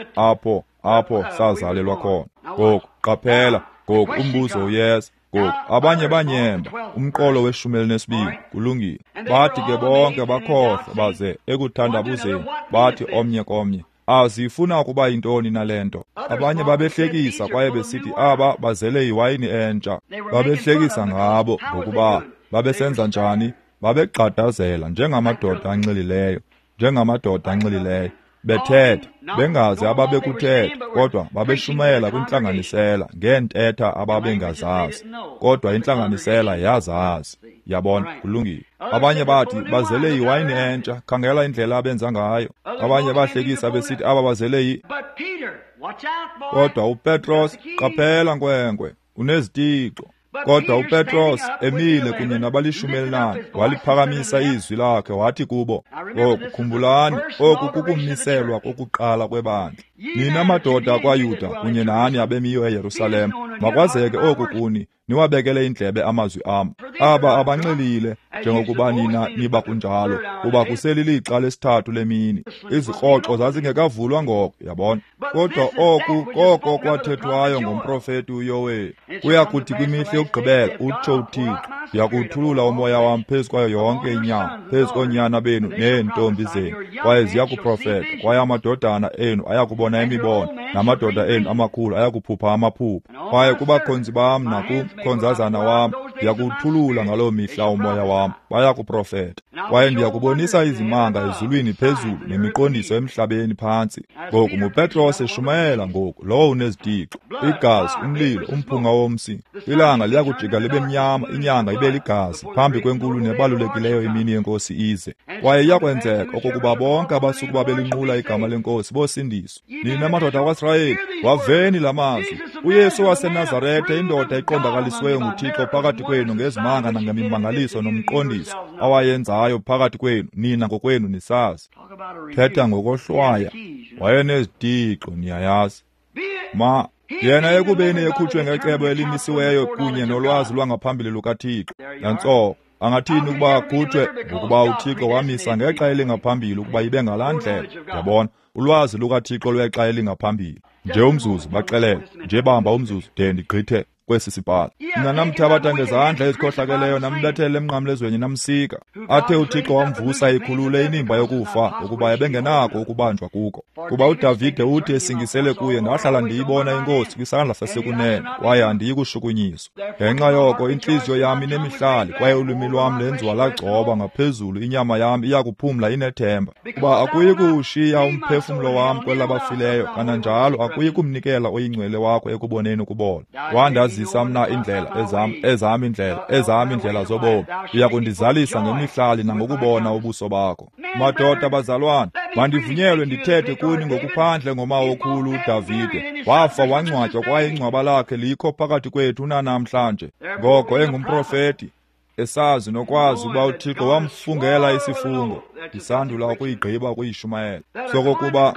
S1: apho sazalelwa khona? Ngoku qaphela, ngoku umbuzo uyeza. Ngoku abanye banyemba umqolo we-12. Kulungile. Bathi ke bonke bakhohlwa, baze ekuthandabuzeni bathi omnye komnye, azifuna ukuba yintoni nale nto? Abanye babehlekisa kwaye besithi aba bazele yiwayini entsha. Babehlekisa ngabo ngokuba babesenza njani? Babegxadazela njengamadoda anxilileyo, bethetha, bengazi ababekuthetha, kodwa babeshumayela kwintlanganisela ngeentetha ababengazazi, kodwa intlanganisela yazazi. Yabona, kulungile. Abanye bathi bazele yiwayini entsha, khangela indlela abenza ngayo. Abanye bahlekisa besithi aba bazele yi. Kodwa uPetros, qaphela nkwenkwe, unezitixo. Kodwa uPetros emile kunye nabali-14 waliphakamisa izwi lakhe wathi kubo, ngoku khumbulani, oku kukumiselwa kokuqala kwebandla. Nina madoda akwaYuda kunye nani abemiyo eYerusalem, makwazeke oku kuni, niwabekele indlebe amazwi am. Aba abanxilile njengokuba nina niba kunjalo, kuba kuselilixa lesithathu lemini. Izikroxo zazingekavulwa ngoko, yabona. Kodwa oku koko kwathethwayo ngomprofeti uYoweli. Kuya kuthi kwimihla yokugqibela, utsho uThixo, ndiyakuwuthulula umoya wam phezu kwayo yonke inyama, phezu koonyana benu neentombi zenu, kwaye ziyakuprofeta, kwaye amadodana enu ayakubona imibono, namadoda enu amakhulu ayakuphupha amaphupha. Kwaye kubakhonzi bam nakumkhonzazana wam ndiyakuwuthulula ngaloo mihla umoya wam, bayakuprofeta. Kwaye ndiyakubonisa izimanga ezulwini phezulu nemiqondiso emhlabeni phantsi. Ngoku nguPetros eshumayela ngoku, lowo unezitixo, igazi, umlilo, umphunga womsi. Ilanga liyakujika libe mnyama, inyanga ibe ligazi, phambi kwenkulu nebalulekileyo imini yeNkosi ize. Kwaye iyakwenzeka okokuba bonke abasukuba belinqula igama leNkosi bosindiswa. Nina madoda akwaSirayeli, waveni la mazwi. uYesu waseNazarete, indoda eqondakalisiweyo nguThixo phakathi kwenu ngezimanga nangemimangaliso nomqondiso awayenzayo phakathi kwenu, nina ngokwenu nisazi. Thetha ngokohlwaya, wayenezitixo, niyayazi. Ma yena ekubeni ekhutshwe ngecebo elimisiweyo kunye nolwazi lwangaphambili lukaThixo. Nantso, angathini ukuba akhutshwe ngokuba uThixo wamisa ngexa elingaphambili ukuba ibe ngalaa ndlela. Yabona, ulwazi lukaThixo lwexa elingaphambili. Nje umzuzu, baxelele, nje bamba umzuzu de ndigqithe kwesi sibhalo. Mna namthabatha ngezandla ezikhohlakeleyo, nambethele emnqamlezweni, namsika. Athe uThixo wamvusa ekhulule inimba yokufa, ukuba ebengenako ukubanjwa kuko. Kuba uDavide uthi esingisele kuye, ndahlala ndiyibona iNkosi kwisandla sasekunene, kwaye andiyi kushukunyiswa. Ngenxa yoko intliziyo yam inemihlali, kwaye ulwimi lwam lenziwa lagcoba ngaphezulu, inyama yam iyakuphumla inethemba. Kuba akuyi kuwushiya umphefumlo wam kwelabafileyo, kananjalo akuyi kumnikela oyingcwele wakho ekuboneni ukubola. Wandazisa mna indlela ezam indlela zobomi, uyakundizalisa ngemihlali nangokubona ubuso bakho. Madoda bazalwane, mandivunyelwe ndithethe kuni ngokuphandle ngomawokhulu uDavide. Wafa wangcwatywa, kwaye ingcwaba lakhe likho phakathi kwethu unanamhlanje. Ngoko engumprofeti, esazi nokwazi ukuba uThixo wamfungela isifungo, ndisandula ukuyigqiba ukuyishumayela, sokokuba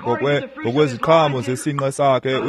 S1: ngokweziqhamo zesinqe sakhe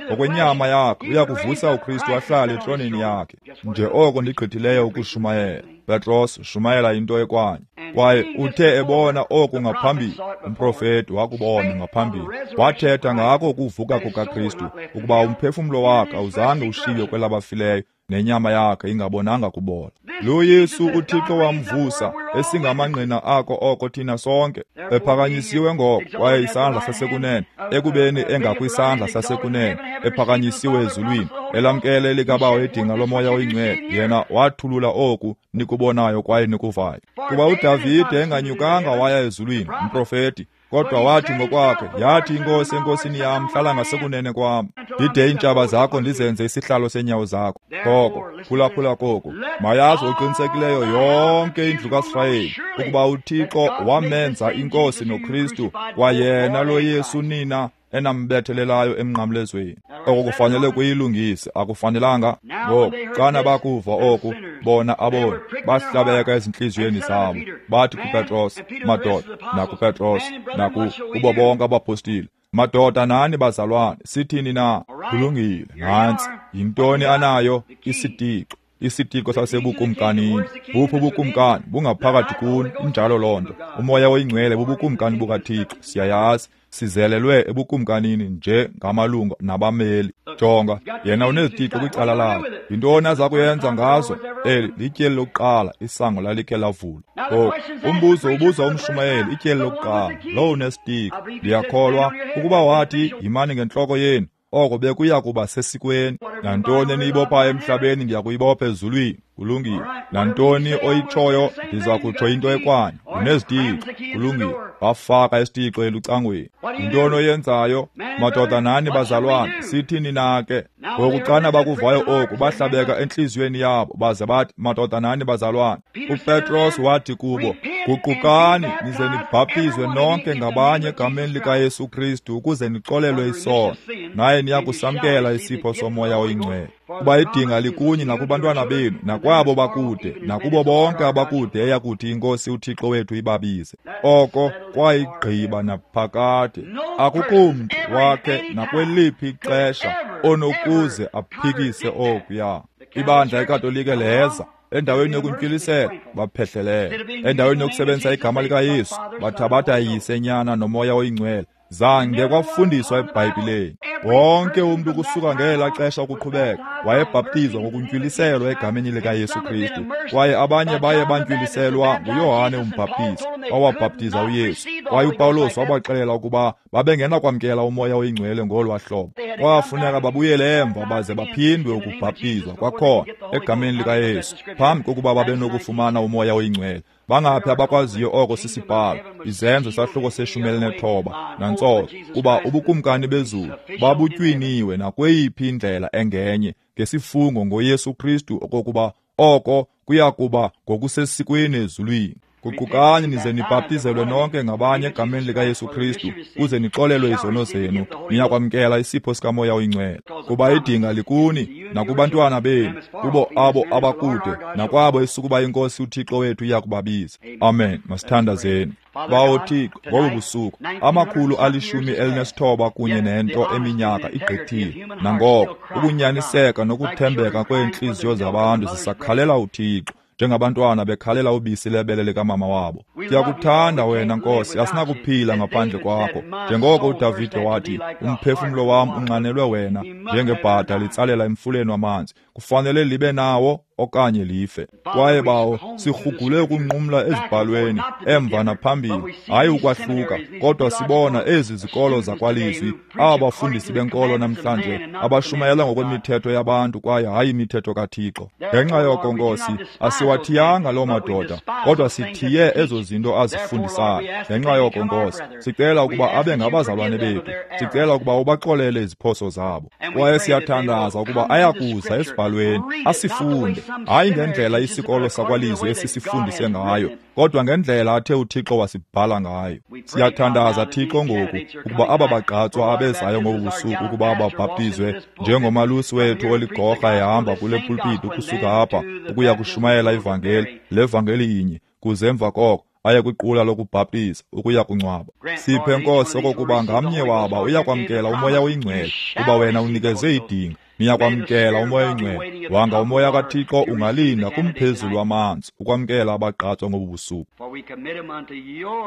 S1: ngokwenyama yakhe uyakuvusa uKristu ahlale etroneni yakhe. Nje oko ndigqithileyo ukushumayela. Petros shumayela into ekwanye. Kwaye uthe ebona oku ngaphambili, umprofeti wakubona ngaphambili, wathetha ngako ukuvuka kukaKristu, ukuba umphefumlo wakhe awuzange ushiywe kwelabafileyo, nenyama yakhe ingabonanga kubola. Lo Yesu uThixo wamvusa, esingamangqina ako oko thina sonke, ephakanyisiwe ngoko, kwaye isandla sasekunene, ekubeni engakwisandla sasekunene, ephakanyisiwe ezulwini, elamkele likaBawo idinga lomoya oyingcwele, yena wathulula oku nikubonayo kwaye nikuvayo. Kuba uDavide enganyukanga waya ezulwini, umprofeti, kodwa wathi ngokwakhe, yathi iNkosi enkosini yam, hlala ngasekunene kwam, ndide iintshaba zakho ndizenze isihlalo senyawo zakho. Ngoko phulaphula koku, mayazi oqinisekileyo yonke indlu kaSirayeli ukuba uThixo wamenza iNkosi noKristu, kwayena lo Yesu nina enambethelelayo emnqamlezweni. Oko kufanele kuyilungise, akufanelanga? Ngoku xana bakuva oku, bona aboni bahlabeka ezintliziyweni zabo, bathi kuPetros, madoda, nakuPetros, nakubo bonke abapostile, madoda nani bazalwane, sithini na? Kulungile, nantsi yintoni anayo? Isitixo. Isitixo sasebukumkanini. Buphi ubukumkani? Bungaphakathi kuni, injalo loo nto. Umoya oyingcwele bubukumkani bukaThixo, siyayazi. Sizelelwe ebukumkanini nje ngamalungu nabameli. Jonga, yena unezitixo kwicala lakhe. Yintoni aza kuyenza ngazo? Eli lityeli lokuqala, isango lalikhe lavulwa. Ngoku umbuzo ubuzwa umshumayeli, ityeli lokuqala, lowo unesitixo. Ndiyakholwa ukuba wathi, yimani ngentloko yenu, oko bekuya kuba sesikweni. Nantoni eniyibophayo emhlabeni ndiyakuyibopha ezulwini. Kulungile. Nantoni oyitshoyo ndiza kutsho into ekwanye. Unezitixo. Kulungile. Bafaka isitixo elucangweni. Yintoni oyenzayo? Madoda nani bazalwane, sithini na ke? Ngoku xana bakuvayo oku, bahlabeka entliziyweni yabo, baze bathi, madoda nani bazalwane. uPetros wathi kubo, guqukani nize nibhaptizwe nonke ngabanye egameni likaYesu Kristu ukuze nixolelwe isono, naye niyakusamkela isipho somoya oyingcwele. Kuba idinga likunye nakubantwana benu, nakwabo bakude, nakubo bonke abakude eyakuthi iNkosi uThixo wethu ibabize. Oko kwayigqiba naphakade. Akukho mntu wakhe nakweliphi ixesha onokuze aphikise okuya. Ibandla iKatolike leza endaweni yokuntywilisela, baphehlelela. Endaweni yokusebenzisa igama likaYesu, bathabatha Yise, Nyana noMoya oyiNgcwele. Zange kwafundiswa eBhayibhileni. Wonke umntu kusuka ngela xesha ukuqhubeka wayebhaptizwa ngokuntywiliselwa egameni likaYesu Kristu, kwaye abanye baye bantywiliselwa nguYohane umbhaptizi owabhaptiza uYesu. Kwaye uPawulos wabaxelela ukuba babengenakwamkela uMoya oyiNgcwele ngolwa hlobo. Kwafuneka babuyele emva baze baphindwe ukubhaptizwa kwakhona egameni likaYesu phambi kokuba babenokufumana uMoya oyiNgcwele. Bangaphi abakwaziyo oko sisibhalo? Izenzo sahluko se-19 nantsolo, kuba ubukumkani bezulu babutywiniwe nakweyiphi indlela engenye ngesifungo ngoYesu Kristu okokuba oko kuya kuba ngokusesikweni ezulwini. Guqukani nize nibhaptizelwe nonke ngabanye egameni likaYesu Kristu kuze nixolelwe izono zenu, niyakwamkela isipho sikaMoya oyiNgcwele. Kuba idinga likuni nakubantwana benu, kubo abo abakude, nakwabo esukuba iNkosi uThixo wethu iyakubabiza. Amen. Masithandazeni. Bawo Thixo, ngobu busuku 119 kunye nento eminyaka igqithile, nangoko ukunyaniseka nokuthembeka kweentliziyo zabantu zisakhalela uThixo njengabantwana bekhalela ubisi lebele likamama wabo. Siyakuthanda wena Nkosi, asinakuphila ngaphandle kwakho. Njengoko uDavide wathi, umphefumlo wam unxanelwe wena njengebhada litsalela emfuleni wamanzi, kufanele libe nawo okanye life. Kwaye Bawo, sirhugule ukunqumla ezibhalweni emva naphambili, hayi ukwahluka, kodwa sibona ezi zikolo zakwalizwi, aba bafundisi benkolo namhlanje abashumayela ngokwemithetho yabantu kwaye hayi imithetho kaThixo. Ngenxa yoko Nkosi, asiwathiyanga loo madoda, kodwa sithiye ezo zinto azifundisayo. Ngenxa yoko Nkosi, sicela ukuba abe ngabazalwane bethu, sicela ukuba ubaxolele iziphoso zabo. Kwaye siyathandaza ukuba ayakuza esibhalweni asifunde, hayi ngendlela isikolo sakwalizwi esisifundise ngayo, kodwa ngendlela athe uThixo wasibhala ngayo. Siyathandaza Thixo ngoku ukuba aba bagqatswa abezayo ngobu busuku ukuba babhaptizwe njengomalusi wethu oligorha ehamba kule pulpiti ukusuka apha ukuya kushumayela ivangeli, le vangeli inye, kuze emva koko aye kwiqula lokubhaptiza ukuya kungcwaba. Siphe Nkosi okokuba ngamnye waba uyakwamkela uMoya oyiNgcwele, kuba wena unikeze idinga. Niyakwamkela uMoya oyiNgcwele. Wanga uMoya kaThixo ungalinda kumphezulu wamanzi ukwamkela abagqatswa ngobu busuku,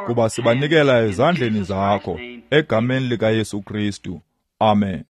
S1: kuba sibanikela ezandleni zakho egameni likaYesu Kristu. Amen.